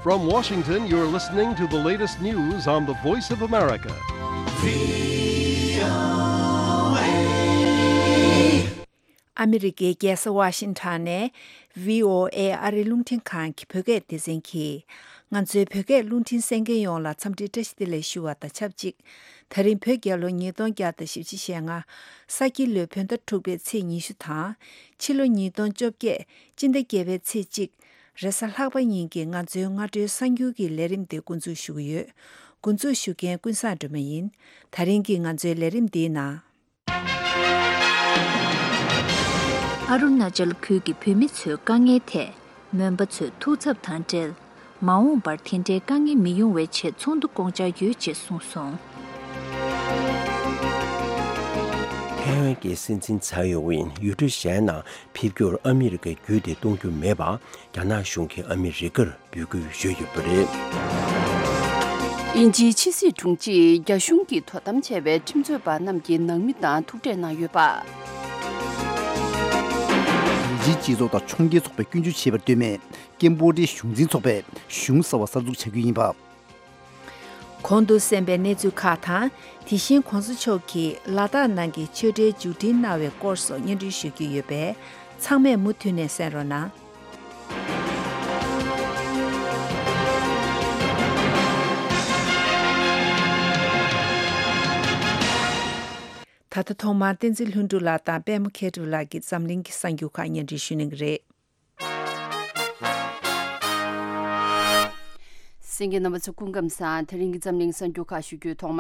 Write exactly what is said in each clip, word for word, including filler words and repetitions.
From Washington, you're listening to the latest news on the Voice of America. ཨ་མི་རི་ཀའི་རྒྱལ་ས་ཝ་ཤིང་ཊོན་ནས་བྷི་ཨོ་ཨེ་ཨ་རིའི་རླུང་འཕྲིན་ཁང་གི་བོད་སྐད་སྡེ་ཚན་གྱིས། ང་ཚོའི་བོད་སྐད་རླུང་འཕྲིན་གསན་མཁན་ཡོངས་ལ་འཚམས་འདྲི་བཀྲ་ཤིས་བདེ་ལེགས་ཞུ་བ་དང་ཆབས་ཅིག་ད་རིང་བོད་རྒྱལ་ལོ་ཉིས་སྟོང་བརྒྱ་དང་བཞི་བཅུ་ཞེ་ལྔ། ས་ཁྱི་ལོའི་བོད་ཟླ་དྲུག་པའི་ཚེས་ཉི་ཤུ་དང་། ཕྱི་ལོ་ཉིས་སྟོང་བཅོ་བརྒྱད། སྤྱི་ཟླ་བརྒྱད་པའི་ཚེས་གཅིག་རེས་གཟའ་ལྷག་པ་ཉིན་གྱི་ང་ཚོའི་སྔ་དྲོའི་གསར་འགྱུར་གྱི་ལས་རིམ་དེ་འགོ་འཛུགས་ཞུ་གི་ཡོད། འགོ་འཛུགས་ཞུ་མཁན་ཀུན་བཟང་སྒྲོལ་མ་ཡིན། ད་རིང་གི་ང་ཚོའི་ལས་རིམ་འདིའི་ནང་། ཨ་རུ་ན་ཅལ་ཁུལ་གྱི་བོད་མི་ཚོའི་དཀའ་ངལ་ཐད། མོན་པ་ཚོས་ཐུགས་འཚབ་དང་འབྲེལ། མ་འོངས་པར་དེ་འདྲའི་དཀའ་ངལ་མི་ཡོང་བའི་ཆེད་ཚོགས་འདུ་བསྐོང་འཆར་ཡོད་ཅེས་གསུངས་སོང་། ཐའེ་ཝན་གྱི་སྲིད་འཛིན་ཚའེ་ཡོ་ཝིན་ཡུལ་གྲུ་གཞན་ནང་ཕེབས་རྒྱུར་ཨ་མི་རི་ཀས་རྒྱུད་དེ་གཏོང་རྒྱུ་མེད་པ། རྒྱ་ནག་གཞུང་གིས་ཨ་མི་རི་ཀར་འབོད་སྐུལ་ཞུས་ཡོད་པ་རེད། དབྱིན་ཇིའི་ཕྱི་སྲིད་དྲུང་ཆེས་རྒྱ་གཞུང་གིས་དོ་དམ་བྱས་པའི་ཁྲིམས་རྩོད་པ་རྣམས་ཀྱི་ནང་མི་དང་ཐུག་འཕྲད་གནང་ཡོད་པ། དབྱིན་ཇིའི་སྤྱི་ཚོགས་དང་ཕྱོགས་འགལ་ཚོགས་པས་སྐྱོན་བརྗོད་བྱས་པར་ལྟོས་མེད། ཀེམ་བོ་ཌིའི་གཞུང་འཛིན་ཚོགས་པས་གཞུང་གསར་བ་གསར་འཛུགས་བྱ་རྒྱུ་ཡིན་པ། གོང་དུ་གསན་པའི་གནས་ཚུལ་ཁག་དང་། དེ་བཞིན་གོང་ས་མཆོག་གིས་ལ་དྭགས་ནང་གི་ཆོས་འབྲེལ་མཇུག་སྒྲིལ་གནང་བའི་སྐོར་སོགས་སྙན་སྒྲོན་ཞུ་རྒྱུ་ཡོད་པས། ཚང་མས་མུ་མཐུད་ནས་གསན་རོགས་གནང་། ད་ལྟ་ཐོག་མར་བསྟན་འཛིན་ལྷུན་གྲུབ་ལགས་དང་པད་མ་མཁས་གྲུབ་ལགས་ཀྱིས་འཛམ་གླིང་གི་གསར་འགྱུར་ཁག་སྙན་སྒྲོན་ཞུ་གནང་གི་རེད། གསན་མཁན་རྣམ་པ་ཚོ་སྐུ་ཁམས་བཟང་། དེ་རིང་གི་འཛམ་གླིང་གསར་འགྱུར་ཁག་ཞུ་རྒྱུའི་ཐོག་མ།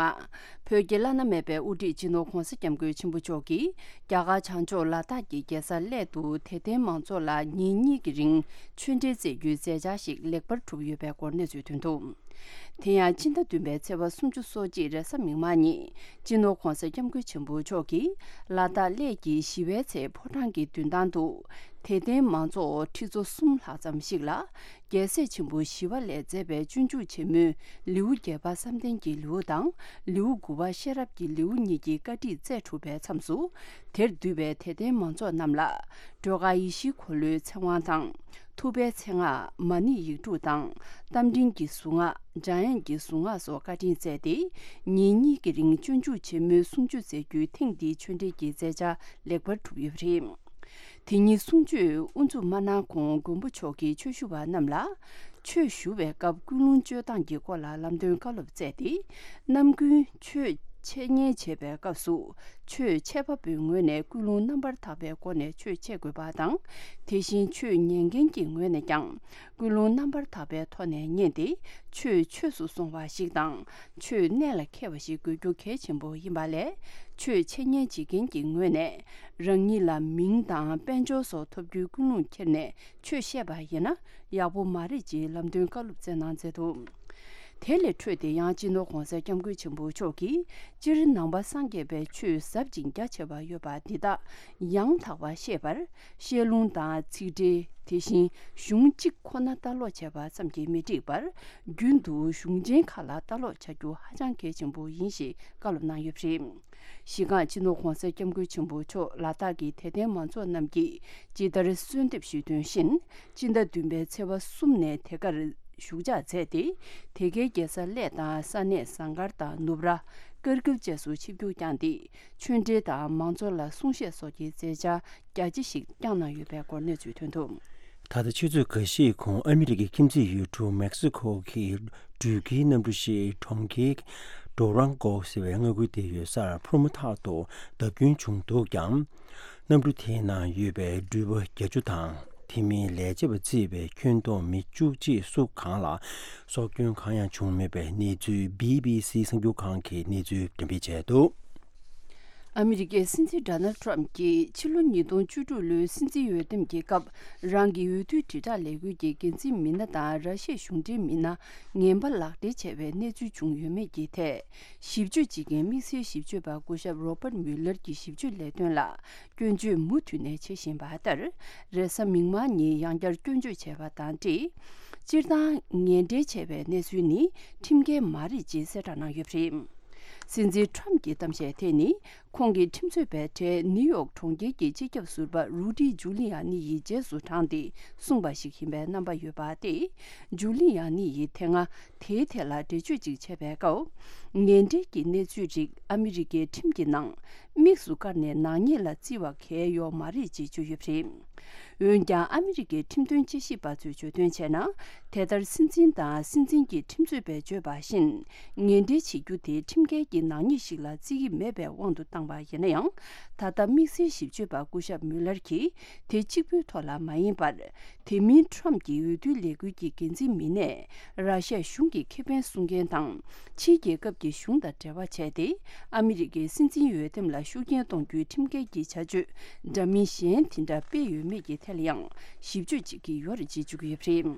བོད་ཀྱི་བླ་ན་མེད་པའི་དབུ་ཁྲིད་སྤྱི་ནོར་༧གོང་ས་༧སྐྱབས་མགོན་ཆེན་པོ་མཆོག་གིས་རྒྱ་གར་བྱང་ཕྱོགས་ལ་དྭགས་ཀྱི་རྒྱལ་ས་གླེ་དུ་དད་ལྡན་མང་ཚོགས་ལ་ཉིན་གཉིས་ཀྱི་རིང་ཆོས་འབྲེལ་སྩལ་རྒྱུའི་མཛད་འཆར་ཞིག་ལེགས་པར་གྲུབ་ཡོད་པའི་སྐོར་གནས་ཚུལ་ཐོན་འདུག་དེ་ཡང་སྤྱི་ཟླ་བདུན་པའི་ཚེས་པ་སུམ་ཅུ་སོ་གཅིག་རེས་གཟའ་མིག་དམར་ཉིན་སྤྱི་ནོར་༧གོང་ས་༧སྐྱབས་མགོན་ཆེན་པོ་མཆོག་གིས་ལ་དྭགས་གླེ་གི་ཞི་བའི་ཚལ་ཕོ་བྲང་གི་མདུན་ཐང་དུ་དད་ལྡན་མང་ཚོགས་ཁྲི་ཚོ་གསུམ་ལྷག་ཙམ་ཞིག་ལ། རྒྱལ་སྲས་ཆེན་པོ་ཞི་བ་ལྷས་མཛད་པའི་སྤྱོད་འཇུག་ཆེན་མོའི་ལེའུ་བརྒྱད་པ་བསམ་གཏན་གྱི་ལེའུ་དང་། ལེའུ་དགུ་པ་ཤེས་རབ་ཀྱི་ལེའུ་གཉིས་ཀྱི་བཀའ་ཁྲིད་སྩལ་གྲུབ་པའི་མཚམས་སུ། དེར་འདུས་པའི་དད་ལྡན་མང་ཚོགས་རྣམས་ལ། སྒྲོལ་དཀར་ཡེ་ཤེས་འཁོར་ལོའི་ཚེ་དབང་དང་། ཐུབ་པའི་མཚན་སྔགས་མ་ཎི་ཡིག་དྲུག་དང་། རྟ་མགྲིན་གྱི་གཟུངས་སྔགས། འཇམ་དབྱངས་ཀྱི་གཟུངས་སྔགས་སོགས་བཀའ་དྲིན་སྩལ་ཏེ། ཉིན་གཉིས་ཀྱི་རིང་སྤྱོད་འཇུག་ཆེན་མོའི་གསུང་ཆོས་མཛད་རྒྱུའི་ཐེངས་འདིའི་ཆོས་འབྲེལ་གྱི་མཛད་འཆར་ལེགས་པར་གྲུབ་ཡོད་པ་རེད། དེ་ཉིན་གསུང་ཆོས་དབུ་འཛུགས་མ་གནང་གོང་མགོན་པོ་མཆོག་གིས་ཆོས་ཞུ་བ་རྣམས་ལ། ཆོས་ཞུ་བའི་སྐབས་ཀུན་སློང་སྤྱོད་སྟངས་ཀྱི་སྐོར་ལ་ལམ་སྟོན་བཀའ་སློབ་སྩལ་ཏེ། ནམ་རྒྱུན་ཆོས་འཆད་ཉན་བྱེད་པའི་སྐབས་སུ། ཆོས་འཆད་པ་པོའི་ངོས་ནས་ཀུན་སློང་རྣམ་པར་དག་པའི་སྒོ་ནས་ཆོས་འཆད་དགོས་པ་དང་། དེ་བཞིན་ཆོས་ཉན་མཁན་གྱི་ངོས་ནས་ཀྱང་། ཀུན་སློང་རྣམ་པར་དག་པའི་ཐོག་ནས་ཉན་ཏེ། ཆོས་ཆོས་སུ་སོང་བ་ཞིག་དང་། ཆོས་གནད་ལ་འཁེལ་བ་ཞིག་དགོས་རྒྱུ་གལ་ཆེན་པོ་ཡིན་པ་ལས། ཆོས་འཆད་ཉན་བྱེད་མཁན་གྱི་ངོས་ནས། རང་ཉིད་ལ་མིང་དང་དཔལ་འབྱོར་སོགས་ཐོབ་རྒྱུའི་ཀུན་སློང་ཁྱེར་ནས་ཆོས་བཤད་པ་ཡིན་ན་ཡག་པོ་མ་རེད་ཅེས་ལམ་སྟོན་བཀའ་སློབ་སྩལ་གནང་མཛད་འདུག་དེ་ལས་འཕྲོས་ཏེ་ཡང་སྤྱི་ནོར་༧གོང་ས་༧སྐྱབས་མགོན་ཆེན་པོ་མཆོག་གིས། སྤྱིར་ནང་པ་སངས་རྒྱས་པའི་ཆོས་ཟབ་ཅིང་རྒྱ་ཆེ་བ་ཡོད་པ་འདི་དག་ཡང་དག་པར་ཤེས་པར། བཤད་ལུང་དང་ཚིག་འགྲེལ། དེ་བཞིན་གཞུང་གཅིག་ཁོ་ན་ལྟ་ཀློག་བྱས་པ་ཙམ་གྱིས་མི་འགྲིག་པར། རྒྱུན་དུ་གཞུང་ཆེན་ཁག་ལ་ལྟ་ཀློག་བྱ་རྒྱུ་ཧ་ཅང་གལ་ཆེན་པོ་ཡིན་ཞེས་བཀའ་སློབ་གནང་ཡོད་པ་རེད། གཞི་རྐང་སྤྱི་ནོར་༧གོང་ས་༧སྐྱབས་མགོན་ཆེན་པོ་མཆོག་ལ་དྭགས་ཀྱི་དད་ལྡན་མང་ཚོགས་རྣམས་ཀྱིས་ཇི་ལྟར་གསོལ་འདེབས་ཞུས་དོན་བཞིན། སྤྱི་ཟླ་བདུན་པའི་ཚེས་པ་གསུམ་ནས་དེ་གར་བཞུགས་ཕྱག་མཛད་དེ། དེ་གའི་རྒྱལ་ས་གླེ་དང་ས་གནས་ཟངས་དཀར་དང་ནུབ་ར། ཀར་གིལ་བཅས་སུ་ཆིབས་བསྒྱུར་བསྐྱངས་ཏེ། ཆོས་འབྲེལ་དང་མང་ཚོགས་ལ་གསུང་བཤད་སོགས་ཀྱི་མཛད་འཆར་རྒྱ་ཆེ་ཞིག་བསྐྱངས་གནང་ཡོད་པའི་སྐོར་གནས་ཚུལ་ཐོན་འདུག་ད་ལྟ་ཆུ་ཚོད་འགའ་ཤས་གོང་ཨ་མི་རི་ཀའི་ཁྱིམ་མཚེས་ཡུལ་གྲུ་མེག་སི་ཁོ་གི་འགྲུལ་སྐྱེལ་གནམ་གྲུ་ཞིག་གྲོང་ཁྱེར་ཌོ་རང་གོ་ཟེར་བའི་མངའ་ཁུལ་དེ་ཡོད་སར་འཕུར་མ་ཐག་ཏུ་བརྡབ་སྐྱོན་བྱུང་འདུག་ཀྱང་། གནམ་གྲུ་དེའི་ནང་ཡོད་པའི་འགྲུལ་པ་བརྒྱད་ཅུ་དང་། དེ་མིན་ལས་བྱེད་པ་བརྩིས་པའི་ཁྱོན་བསྡོམས་མི་བཅུ་གཅིག་སུ་གང་ལ་སྲོག་སྐྱོན་གང་ཡང་བྱུང་མེད་པའི་གནས་ཚུལ་བྷི་བྷི་སི་གསར་འགྱུར་ཁང་གིས་གནས་ཚུལ་འགྲེམས་སྤེལ་བྱས་འདུག་ཨ་མི་རི་ཀའི་སྲིད་འཛིན་ཌོ་ནལ་ཊམ་གྱིས་ཕྱི་ལོ་ཉིས་སྟོང་བཅུ་དྲུག་ལོའི་སྲིད་འཛིན་འོས་འདེམས་ཀྱི་སྐབས། རང་གི་འོས་བསྡུ་དྲིལ་བསྒྲགས་ལས་འགུལ་གྱི་འགན་འཛིན་མི་སྣ་དང་ར་ཤི་ཡའི་གཞུང་འབྲེལ་མི་སྣ་ངན་པ་ལག་སྦྲེལ་བྱས་པའི་གནས་ཚུལ་བྱུང་ཡོད་མེད་ཀྱི་ཐད། ཞིབ་དཔྱོད་བྱེད་མཁན་དམིགས་བསལ་ཞིབ་དཔྱོད་པ་སྐུ་ཞབས་རོ་པར་མུ་ལར་གྱི་ཞིབ་དཔྱོད་ལས་དོན་ལ་སྐྱོན་བརྗོད་མུ་མཐུད་ནས་བྱེད་བཞིན་པ་ལྟར། རེས་གཟའ་མིག་དམར་ཉིན་ཡང་བསྐྱར་སྐྱོན་བརྗོད་བྱས་པ་དང་འབྲེལ། སྤྱིར་བཏང་ངན་འབྲེལ་བྱས་པའི་གནས་ཚུལ་ནི་ཁྲིམས་འགལ་མ་རེད་ཅེས་གསལ་བསྒྲགས་གནང་ཡོད་པ་རེད། སྲིད་འཛིན་ཊམ་གྱི་གཏམ་བཤད་དེ་ནི། ཁོང་གིས་ཁྲིམས་རྩོད་པའི་གྲས་ནིའུ་ཡོག་གྲོང་ཁྱེར་གྱི་སྤྱི་ཁྱབ་ཟུར་པ་རུ་ཌི་ཇུ་ལི་ཡ་ནི་ཡི་རྗེས་སུ་འབྲངས་ཏེ་གསུངས་པ་ཞིག་ཡིན་པའི་རྣམ་པ་ཡོད་པ་སྟེ། ཇུ་ལི་ཡ་ནི་ཡིས་དེ་སྔ་དེའི་ཐད་ལ་འགྲེལ་བརྗོད་ཅིག་བྱས་པའི་སྐབས། ངན་འབྲེལ་གྱི་གནས་ཚུལ་རིགས་ཨ་མི་རི་ཀའི་ཁྲིམས་ཀྱི་ནང་དམིགས་སུ་བཀར་ནས་ནག་ཉེས་ལ་བརྩི་བ་གལ་ཡོད་མ་རེད་ཅེས་བརྗོད་ཡོད་པ་རེད། འོན་ཀྱང་ཨ་མི་རི་ཀའི་ཁྲིམས་དོན་དཔྱད་ཞིབ་པ་ཚོས་བརྗོད་དོན་བྱས་ན། དེ་ལྟར་སྲིད་འཛིན་དང་སྲིད་འཛིན་གྱི་ཁྲིམས་རྩོད་པས་བརྗོད་པ་བཞིན། ངན་འབྲེལ་བྱེད་རྒྱུ་དེ་ཁྲིམས་འགལ་གྱི་ནག་ཉེས་ཤིག་ལ་བརྩི་གི་མེད་པའི་དབང་དུ་བཏང་བ་ཡིན་ན་ཡང་། ད་ལྟ་དམིགས་བསལ་ཞིབ་དཔྱོད་པ་སྐུ་ཞབས་མུ་ལར་གྱིས་དེ་གཅིག་པུའི་ཐོག་ལ་མ་ཡིན་པར། དེ་མིན་ཁྲོམ་གྱི་འོས་བསྡུའི་ལས་འགུལ་གྱི་འགན་འཛིན་མི་སྣས་ར་ཤ་གཞུང་གི་ཁེ་ཕན་སྲུང་མཁན་དང་། ཕྱིའི་རྒྱལ་ཁབ་ཀྱི་གཞུང་དང་འབྲེལ་བ་བྱས་ཏེ། ཨ་མི་རི་ཀའི་སྲིད་འཛིན་འོས་འདེམས་ལ་ཤུགས་རྐྱེན་གཏོང་རྒྱུའི་ཁྲིམས་འགལ་གྱི་བྱ་སྤྱོད་འདྲ་མིན་གཞན་དེ་འདྲ་སྤེལ་ཡོད་མེད་ཀྱི་ཐད་ལ་ཡང་ཞིབ་དཔྱོད་བྱེད་ཀྱི་ཡོད་རེད་ཅེས་བརྗོད་ཀྱི་ཡོད་པ་རེད།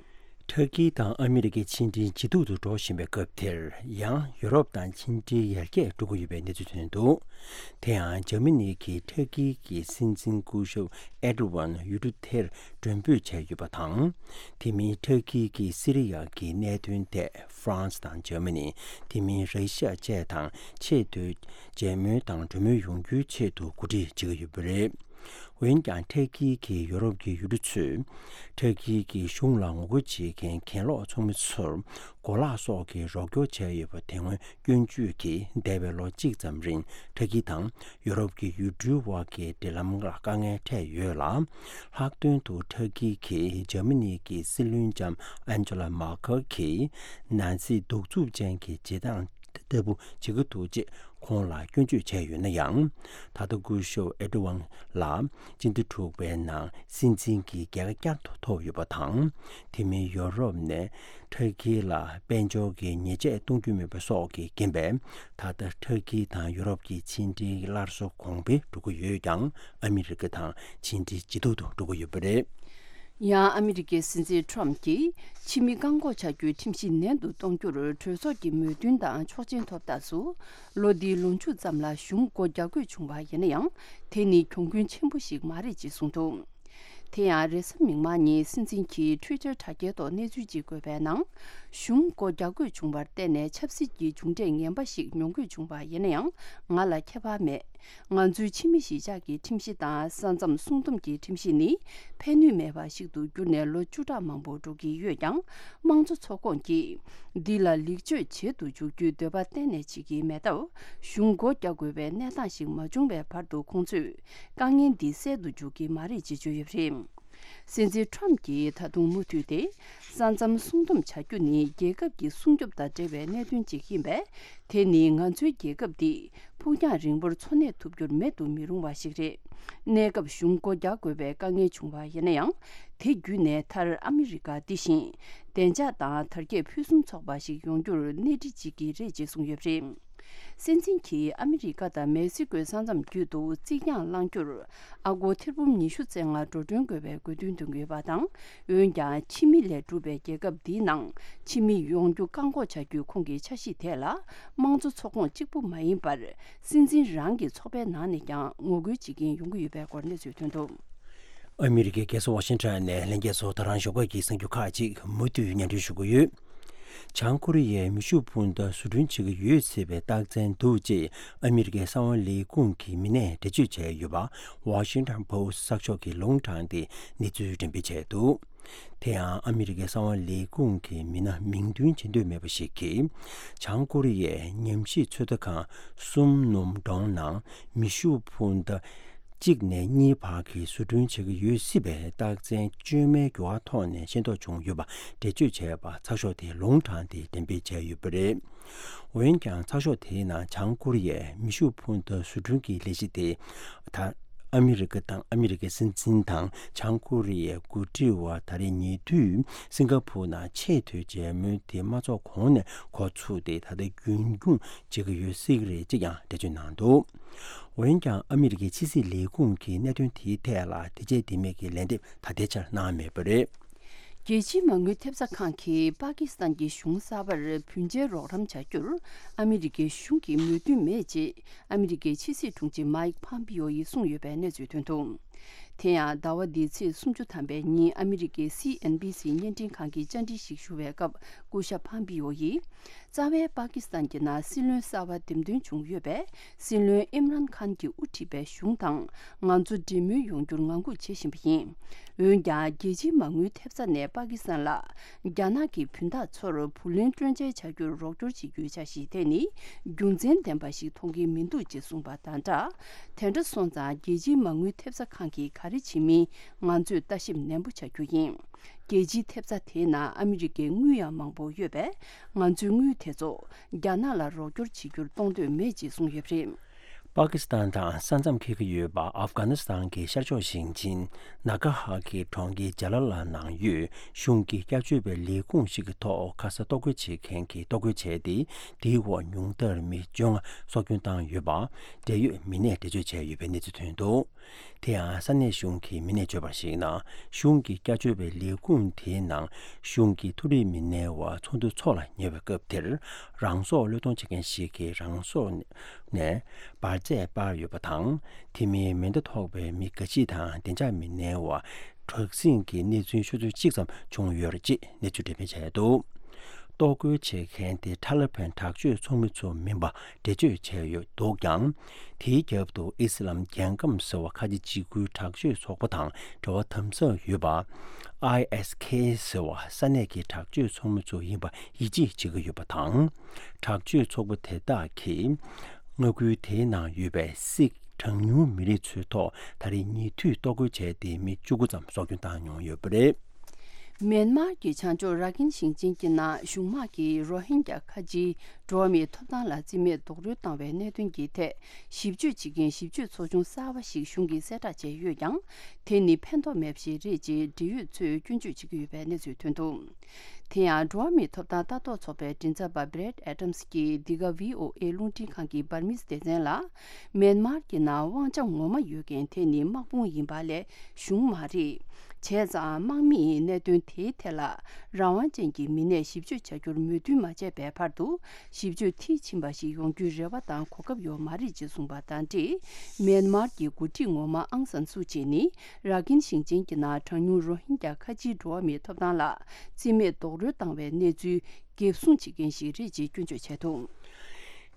ཐ་ཀི་དང་ཨ་མི་རི་ཀའི་ཕྱི་འབྲེལ་ཇེ་སྡུག་ཏུ་འགྲོ་བཞིན་པའི་སྐབས་དེར། ཡང་ཡུ་རོབ་དང་ཕྱི་འབྲེལ་ཡར་རྒྱས་འགྲོ་གི་ཡོད་པའི་གནས་ཚུལ་ཐོན་འདུག་དེ་ཡང་འཇར་མ་ནི་གིས་ཐ་ཀི་གི་སྲིད་འཛིན་སྐུ་ཞབས་ཨེར་ཏོ་ཝན་ཡུལ་གྲུ་དེར་མགྲོན་འབོད་བྱས་ཡོད་པ་དང་། དེ་མིན་ཐ་ཀི་གིས་སི་རི་ཡ་གི་གནད་དོན་ཐད་ཧྥ་རན་སི་དང་འཇར་མ་ནི། དེ་མིན་ར་ཤི་ཡ་བཅས་དང་ཆེས་མཐོའི་མཇལ་མོལ་དང་གྲོས་མོལ་ཡོང་རྒྱུའི་ཆེད་དུ་གོ་སྒྲིག་བྱེད་ཀྱི་ཡོད་པ་རེད། འོན་ཀྱང་ཐ་ཀི་གིས་ཡོ་རོབ་ཀྱི་ཡུལ་གྲུ་ཚོས་ཐ་ཀི་གི་གཞུང་ལ་ངོ་རྒོལ་བྱེད་མཁན་གྱེན་ལོག་ཚོགས་མི་ཚོར་གོ་ལག་སོགས་ཀྱི་རོགས་སྐྱོར་བྱས་ཡོད་པ་དེ་སྔོན་སྐྱོན་བརྗོད་ཀྱིས། འདས་པའི་ལོ་གཅིག་ཙམ་རིང་ཐ་ཀི་དང་ཡོ་རོབ་ཀྱི་ཡུལ་གྲུའི་དབར་གྱི་འབྲེལ་ལམ་ལ་དཀའ་ངལ་འཕྲད་ཡོད་ལ། ལྷག་དོན་དུ་ཐ་ཀི་གིས་འཇར་མ་ནི་གི་སྲིད་བློན་ལྕམ་ཨན་ཇེ་ལ་མར་ཁལ་གྱིས་ནཱ་ཛི་གདུག་རྩུབ་ཅན་གྱི་བྱེད་སྟངས་ལྟ་བུ་བྱེད་ཀྱི་འདུག་ཅེས་ཁོང་ལ་སྐྱོན་བརྗོད་བྱས་ཡོད་ན་ཡང་། ད་ལྟ་སྐུ་ཞབས་ཨེར་ཏོ་ཝན་ལ་སྤྱི་ཟླ་དྲུག་པའི་ནང་སྲིད་འཛིན་གྱི་རྒྱལ་ཁ་བསྐྱར་དུ་ཐོབ་ཡོད་པ་དང་། དེ་མིན་ཡོ་རོབ་ནས་ཐ་ཀི་ལ་དཔལ་འབྱོར་གྱི་ཉེས་ཆད་གཏོང་རྒྱུ་མེད་པ་སོགས་ཀྱི་རྐྱེན་པས། ད་ལྟ་ཐ་ཀི་དང་ཡོ་རོབ་ཀྱི་ཕྱི་འབྲེལ་སླར་གསོ་གོང་འཕེལ་འགྲོ་གི་ཡོད་ཀྱང་། ཨ་མི་རི་ཀ་དང་ཕྱི་འབྲེལ་ཇེ་སྡུག་ཏུ་འགྲོ་གི་ཡོད་པ་རེད། ཡང་ཨ་མི་རི་ཀའི་སྲིད་འཛིན་ཁྲོམ་གྱིས་ཕྱི་མི་བཀག་འགོག་བྱ་རྒྱུའི་ཁྲིམས་གཞི་ནན་དུ་གཏོང་རྒྱུར་གྲོས་ཚོགས་ཀྱི་མོས་མཐུན་དང་ཆོག་མཆན་ཐོབ་རྟགས་སུ། ལོ་འདིའི་ལོ་མཇུག་ཙམ་ལ་གཞུང་སྒོ་རྒྱག་དགོས་བྱུང་བ་ཡིན་ན་ཡང་། དེ་ནི་གྱོང་གུན་ཆེན་པོ་ཞིག་མ་རེད་ཅེས་གསུངས་འདུག་དེ་ཡང་རེས་གཟའ་མིག་དམར་ཉིན་སྲིད་འཛིན་གྱིས་ཊུའི་ཊར་དྲ་རྒྱའི་ཐོག་གནས་ཚུལ་ཅིག་བཀོད་པའི་ནང་། གཞུང་སྒོ་རྒྱག་དགོས་བྱུང་བར་བརྟེན་ནས་ཆབ་སྲིད་ཀྱི་མཇུག་འབྲས་ངན་པ་ཞིག་མྱོང་དགོས་བྱུང་བ་ཡིན་ན་ཡང་། ང་ལ་ཁྱད་པར་མེད། ང་ཚོའི་ཕྱི་མི་གཞིས་ཆགས་ཀྱི་ཁྲིམས་གཞི་དང་ས་མཚམས་སྲུང་སྡོམ་གྱི་ཁྲིམས་གཞི་ནི་ཕན་ནུས་མེད་པ་ཞིག་ཏུ་གྱུར་ནས་ལོ་བཅུ་ཕྲག་མང་པོ་འགྲོ་གི་ཡོད་ཀྱང་། དམངས་གཙོ་ཚོགས་ཁོངས་ཀྱིས་འདི་ལ་ལེགས་བཅོས་བྱེད་དུ་འཇུག་རྒྱུའི་འདོད་པ་གཏན་ནས་བྱེད་ཀྱི་མེད་སྟབས། གཞུང་སྒོ་རྒྱག་དགོས་པའི་གནས་སྟངས་ཤིག་མ་བྱུང་བའི་བར་དུ་ཁོང་ཚོས་དཀའ་ངལ་འདི་སེལ་དུ་འཇུག་གི་མ་རེད་ཅེས་བརྗོད་ཡོད་པ་རེད། སྲིད་འཛིན་ཁྲོམ་གྱིས་ད་དུང་མུ་མཐུད་དེ། ས་མཚམས་སྲུང་སྡོམ་བྱ་རྒྱུ་ནི་རྒྱལ་ཁབ་ཀྱི་སྲུང་སྐྱོབ་དང་འབྲེལ་བའི་གནད་དོན་ཅིག་ཡིན་པས། དེ་ནི་ང་ཚོའི་རྒྱལ་ཁབ་འདི་ཕུགས་རྒྱང་རིང་པོར་འཚོ་གནས་ཐུབ་རྒྱུར་མེད་དུ་མི་རུང་བ་ཞིག་རེད། གནས་སྐབས་གཞུང་སྒོ་རྒྱག་དགོས་པའི་དཀའ་ངལ་བྱུང་བ་ཡིན་ན་ཡང་། དེ་བརྒྱུད་ནས་མཐར་ཨ་མི་རི་ཀ་འདི་བཞིན་བདེ་འཇགས་དང་དར་རྒྱས་ཕུན་སུམ་ཚོགས་པ་ཞིག་ཡོང་རྒྱུར་སྣེ་ཁྲིད་བྱེད་ཀྱི་རེད་ཅེས་གསུངས་ཡོད་པ་རེད། སྲིད་འཛིན་གྱིས་ཨ་མི་རི་ཀ་དང་མེག་སི་ཀོའི་ས་མཚམས་བརྒྱུད་དུ་རྩིག་གྱང་བསླང་རྒྱུར་ཨ་སྒོར་ཐེར་འབུམ་ཉི་ཤུ་རྩ་ལྔ་འགྲོ་གྲོན་དགོས་པའི་དགོས་འདུན་འདོན་གྱི་ཡོད་པ་དང་། འོན་ཀྱང་ཕྱི་མི་ལས་གྲུབ་པའི་རྒྱལ་ཁབ་འདིའི་ནང་ཕྱི་མི་ཡོང་རྒྱུ་བཀག་འགོག་བྱ་རྒྱུའི་ཁོང་གི་འཆར་གཞི་དེ་ལ་དམངས་གཙོ་ཚོགས་ཁོངས་གཅིག་པུ་མ་ཡིན་པར། སྲིད་འཛིན་རང་གི་ཚོགས་པའི་ནང་ནས་ཀྱང་ངོ་རྒོལ་བྱེད་མཁན་ཡོང་གི་ཡོད་པའི་སྐོར་གནས་ཚུལ་ཐོན་འདུག་ཨ་མི་རི་ཀའི་རྒྱལ་ས་ཝ་ཤིང་ཊོན་ནས་ལྷན་རྒྱས་ཚོ་ད་རང་ཞོགས་ཀ་གི་གསར་འགྱུར་ཁག་ཅིག་མུ་མཐུད་སྙན་སྒྲོན་ཞུ་གི་ཡོད། བྱང་ཀོ་རི་ཡས་མེ་ཤུགས་འཕུར་མདའ་བཟོ་སྐྲུན་བྱེད་ཀྱི་ཡོད་ཟེར་བའི་རྟགས་མཚན་འདུག་ཅེས་ཨ་མི་རི་ཀའི་གསང་བ་ལས་ཁུངས་ཀྱི་མི་སྣས་འགྲེལ་བརྗོད་བྱས་ཡོད་པ། ཝ་ཤིང་ཊོན་པོ་སི་གསར་ཤོག་གིས་ལུང་དྲངས་ཏེ་གནས་ཚུལ་འགྲེམས་སྤེལ་བྱས་འདུག་དེ་ཡང་ཨ་མི་རི་ཀའི་གསང་བ་ལས་ཁུངས་ཀྱི་མི་སྣ་མིང་འདོན་བྱེད་འདོད་མེད་པ་ཞིག་གིས། བྱང་ཀོ་རི་ཡས་ཉམས་ཞིབ་ཚོད་ལྟ་ཁང་གསུམ་སྣུམ་གྲོང་ནང་མེ་ཤུགས་འཕུར་མདའ་གཅིག་ནས་གཉིས་བར་གྱི་བཟོ་སྐྲུན་བྱེད་ཀྱི་ཡོད་སྲིད་པའི་རྟགས་མཚན་བཅོས་མའི་འགྱུར་བ་ཐོག་ནས་ཤེས་རྟོགས་བྱུང་ཡོད་པ་འགྲེལ་བརྗོད་བྱས་པ་ཚགས་ཤོག་དེས་ལུང་དྲངས་ཏེ་འགྲེམས་སྤེལ་བྱས་ཡོད་པ་རེད། འོན་ཀྱང་ཚགས་ཤོག་དེའི་ནང་བྱང་ཀོ་རི་ཡས་མེ་ཤུགས་འཕུར་མདའ་བཟོ་སྐྲུན་གྱི་ལས་གཞི་དེ། ད་ཨ་མི་རི་ཀ་དང་ཨ་མི་རི་ཀའི་སྲིད་འཛིན་དང་བྱང་ཀོ་རི་ཡའི་འགོ་ཁྲིད་བར་ད་རེས་ཉེ་དུས་སིང་ག་ཕུར་ནང་ཆེས་མཐོའི་མཇལ་མོལ་དེ་མ་ཚོགས་གོང་ནས་འགོ་ཚུགས་ཏེ་ད་ལྟ་རྒྱུན་འཁྱོངས་བྱེད་ཀྱི་ཡོད་སྲིད་ཀྱི་རེད་ཅེས་ཀྱང་འགྲེལ་བརྗོད་གནང་འདུག་འོན་ཀྱང་ཨ་མི་རི་ཀའི་ཕྱི་སྲིད་ལས་ཁུངས་ཀྱིས་གནད་དོན་དེའི་ཐད་ལ་དེ་བྱས་དེ་མེད་ཀྱི་ལན་འདེབས་ད་ལྟའི་ཆར་གནང་མེད་པ་རེད། རྒྱལ་སྤྱིའི་མ་དངུལ་ཐེབས་རྩ་ཁང་གིས་པ་ཀི་སི་ཐན་གྱི་གཞུང་གསར་པར་བུན་འཇལ་རོགས་རམ་བྱ་རྒྱུར་ཨ་མི་རི་ཀའི་གཞུང་གིས་མོས་མཐུན་མེད་ཅེས་ཨ་མི་རི་ཀའི་ཕྱི་སྲིད་དྲུང་ཆེ་མའིག་ཕམ་པིའོ་ཡིས་གསུངས་ཡོད་པའི་གནས་ཚུལ་ཐོན་འདུག་དེ་ཡང་ཟླ་བ་འདིའི་ཚེས་སུམ་ཅུ་ཐམ་པའི་ཉིན་ཨ་མི་རི་ཀའི་སི་ཨེན་བྷི་སི་བརྙན་འཕྲིན་ཁང་གི་བཅར་འདྲི་ཞིག་ཞུ་བའི་སྐབས་སྐུ་ཞབས་ཕམ་པིའོ་ཡིས། རྩ་བའི་པ་ཀི་སི་ཐན་གྱི་ནང་སྲིད་བློན་གསར་པ་འདེམས་ཐོན་བྱུང་ཡོད་པས། སྲིད་བློན་ཨིམ་རན་ཁཱན་གྱིས་དབུ་ཁྲིད་པའི་གཞུང་དང་ང་ཚོ་འབྲེལ་མོལ་ཡོང་རྒྱུར་ངང་སྒུག་བྱེད་བཞིན་པ་ཡིན། འོན་ཀྱང་རྒྱལ་སྤྱིའི་མ་དངུལ་ཐེབས་རྩ་ནས་པ་ཀི་སི་ཐན་ལ་རྒྱ་ནག་གི་བུན་བདག་ཚོར་བུ་ལོན་སྤྲོད་འཇལ་བྱ་རྒྱུར་རོགས་སྐྱོར་བྱེད་རྒྱུའི་འཆར་གཞི་དེ་ནི་རྒྱུ་མཚན་ལྡན་པ་ཞིག་མཐོང་གི་མི་འདུག་ཅེས་གསུངས་པ་དང་སྦྲགས། དེ་འདྲ་སོང་ཙང་རྒྱལ་སྤྱིའི་མ་དངུལ་ཐེབས་རྩ་ཁང་གིས་ག་རེ་བྱེད་མིན་ང་ཚོས་ལྟ་ཞིབ་ནན་པོ་བྱ་རྒྱུ་ཡིན། རྒྱལ་སྤྱིའི་ཐེབས་རྩ་དེའི་ནང་ཨ་མི་རི་ཀའི་དངུལ་ཡང་མང་པོ་ཡོད་པས། ང་ཚོའི་དངུལ་དེ་ཚོ་རྒྱ་ནག་ལ་རོགས་སྐྱོར་བྱེད་རྒྱུར་གཏོང་འདོད་མེད་ཅེས་གསུངས་ཡོད་པ་རེད། པ་ཀི་སི་ཐན་དང་ས་མཚམས་འཁེལ་གྱི་ཡོད་པ་ཨབ་གྷ་ནི་སི་ཐན་གྱི་ཤར་ཕྱོགས་ཞིང་ཆེན་ན་གྷ་ཧ་གི་གྲོང་ཁྱེར་ཇ་ལ་ལ་ནང་ཡོད་གཞུང་གི་བསྐྱར་བཅོས་པའི་ལས་ཁུངས་ཤིག་གི་ཐོག་ཁ་ས་གཏོར་རྒོལ་བྱེད་མཁན་གྱིས་གཏོར་རྒོལ་བྱས་ཏེ། དེའི་འོག་ཉུང་མཐར་མི་བཅོ་ལྔ་སྲོག་སྐྱོན་བཏང་ཡོད་པ། འབྲེལ་ཡོད་མི་སྣས་འགྲེལ་བརྗོད་བྱས་ཡོད་པའི་གནས་ཚུལ་ཐོན་འདུག་དེ་ཡང་ས་གནས་གཞུང་གི་མི་སྣས་བརྗོད་པར་གཞིགས་ན། གཞུང་གི་བསྐྱར་བཅོས་པའི་ལས་ཁུངས་དེའི་ནང་གཞུང་གི་མཐོ་རིམ་མི་སྣའི་བར་ཚོགས་འདུ་འཚོགས་ལ་ཉེ་བའི་སྐབས་དེར། རང་སྲོག་བློས་གཏོང་བྱེད་མཁན་ཞིག་གིས་རང་སྲོག་ནས་འབར་རྫས་སྤར་ཡོད་པ་དང་། དེ་མིན་མེ་མདའ་ཐོགས་པའི་མི་འགའ་ཞིག་དང་བདེ་འཇགས་མི་སྣའི་བར་དྲག་ཟིང་གི་གནས་ཚུལ་ཤོད་ཚོད་གཅིག་ཙམ་བྱུང་ཡོད་རེད་ཅེས་གནས་ཚུལ་འགྲེམས་སྤེལ་བྱས་འདུག་གཏོར་རྒོལ་བྱེད་མཁན་དེ་ཐ་ལི་བན་དྲག་སྤྱོད་ཚོགས་མི་ཚོ་མིན་པ་འགྲེལ་བརྗོད་བྱས་ཡོད་འདུག་ཀྱང་། དེའི་རྒྱབ་ཏུ་ཨི་སི་ལམ་རྒྱལ་ཁམས་ཟེར་བ་ཁ་ཆེ་འཇིགས་སྐུལ་དྲག་སྤྱོད་ཚོགས་པ་དང་འབྲེལ་བ་དམ་ཟབ་ཡོད་པ། ཨའི་ཨེས་ཁེ་ཟེར་བ་ས་གནས་ཀྱི་དྲག་སྤྱོད་ཚོགས་མི་ཚོ་ཡིན་པ་ཡིད་ཆེས་བྱེད་ཀྱི་ཡོད་པ་དང་། དྲག་སྤྱོད་ཚོགས་པ་དེ་དག་གིས་མངའ་ཁུལ་དེའི་ནང་ཡོད་པའི་སིག་གྲངས་ཉུང་མི་རིགས་ཚོའི་ཐོག་ད་རེས་ཉེ་དུས་གཏོར་རྒོལ་བྱས་ཏེ་མི་བཅུ་དགུ་ཙམ་སྲོག་སྐྱོན་བཏང་མྱོང་ཡོད་པ་རེད། མེན་མར་གྱི་བྱང་ཕྱོགས་ར་ཁིན་ཞིང་ཆེན་གྱི་ནང་གཞུང་དམག་གིས་རོ་ཧིན་རྒྱ་ཁ་ཆེའི་འགྲོ་བ་མིའི་ཐོབ་ཐང་ལ་རྩིས་མེད་རྡོག་རོལ་བཏང་བའི་གནད་དོན་གྱི་ཐད་ཞིབ་དཔྱོད་བྱེད་མཁན་ཞིབ་དཔྱོད་ཚོགས་ཆུང་གསར་པ་ཞིག་གཞུང་གིས་གསལ་བསྒྲགས་བྱས་ཡོད་ཀྱང་། དེ་ནི་ཕན་ཐོགས་མེད་པ་ཞིག་རེད་ཅེས་འབྲེལ་ཡོད་ཚོས་སྐྱོན་བརྗོད་བྱེད་ཀྱི་ཡོད་པའི་གནས་ཚུལ་ཐོན་འདུག་དེ་ཡང་འགྲོ་བ་མིའི་ཐོབ་ཐང་ལྟ་རྟོག་ཚོགས་པའི་མགྲིན་ཚབ་པ་Brad Adams་གྱིས་འདི་ག་བྷི་ཨོ་ཨེ་རླུང་འཕྲིན་ཁང་གི་འབར་མིའི་སྡེ་ཚན་ལ། མེན་མར་གྱི་ནང་དབང་ཆ་ངོ་མ་ཡོད་མཁན་དེ་ནི་དམག་དཔུང་ཡིན་པ་ལས་གཞུང་མ་རེད། བྱས་ཙང་དམག་མིས་གནད་དོན་དེའི་ཐད་ལ་རང་དབང་ཅན་གྱི་མི་སྣས་ཞིབ་དཔྱོད་བྱ་རྒྱུར་མོས་མཐུན་མ་བྱས་པའི་བར་དུ་ཞིབ་དཔྱོད་མཐིལ་ཕྱིན་པ་ཞིག་ཡོང་རྒྱུའི་རེ་བ་དང་གོ་སྐབས་ཡོད་མ་རེད་ཅེས་གསུངས་པ་དང་འབྲེལ། མེན་མར་གྱི་འགོ་ཁྲིད་ངོ་མ་ཨང་སན་སུ་ཅི་ནི་ར་ཁིན་ཞིང་ཆེན་གྱི་ནང་གྲངས་ཉུང་རོ་ཧིན་རྒྱ་ཁ་ཆེའི་འགྲོ་བ་མིའི་ཐོབ་ཐང་ལ་རྩིས་མེད་རྡོག་རོལ་བཏང་བའི་གནས་ཚུལ། འགེབས་སྲུང་བྱེད་མཁན་ཞིག་རེད་ཅེས་སྐྱོན་བརྗོད་བྱས་འདུག་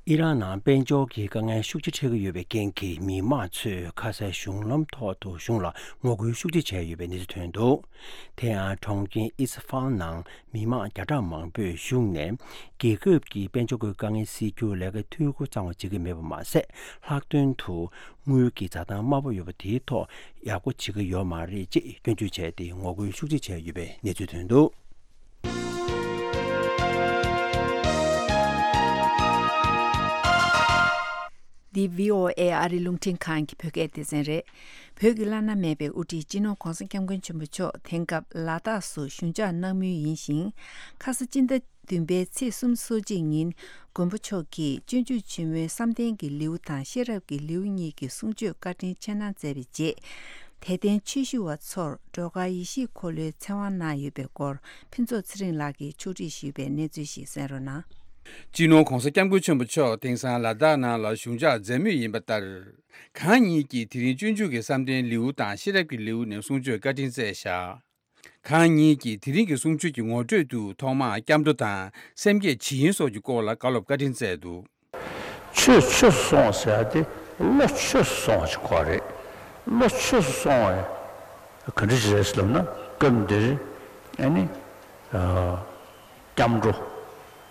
ཨི་རན་ནང་དཔལ་འབྱོར་གྱི་དཀའ་ངལ་ཤུགས་ཆེ་འཕྲད་ཀྱི་ཡོད་པའི་རྐྱེན་གྱིས་མི་མང་ཚོས་ཁ་སའི་གཞུང་ལམ་ཐོག་ཏུ་གཞུང་ལ་ངོ་རྒོལ་ཤུགས་ཆེ་བྱས་ཡོད་པའི་གནས་ཚུལ་ཐོན་འདུག་དེ་ཡང་གྲོང་ཁྱེར་ཨི་སི་ཧྥན་ནང་མི་མང་བརྒྱ་ཕྲག་མང་པོས་གཞུང་ནས་རྒྱལ་ཁབ་ཀྱི་དཔལ་འབྱོར་གྱི་དཀའ་ངལ་སེལ་རྒྱུར་ལས་ཀའི་འཐུས་སྒོ་གཙང་བ་བྱེད་ཀྱི་མེད་པ་མ་ཟད། ལྷག་དོན་དུ་དངུལ་གྱི་འཛའ་ཐང་དམའ་པོ་ཡོད་པ་དེའི་ཐོག་ཡག་པོ་བྱེད་ཀྱི་ཡོད་མ་རེད་ཅེས་སྐྱོན་བརྗོད་བྱས་ཏེ་ངོ་རྒོལ་ཤུགས་ཆེ་བྱས་ཡོད་པའི་གནས་ཚུལ་ཐོན་འདུག་འདི་བྷི་ཨོ་ཨེ་ཨ་རིའི་རླུང་འཕྲིན་ཁང་གི་བོད་སྐད་སྡེ་ཚན་རེད། བོད་ཀྱི་བླ་ན་མེད་པའི་དབུ་ཁྲིད་སྤྱི་ནོར་༧གོང་ས་༧སྐྱབས་མགོན་ཆེན་པོ་མཆོག་དེང་སྐབས་ལ་དྭགས་སུ་བཞུགས་འཇགས་གནང་མུས་ཡིན་ཞིང་། ཁ་ས་སྤྱི་ཟླ་བདུན་པའི་ཚེས་སོ་གཅིག་ཉིན་མགོན་པོ་མཆོག་གིས་སྤྱོད་འཇུག་ཆེན་མོའི་བསམ་གཏན་གྱི་ལེའུ་དང་ཤེས་རབ་ཀྱི་ལེའུ་གཉིས་ཀྱི་གསུང་ཆོས་བཀའ་དྲིན་ཆེ་གནང་མཛད་པའི་རྗེས། དད་ལྡན་ཆོས་ཞུ་བ་ཚོར་སྒྲོལ་དཀར་ཡེ་ཤེས་འཁོར་ལོའི་ཚེ་དབང་གནང་ཡོད་པའི་སྐོར་ཕུན་ཚོགས་ཚེ་རིང་ལགས་ཀྱིས་ཕྱོགས་སྒྲིག་ཞུས་པའི་གནས་ཚུལ་ཞིག་གསན་རོགས་གནང་། སྤྱི་ནོར་༧གོང་ས་༧སྐྱབས་མགོན་ཆེན་པོ་མཆོག་དེང་སང་ལ་དྭགས་ནང་ལ་བཞུགས་འཇགས་མཛད་མུས་ཡིན་པ་ལྟར། གང་ཉིད་ཀྱིས་དེ་རིང་སྤྱོད་འཇུག་གི་བསམ་གཏན་ལེའུ་དང་ཤེས་རབ་ཀྱི་ལེའུ་ནས་གསུང་ཆོས་བཀའ་དྲིན་སྩལ་བཞག་གང་ཉིད་ཀྱིས་དེ་རིང་གི་གསུང་ཆོས་ཀྱི་ངོ་སྤྲོད་དུ་ཐོག་མར་སྐྱབས་འགྲོ་དང་སེམས་བསྐྱེད་ཇི་ཡིན་སོགས་ཀྱི་སྐོར་ལ་བཀའ་སློབ་བཀའ་དྲིན་སྩལ་འདུག་ཆོས་ཆོས་སུ་སོང་བ་ཟེར་ཡ་དེ་བློ་ཆོས་སུ་སོང་བ་ཞིག་གོ་རེད། བློ་ཆོས་སུ་སོང་བ་ག་འདྲ་ཞིག་རེད་ཟེར་ལབ་ན་སྐབས་འདིར་ཨ་ནི་སྐྱབས་འགྲོ།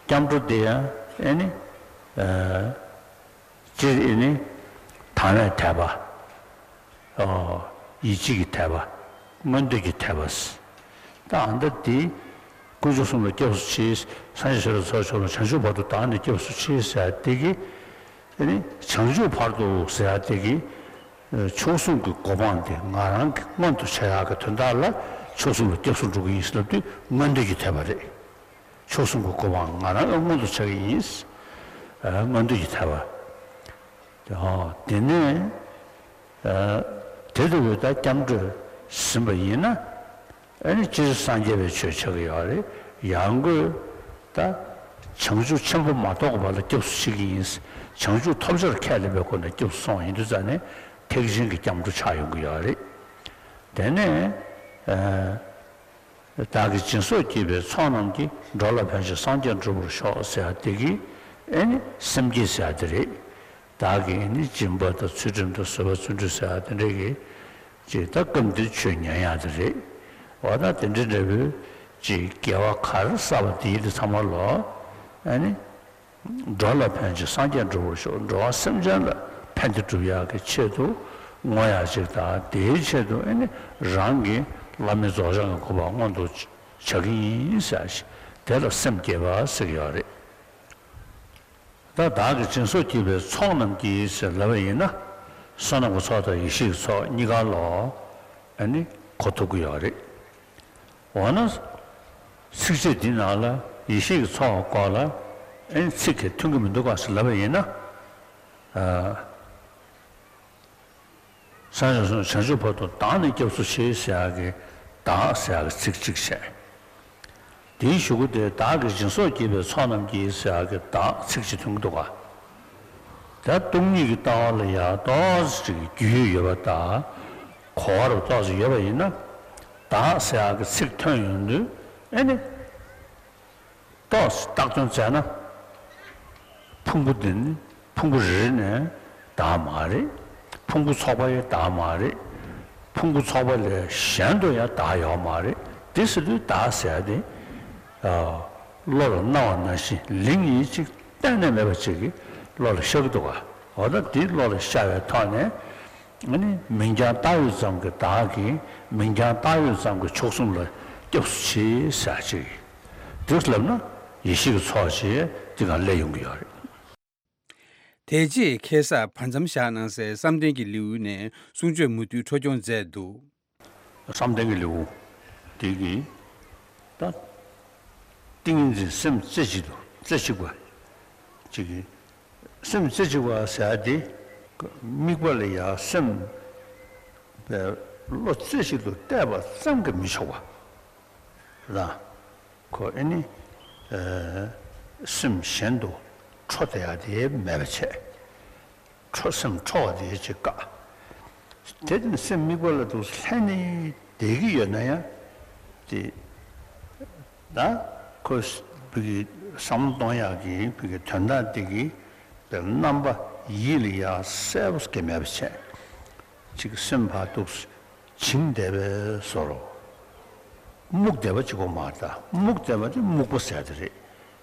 སྐྱབས་འགྲོ་དེ་ཡང་ཨ་ནི། སྤྱིར་ཨེ་ནི། དང་བའི་དད་པ། ཨོ། ཡིད་ཆེས་ཀྱི་དད་པ། མངོན་འདོད་ཀྱི་དད་པ། ད་ཨ་མདའ་དེ། དཀོན་མཆོག་གསུམ་ལ་སྐྱབས་སུ་མཆི། སངས་རྒྱས་ཆོས་དང་ཚོགས་མཆོག་ལ་བྱང་ཆུབ་བར་དུ་བདག་ནི་སྐྱབས་སུ་མཆི་ཟེར་དེ་གི་ཨེ་ནི། བྱང་ཆུབ་བར་དུ་ཟེར་དེ་གི་མཆོག་གསུམ་གྱི་གོ་འཕང་དེ་ང་རང་གི་མངོན་དུ་བྱ་ཡག་གི་དོན་དག་ལ་མཆོག་གསུམ་ལ་སྐྱབས་སུ་འགྲོ་གི་ཡིན་ཟེར་ལབ་དུས་མངོན་འདོད་ཀྱི་དད་པ་རེད། མཆོག་གསུམ་གྱི་གོ་འཕང་ང་རང་ཡང་མངོན་དུ་བྱ་གི་ཡིན། མངོན་འདོད་ཀྱི་དད་པ། དེ་ནས་དེ་ལྟ་བུའི་ད་སྐྱབས་འགྲོ་ཟིན་པ་ཡིན་ན་ཨ་ནི་སྤྱིར་སངས་རྒྱས་པའི་ཆོས་ཆགས་ཀྱི་ཡོད་རེད། ཡང་སྒོས་ད་བྱང་ཆུབ་ཆེན་པོ་མ་ཐོབ་པ་ལ་སྐྱབས་སུ་མཆི་གི་ཡིན། བྱང་ཆུབ་ཐོབ་བྱར་ཁས་ལེན་པའི་སྒོ་ནས་སྐྱབས་སུ་སོང་ཡིན་དུས་ཙང་ནས་ཐེག་ཆེན་གྱི་སྐྱབས་འགྲོ་ཆགས་ཡོང་གི་ཡོད་རེད། དེ་ནས་ཨ་བདག་གིས་སྦྱིན་སོགས་བགྱིས་པའི་ཚོགས་རྣམས་ཀྱིས། འགྲོ་ལ་ཕན་ཕྱིར་སངས་རྒྱས་འགྲུབ་པར་ཤོག་ཟེར་ཡ་དེ་གིས་ཨེ་ནི་སེམས་བསྐྱེད་ཟེར་ཡ་དེ་རེད། བདག་གིས་ཨེ་ནི་སྦྱིན་པ་དང་ཚུལ་ཁྲིམས་དང་བཟོད་པ་བརྩོན་འགྲུས་ཟེར་ཡ་དེ་འདྲ་གིས་ཅིག་ད་སྐབས་འདིར་ཆོས་ཉན་ཡ་དེ་རེད། འོ་ད་དེ་འདྲ་འདྲ་བོའི་ཅིག་དགེ་བ་ག་རེ་བསགས་པ་དེ་ཡིན་དུས་ཚང་མ་ལོ་ཨེ་ནི། འགྲོ་ལ་ཕན་ཕྱིར་སངས་རྒྱས་འགྲུབ་པར་ཤོག་འགྲོ་བ་སེམས་ཅན་ལ་ཕན་བདེ་སྒྲུབ་ཡག་གི་ཆེད་དུ་བསྔོ་ཡག་ཅིག་དང་། དེའི་ཆེད་དུ་ཨེ་ནི་རང་གི་བླ་མེད་རྫོགས་བྱང་གི་གོ་འཕང་མངོན་དུ་བྱ་གི་ཡིན་ཟེར་ཞིག་དེ་ལ་སེམས་བསྐྱེད་པ་ཟེར་གྱི་ཡོད་རེད། ད་བདག་གིས་སྦྱིན་སོགས་བགྱིས་པའི་ཚོགས་རྣམས་ཀྱིས་ཟེར་ལབ་པ་ཡིན་ན། བསོད་ནམས་ཀྱི་ཚོགས་དང་ཡེ་ཤེས་ཀྱི་ཚོགས་གཉིས་ཀ་ལ་ཨེ་ནི་གོ་ཐུབ་ཀྱི་ཡོད་རེད། འོ་ན། ཚིགས་བཅད་འདི་ནང་ལ་ཡེ་ཤེས་ཀྱི་ཚོགས་སྐོར་ལ་ཨེ་ཚིག་གིས་མཐུན་གྱི་མི་འདུག་ག་ཟེར་ལབ་པ་ཡིན་ན། ཨ། སངས་རྒྱས་སོ་བྱང་ཆུབ་བར་དུ་བདག་ནི་སྐྱབས་སུ་མཆི་ཟེར་ཡག་གི་བདག་ཟེར་ཡག་གི་ཚིག་གཅིག་བྱས། དེའི་གཞུག་གུ་དེ་བདག་གིས་སྦྱིན་སོགས་བགྱིས་པའི་ཚོགས་རྣམས་ཀྱིས་ཟེར་ཡག་གི་བདག་ཚིག་གཅིག་མཐུན་གྱི་འདུག་ག་ད་སྟོང་ཉིད་ཀྱི་ལྟ་བ་ལ་ཡང་ཏོག་ཙམ་ཅིག་རྒྱུས་ཡོད་པ་དང་། གོ་བ་རུ་ཏོག་ཙམ་ཡོད་པ་ཡིན་ན། བདག་ཟེར་ཡག་གི་ཚིག་ཐོན་ཡོང་དུས་ཨེ་ནི། ཏོག་ཙམ་བཏགས་དོན་བཙལ་ན། ཕུང་པོ་འདི་ནི་ཕུང་པོ་རེ་རེ་ནས་བདག་མ་རེད། ཕུང་པོ་ཚོགས་པ་ཡང་བདག་མ་རེད། ཕུང་པོ་ཚོགས་པ་ལས་གཞན་དུ་ཡང་བདག་ཡོད་མ་རེད། དེ་ཟེར་དུས་བདག་ཟེར་ཡག་དེ། ཨ། བློ་ལ་སྣང་བ་ནང་བཞིན་ལིང་ཡིན་ཅིག་གཏན་ནས་མེད་པ་ཅིག་གི་བློ་ལ་ཤར་གྱི་འདུག་ག་འོ་ད་དེ་བློ་ལ་ཤར་བའི་ཐོག་ནས། ཨ་ནི་མིང་རྐྱང་བཏགས་ཡོད་ཙམ་གྱི་བདག་གིས་མིང་རྐྱང་བཏགས་ཡོད་ཙམ་གྱི་མཆོག་གསུམ་ལ་སྐྱབས་སུ་མཆི་ཟེར་ཅིག་འདུག་ལབ་ན་ཡེ་ཤེས་ཀྱི་ཚོགས་ཅིག་འདི་ག་སླེབས་ཡོང་གི་ཡོད་རེད། དེ་རྗེས་ཁ་སང་བར་མཚམས་བཞག་གནང་སའི་བསམ་གཏན་གྱི་ལེའུ་ནས་གསུང་ཆོས་མུ་མཐུད་འཕྲོ་སྐྱོང་མཛད་འདུག་བསམ་གཏན་གྱི་ལེའུ་དེ་གི་ད་ཏིང་ངེ་འཛིན་སེམས་རྩེ་གཅིག་ཏུ་རྩེ་གཅིག་པ་ཅིག་གི་སེམས་རྩེ་གཅིག་པ་ཟེར་ཡ་དེ་དམིགས་པ་ལ་ཡང་སེམས་པའི་བློ་རྩེ་གཅིག་ཏུ་གཏད་པ་ཙམ་གྱིས་མི་ཆོག་པ་དང་། ཁོ་ཨེ་ནི་སེམས་གཞན་དུ་འཕྲོ་བསྡད་ཡ་དེ་མེད་པ་བྱས། འཕྲོ་སེམས་འཕྲོ་བ་དེ་ཅིག་བཀག་དེ་ནི་སེམས་དམིགས་པ་ལ་འདུག་ལྷན་ནེ་བསྡད་ཀྱི་ཡོད་ན་ཡང་དེ། ད་ཁོས་བི་གི་བསམ་བློ་གཏོང་ཡག་གི་བི་གི་དོན་དག་དེ་གི་རྣམ་པ་ཡིད་ལ་ཡ་གསལ་པོ་སྐྱེ་མེད་པ་བྱས། ཅིག་སེམས་ཕར་འདུག་བྱིང་བསྡད་པའི་བཟོ་འདྲ། རྨུགས་བསྡད་པ་ཅིག་གོ་མ་རེད། ད་རྨུགས་བསྡད་པ་དེ་རྨུགས་པ་ཟེར་དེ་རེད།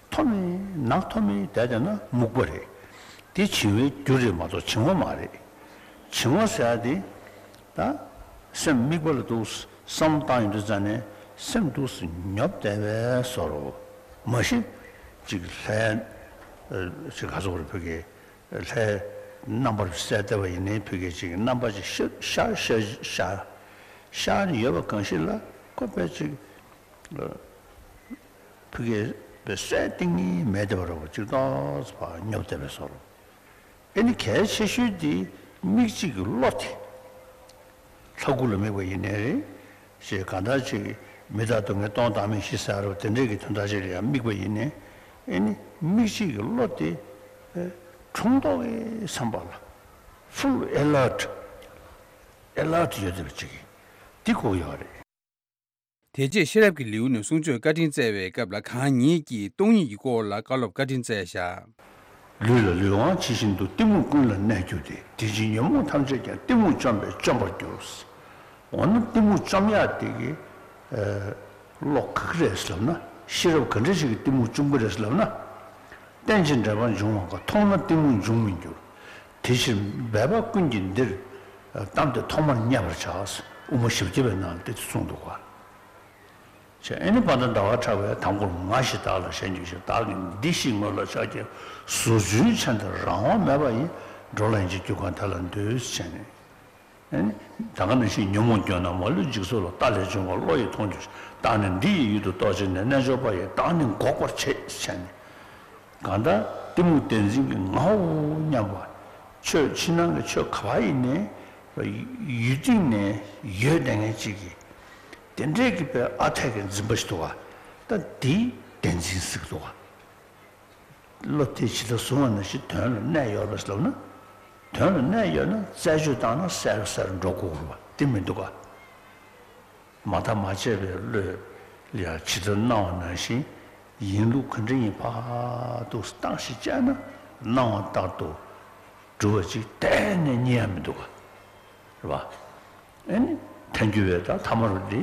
མཐོ་མི་ནག་མཐོ་མི་བསྡད་བསྡད་ན་རྨུགས་པ་རེད། དེ་བྱིང་བའི་རྒྱུ་རེད་མ་གཏོགས་བྱིང་བ་མ་རེད། བྱིང་བ་ཟེར་ཡ་དེ། ད་སེམས་དམིགས་པ་ལ་འདུག་བསམ་བཏང་ཡོང་དུས་ཙ་ནས་སེམས་འདུག་ཉོབ་བསྡད་པའི་བཟོ་འདྲ། མ་གཞི་ཅིག་ལྷའི་ཅིག་ག་ཚོད་རེ་བོད་ཀྱི་ལྷའི་རྣམ་པར་གསལ་བསྡད་པ་ཡིན་ནའི་བོད་ཀྱི་ཅིག་རྣམ་པ་ཅིག་ཤར་ཤར་ཤར་ཤར་ནས་ཡོད་པ་གང་ཞིག་ལ་ཁོ་དཔེ་ཅིག་བོད་ཀྱི་དཔེ་གསལ་གཏིང་ནས་མེད་བསྡད་པ་འདྲ་བོ་ཅིག་ཏོག་ཙམ་ཕར་ཉོབ་བསྡད་པའི་བཟོ་འདྲ། ཨེ་ནི་གལ་ཆེ་ཤོས་དེ་མིག་གཅིག་གི་བློ་དེ། ལྷ་སྐུ་ལ་དམིགས་པ་ཡིན་ནའི་རེད། ཞེས་གང་ལྟར་ཅིག་མི་རྟག་སྡུག་བསྔལ་སྟོང་བདག་མེད་བཞི་ཟེར་བ་དེ་འདྲས་ཀྱི་དོན་དག་ཅིག་ལ་ཡང་དམིགས་པ་ཡིན་ནའི། ཨེ་ནི་མིག་གཅིག་གི་བློ་དེ། ཨེ། དྲུང་ཐོག་གི་བསམ་པ་ལ་ཕུལ་ཨེ་ལར་ཊི། ཨེ་ལར་ཊི་ཡོད་བསྡད་པ་ཅིག་འདི་དགོས་ཡོད་རེད། དེ་རྗེས་ཤེས་རབ་ཀྱི་ལེའུ་ནས་གསུང་ཆོས་བཀའ་དྲིན་སྩལ་བའི་སྐབས་ལ་གང་ཉིད་ཀྱིས་སྟོང་ཉིད་ཀྱི་སྐོར་ལ་བཀའ་སློབ་བཀའ་དྲིན་སྩལ་བཞག་ལུས་ལ་ལུས་དབང་ཇི་བཞིན་དུ། གཏི་མུག་ཀུན་ལ་གནས་གྱུར་ཏེ། དེ་ཕྱིར་ཉོན་མོངས་ཐམས་ཅད་ཀྱང་། གཏི་མུག་བཅོམ་པས་བཅོམ་པར་འགྱུར། འོ་ན་གཏི་མུག་བཅོམ་ཡག་དེ་གི་ཨ་བློ་ག་གི་རེད་ཟེར་ལབ་ན། ཤེས་རབ་ག་འདྲ་ཞིག་གིས་གཏི་མུག་བཅོམ་གི་རེད་ཟེར་ལབ་ན། རྟེན་ཅིང་འབྲེལ་པར་འབྱུང་བ་འགའ། མཐོང་ན་གཏི་མུག་འབྱུང་མི་འགྱུར། དེ་ཕྱིར་འབད་པ་ཀུན་གྱིས་འདིར། གཏམས་ཏེ་ཐོག་མར་མཉེས་པར་བྱ། དབུ་མ་བཞི་བརྒྱ་པའི་ནང་ལ་དེ་གསུངས་འདུག་ག་ཅེས་ཨེ་ནི་དཔལ་ལྡན་ཟླ་བ་གྲགས་པས་དང་པོར་ང་ཞེས་བདག་ལ་ཞེན་གྱུར་ཅིང་། བདག་གིས་འདི་ཞེས་ངོ་ལ་ཆགས་ཀྱང་། གཟུགས་ཅན་མཆན་དུ་རང་དབང་མེད་པ་ཡིས། འགྲོ་ལ་ཡིན་ཕྱིར་གྱུར་གང་དེ་ལ་འདུད། ཅེས་ནས། ཨེ་ནི་ད་ག་ནང་བཞིན་ཉོན་མོངས་སྐྱོ་ན་མ་ལུས་འཇིགས་སོགས་ལ། རྟ་ལས་བྱུང་བ་བློ་ཡིས་མཐོང་གྱུར་ཅིང་། བདག་ནི་འདི་ཡི་ཡུལ་དུ་གཏོགས་བྱས་ནས། རྣལ་འབྱོར་པ་ཡིས་བདག་ནི་འགོག་པར་བྱེད། ཅེས་ནས། གང་ལྟར་གཏི་མུག་བདེན་འཛིན་གྱི་ངའོ་སྙམ་པ། ཆོས་ཕྱི་ནང་གི་ཆོས་ག་པར་ཡིན་ནའི་ཡུལ་སྟེང་ནས་ཡོད་བསྡད་མཁན་ཅིག་གིས་དེ་འདྲས་ཀྱི་དཔེ་ཨ་འཐས་ཀྱི་འཛིན་པ་ཞིག་འདུག་ག་ད་འདི་བདེན་འཛིན་ཟེར་གྱི་འདུག་ག་བློ་དེ་ཇི་ལྟར་བཟུང་བ་ནང་བཞིན་དོན་ལ་གནས་ཡོད་པ་ཞིག་ལབ་ན། དོན་ལ་གནས་ཡོད་ན་རྩད་གཅོད་བཏང་ན་གསལ་རུ་གསལ་རུ་འགྲོ་དགོས་པ་དེ་མི་འདུག་ག་མ་བརྟགས་མ་དཔྱད་པའི་བློས་ཡང་ཇི་ལྟར་སྣང་བ་ནང་བཞིན་ཡིན་ལུགས་ག་འདྲ་ཡིན་ཕར་འདུག་བརྟགས་ཤིག་བྱས་ན་སྣང་བ་ལྟར་དུ་གྲུབ་པ་ཅིག་གཏན་ནས་རྙེད་ཡ་མི་འདུག་ག་རེད་པ། ཨེ་ནི་ཐལ་འགྱུར་བའི་ད་ཐ་མར་འདི་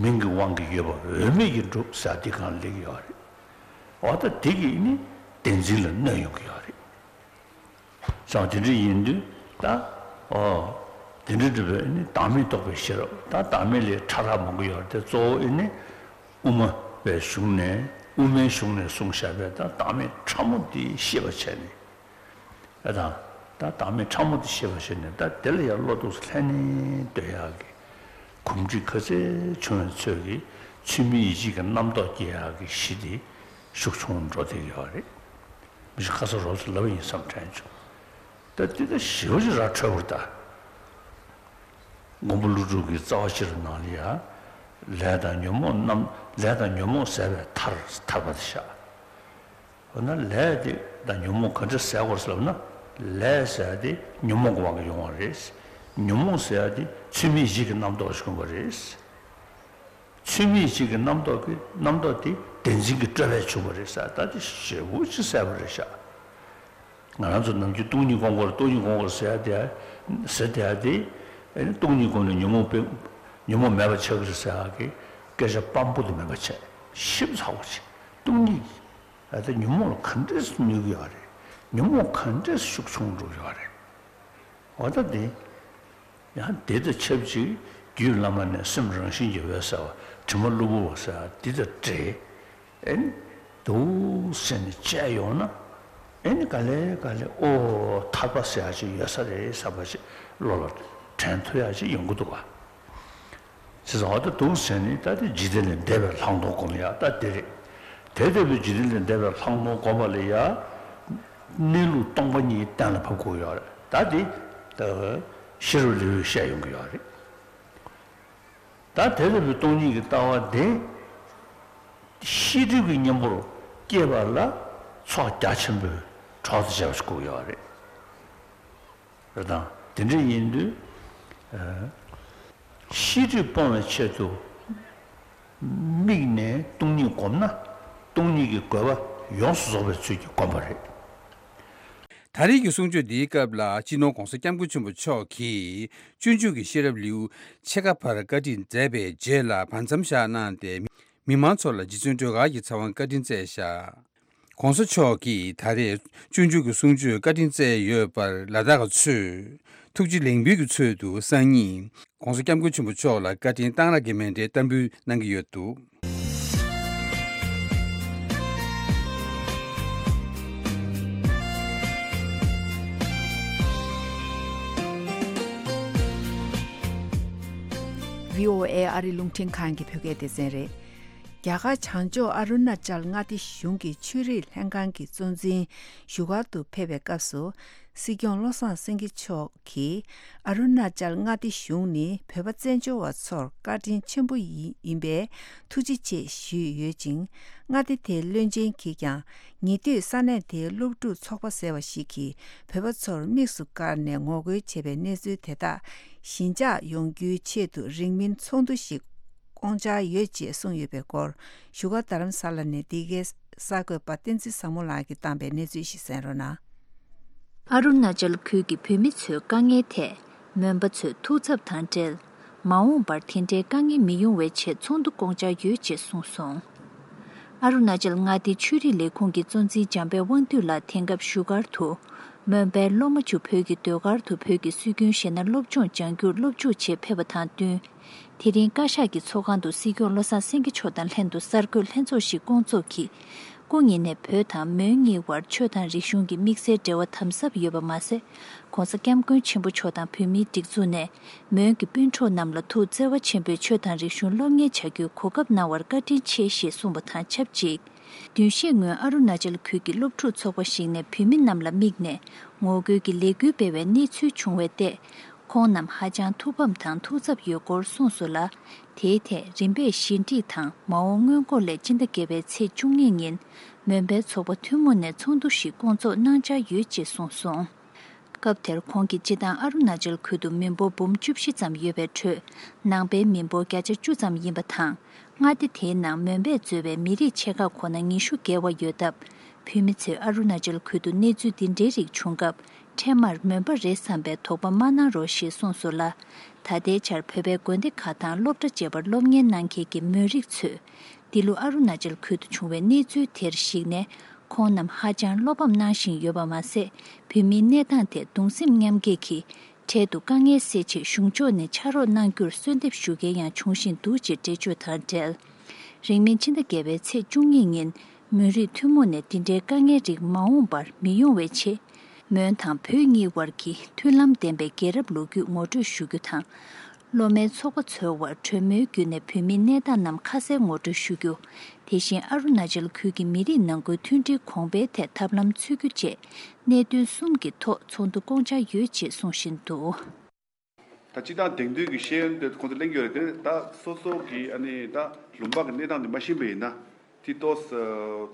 མིང་གི་དབང་གིས་ཡོད་པ་འོས་མེད་ཀྱིས་གྲུབ་ཟེར་འདི་གང་ལེགས་ཡོད་རེད། འོ་ད་འདི་གིས་ནི་བདེན་འཛིན་ལ་གནོད་ཡོང་གི་ཡོད་རེད། ཙང་དེ་འདྲ་ཡིན་དུས་ད་ཨོ་དེ་འདྲ་འདྲ་བས་ནི་བདག་མེད་རྟོགས་པའི་ཤེས་རབ་ད་བདག་མེད་ལས་ཕྲ་རགས་མང་པོ་ཡོད་རེད་དེ། གཙོ་བོ་ཨེ་ནི་དབུ་མ་པའི་གཞུང་ནས་དབུ་མའི་གཞུང་ནས་གསུངས་བཞག་པའི་ད་བདག་མེད་ཕྲ་མོ་འདི་ཤེས་པར་བྱས་ནས། ཨེ་དང་། ད་བདག་མེད་ཕྲ་མོ་དེ་ཤེས་པར་བྱས་ནས་ད་དེ་ལ་ཡང་བློ་ཐུགས་ལྷན་ནེ་སྡོད་ཡག་གི་གོམས་འདྲིས་ག་ཚད་བྱུང་བའི་ཚོད་ཀྱིས་ཚུལ་མིན་ཡིད་བྱེད་ཀྱི་རྣམ་རྟོག་སྐྱེ་ཡག་གི་གཞི་དེ་ཤུགས་ཆུང་འགྲོ་བསྡད་ཡོད་རེད། མི་ཞིག་ཁ་སང་རོབ་ཙམ་ལབ་ཡིན་བསམ་དྲན་བྱུང་། ད་དེ་ད་ཞེ་པོ་ཅིག་ར་འཕྲོད་པོ་རེད་ད། མགོན་པོ་ཀླུ་སྒྲུབ་ཀྱི་རྩ་བ་ཤེས་རབ་ནང་ལ་ཡང་ལས་དང་ཉོན་མོངས་རྣམ་ལས་དང་ཉོན་མོངས་ཟད་པའི་མཐར་ཐར་པ་དེ་བཞག་འོ་ན་ལས་དེ་དང་ཉོན་མོངས་ག་འདྲ་ཟད་དགོས་ཟེར་ལབ་ན། ལས་ཟེར་ཡ་དེ་ཉོན་མོངས་ཀྱི་དབང་གིས་ཡོང་བ་རེད། ཉོན་མོངས་ཟེར་ཡ་དེ་ཚུལ་མིན་ཡིད་བྱེད་ཀྱི་རྣམ་རྟོག་ཞིག་ཡོང་བ་རེད། ཚུལ་མིན་ཡིད་བྱེད་ཀྱི་རྣམ་རྟོག་གི་རྣམ་རྟོག་དེ་བདེན་འཛིན་གྱི་སྤྲོས་པས་བྱུང་བ་རེད་ཟེར་ད་དེ་ཞེ་པོ་ཅིག་གསལ་པོ་རེད་ཤག་ང་རང་ཚོ་ནམ་རྒྱུན་སྟོང་ཉིད་སྒོམ་དགོས་རེད་སྟོང་ཉིད་སྒོམ་དགོས་རེད་ཟེར་ཡ་དེ་ཟེར་བསྡད་ཡ་དེ་ཨེ་ནི་སྟོང་ཉིད་སྒོམ་ནས་ཉོན་མོངས་པའི་ཉོན་མོངས་མེད་པ་ཆགས་ཀྱི་རེད་ཟེར་ཡ་གི་སྐད་ཆ་སྤམ་པོ་དེ་མེད་པ་བྱས་ཞིབ་ཚགས་པོ་བྱས་སྟོང་ཉིད་ཀྱི་ཨ་ད་ཉོན་མོངས་ལ་ག་འདྲས་གནོད་ཀྱི་ཡོད་རེད། ཉོན་མོངས་ག་འདྲས་ཤུགས་ཆུང་འགྲོ་གི་ཡོད་རེད། འོ་ད་དེ། ཡང་དེ་དང་ཆབས་ཅིག་རྒྱུད་བླ་མ་ནས་སེམས་རང་བཞིན་གྱིས་འོད་གསལ་བ་དྲི་མ་གློ་བུར་བ་ཟེར་བ་འདི་དང་འདྲེས། ཨེ་ནི་འདུག་སེ་ནས་བཅད་ཡོང་ན། ཨེ་ནི་ག་ལེ་ག་ལེ་ཨོ་ཐར་པ་ཟེར་ཡག་ཅིག་ཡོད་ས་རེད་བསམ་པ་ཅིག་བློ་ལ་དྲན་ཐུབ་ཡག་ཅིག་ཡོང་གི་འདུག་ག་ཟེར་སོང་། ཨོ་ད་འདུག་ཟེར་ནས་ད་དེ་འཇིག་རྟེན་ལས་འདས་པའི་ལྷག་མཐོང་སྒོམ་ཡག་ད་དེ་རེད། དེ་ལྟ་བུའི་འཇིག་རྟེན་ལས་འདས་པའི་ལྷག་མཐོང་སྒོམ་པ་ལ་ཡང་གནས་ལུགས་སྟོང་པ་ཉིད་གཏན་ལ་ཕབ་དགོས་ཡོད་རེད། ད་དེ་ཤེས་རབ་ལེའུས་བཤད་ཡོང་གི་ཡོད་རེད། ད་དེ་ལྟ་བུའི་སྟོང་ཉིད་ཀྱི་ལྟ་བ་དེ་ཤེས་སྒྲིབ་ཀྱི་གཉེན་པོར་སྐྱེས་པ་ལ་ཚོགས་རྒྱ་ཆེན་པོའི་གྲོགས་སུ་བྱས་པ་ཞིག་དགོས་ཡོད་རེད། རེད་དང་། དེ་འདྲ་ཡིན་དུས། ཨ། ཤེས་སྒྲིབ་སྤོང་བའི་ཆེད་དུ་དམིགས་ནས་སྟོང་ཉིད་བསྒོམས་ན་སྟོང་ཉིད་ཀྱི་དགོས་པ་ཡོངས་སུ་རྫོགས་པའི་ཚུལ་གྱིས་བསྒོམ་པ་རེད། ད་རེས་ཀྱི་གསུང་ཆོས་འདིའི་སྐབས་ལ་སྤྱི་ནོར་༧གོང་ས་༧སྐྱབས་མགོན་ཆེན་པོ་མཆོག་གིས་སྤྱོད་འཇུག་གི་ཤེས་རབ་ལེའུ་ཕྱེད་ཀ་ཕར་བཀའ་ཁྲིད་མཛད་པའི་རྗེས་ལ་བར་མཚམས་བཞག་གནང་སྟེ། མི་མང་ཚོ་ལ་རྗེ་བཙུན་སྒྲོལ་དཀར་གྱི་ཚེ་དབང་བཀའ་དྲིན་སྩལ་བཞག ༸གོང་ས་མཆོག་གིས་ད་རེས་སྤྱོད་འཇུག་གི་གསུང་ཆོས་བཀའ་དྲིན་སྩལ་ཡོད་པར་ལ་དྭགས་ཚོས་ཐུགས་རྗེ་ལེགས་འབུལ་གྱི་ཚུལ་དུ་སང་ཉིན་༸གོང་ས་༸སྐྱབས་མགོན་ཆེན་པོ་མཆོག་ལ་བཀའ་དྲིན་གཏང་རག་གི་མཎྜལ་བསྟར་འབུལ་གནང་གི་ཡོད་འདུག་བྷི་ཨོ་ཨེ་ཨ་རི་རླུང་འཕྲིན་ཁང་གི་བོད་སྐད་སྡེ་ཚན་རེད། རྒྱ་གར་བྱང་ཕྱོགས་ཨ་རུ་ན་ཅལ་མངའ་སྡེ་གཞུང་གི་ཆོས་རིག་ལྷན་ཁང་གི་གཙོ་འཛིན་བཞུགས་སྒར་དུ་ཕེབས་པའི་སྐབས་སུ། སྲིད་སྐྱོང་བློ་བཟང་སེང་གེ་མཆོག་གིས་ཨ་རུ་ན་ཅལ་མངའ་སྡེ་གཞུང་ནི་བོད་པ་བཙན་བྱོལ་བ་ཚོར་བཀའ་དྲིན་ཆེན་པོ་ཡིན་ཡིན་པས་ཐུགས་རྗེ་ཆེ་ཞུས་ཡོད་ཅིང་། མངའ་སྡེ་དེའི་བློན་ཆེན་གྱིས་ཀྱང་ཉེ་དུས་ས་གནས་དེའི་སློབ་ཕྲུག་ཚོགས་པ་ཟེར་བ་ཞིག་གིས་བོད་པ་ཚོར་དམིགས་སུ་བཀར་ནས་ངོ་རྒོལ་བྱས་པའི་གནས་ཚུལ་དེ་དག་ཞི་འཇགས་ཡོང་རྒྱུའི་ཆེད་དུ་རིང་མིན་ཚོགས་འདུ་ཞིག་བསྐོང་འཆར་ཡོད་ཅེས་གསུངས་ཡོད་པའི་སྐོར། བཞུགས་སྒར་རྡ་རམ་ས་ལ་ནས་འདི་གའི་གསར་འགོད་པ་བསྟན་འཛིན་བཟང་མོ་ལགས་ཀྱིས་བཏང་པའི་གནས་ཚུལ་ཞིག་གསན་རོགས་གནང་། ཨ་རུ་ན་ཅལ་ཁུལ་གྱི་བོད་མི་ཚོའི་དཀའ་ངལ་ཐད་མོན་པ་ཚོས་ཐུགས་འཚབ་དང་འབྲེལ། མ་འོངས་པར་དེ་འདྲའི་དཀའ་ངལ་མི་ཡོང་བའི་ཆེད་ཚོགས་འདུ་བསྐོང་འཆར་ཡོད་ཅེས་གསུངས་སོང་། ཨ་རུ་ན་ཅལ་མངའ་སྡེའི་ཆོས་རིག་ལས་ཁུངས་ཀྱི་གཙོ་འཛིན་འཇམ་དཔལ་དབང་འདུས་ལགས་དེང་སྐབས་བཞུགས་སྒར་དུ། མོན་པའི་སློབ་མ་ཆུ་བོད་ཀྱི་ཟློས་གར་དུ་བོད་ཀྱི་སྲོལ་རྒྱུན་གཞས་སྣ་སློབ་སྦྱོང་སྦྱང་རྒྱུར་སློབ་འཇུག་ཆེད་ཕེབས་པ་དང་བསྟུན། དེ་རིང་བཀའ་ཤག་གི་ཚོགས་ཁང་དུ་སྲིད་སྐྱོང་བློ་བཟང་སེང་གེ་མཆོག་དང་ལྷན་དུ་གསར་འགོད་ལྷན་ཚོགས་ཤིག་བསྐོང་ཚོགས་ཀྱིས། སྐུ་ཉིད་ནས་བོད་དང་མོན་གཉིས་བར་ཆོས་དང་རིག་གཞུང་གི་དམིགས་བསལ་འབྲེལ་བ་དམ་ཟབ་ཡོད་པ་མ་ཟད། ༸གོང་ས་༸སྐྱབས་མགོན་ཆེན་པོ་མཆོག་དང་བོད་མིའི་སྒྲིག་འཛུགས་ནས་མོན་གྱི་སྤུན་གྲོགས་རྣམས་ལ་ཐུགས་བརྩེ་བ་ཆེན་པོས་ཆོས་དང་རིག་གཞུང་སློབ་གཉེར་བྱ་རྒྱུའི་གོ་སྐབས་གནང་བར་བཀའ་དྲིན་ཆེ་ཞེས་གསུངས་པ་དང་ཆབས་ཅིག་བདུན་ཤས་སྔོན་ཨ་རུ་ན་ཅལ་ཁུལ་གྱི་སློབ་ཕྲུག་ཚོགས་པ་ཞིག་ནས་བོད་མི་རྣམས་ལ་དམིགས་ནས་ངོ་རྒོལ་གྱི་ལས་འགུལ་སྤེལ་བའི་གནས་ཚུལ་བྱུང་བའི་ཐད། ཁོང་རྣམས་ཧ་ཅང་ཐུགས་ཕམ་དང་ཐུགས་འཚབ་ཡོད་སྐོར་གསུངས་སོང་ལ། དེའི་ཐད་རིམ་པས་ཞི་འགྲིག་དང་མ་འོངས་སྔོན་འགོག་སླད་སྤྱི་ཟླ་བརྒྱད་པའི་ཚེས་བཅུ་གཉིས་ཉིན་མོན་པའི་ཚོགས་པ་ཐུན་མོང་ནས་ཚོགས་འདུ་ཞིག་བསྐོང་ཚོགས་གནང་འཆར་ཡོད་ཅེས་གསུངས་སོང་། སྐབས་དེར་ཁོང་གིས་སྤྱིར་བཏང་ཨ་རུ་ན་ཅལ་ཁུལ་དུ་མི་འབོར་འབུམ་བཅུ་བཞི་ཙམ་ཡོད་པའི་ཁྲོད། ནང་པའི་མི་འབོར་བརྒྱ་ཆ་བཅུ་ཙམ་ཡིན་པ་དང་། མངའ་སྡེ་དེའི་ནང་མོན་པས་གཙོས་པའི་མི་རིགས་ཆེ་ཁག་ཁོ་ན་ཉི་ཤུ་བརྒལ་བ་ཡོད་སྟབས། བོད་མི་ཚོས་ཨ་རུ་ན་ཅལ་ཁུལ་དུ་གནས་ཚུལ་འདི་འདྲའི་རིགས་བྱུང་སྐབས། འཕྲལ་མར་མོན་པ་རེད་བསམ་པའི་དོགས་པ་མ་གནང་རོགས་ཞེས་གསུངས་སོང་ལ། ད་ལྟའི་ཆར་བོད་པའི་དགོན་སྡེ་ཁག་དང་སློབ་གྲྭ་བཅས་པར་སློབ་གཉེར་གནང་མཁན་གྱི་མོན་རིགས་ཚོས། འདི་ལོ་ཨ་རུ་ན་ཅལ་ཁུལ་དུ་བྱུང་བའི་གནས་ཚུལ་དེར་གཞིགས་ནས། ཁོང་རྣམས་ཧ་ཅང་བློ་ཕམ་གནང་བཞིན་ཡོད་པ་མ་ཟད། བོད་མིའི་གནས་སྟངས་ཐད་གདུང་སེམས་མཉམ་སྐྱེད་ཀྱིས། འཕྲལ་དུ་དཀའ་ངལ་སེལ་ཆེད་གཞུང་ཕྱོགས་ནས་ཕྱག་རོགས་གནང་རྒྱུར་གསོལ་འདེབས་ཞུ་མཁན་ཡང་འབྱུང་བཞིན་འདུག་ཅེས་འགྲེལ་བརྗོད་དང་འབྲེལ། རིང་མིན་ཕྱི་ཟླ་བརྒྱད་པའི་ཚེས་བཅུ་གཉིས་ཉིན། མོན་རིགས་ཐུན་མོང་ནས་འདི་འདྲའི་དཀའ་ངལ་རིགས་མ་འོངས་པར་མི་ཡོང་བའི་ཆེད། མོན་དང་བོད་གཉིས་དབར་གྱི་མཐུན་ལམ་ལྡན་པའི་རྒྱལ་རབས་ལོ་རྒྱུས་ངོ་སྤྲོད་ཞུ་རྒྱུ་དང་། སློབ་མའི་ཚོགས་པ་ཚོའི་དབར་གྲོས་མོལ་བརྒྱུད་ནས་བོད་མིའི་གནས་སྟངས་རྣམས་ཁ་གསལ་ངོ་སྤྲོད་ཞུ་རྒྱུ། དེ་བཞིན་ཨ་རུ་ན་ཅལ་ཁུལ་གྱི་མི་རིགས་ནང་ཁུལ་མཐུན་སྒྲིལ་གོང་འཕེལ་ཐད་ཐབས་ལམ་འཚོལ་རྒྱུ་བཅས་གནད་དོན་གསུམ་གྱི་ཐོག་ཚོགས་འདུ་བསྐོང་འཆར་ཡོད་ཅེས་གསུང་བཞིན་འདུག། ད་སྤྱི་བཏང་དེང་དུས་ཀྱི་ཤེས་ཡོན་དེ་ཁོང་ཚོ་གླེང་གི་ཡོད་རེད་དེ། ད་སོ་སོ་གི་ཨ་ནི་ད་ལུང་པ་གི་གནས་སྟངས་དེ་མ་ཤེས་པ་ཡིན་ན་དེ་ཏོག་ཙམ་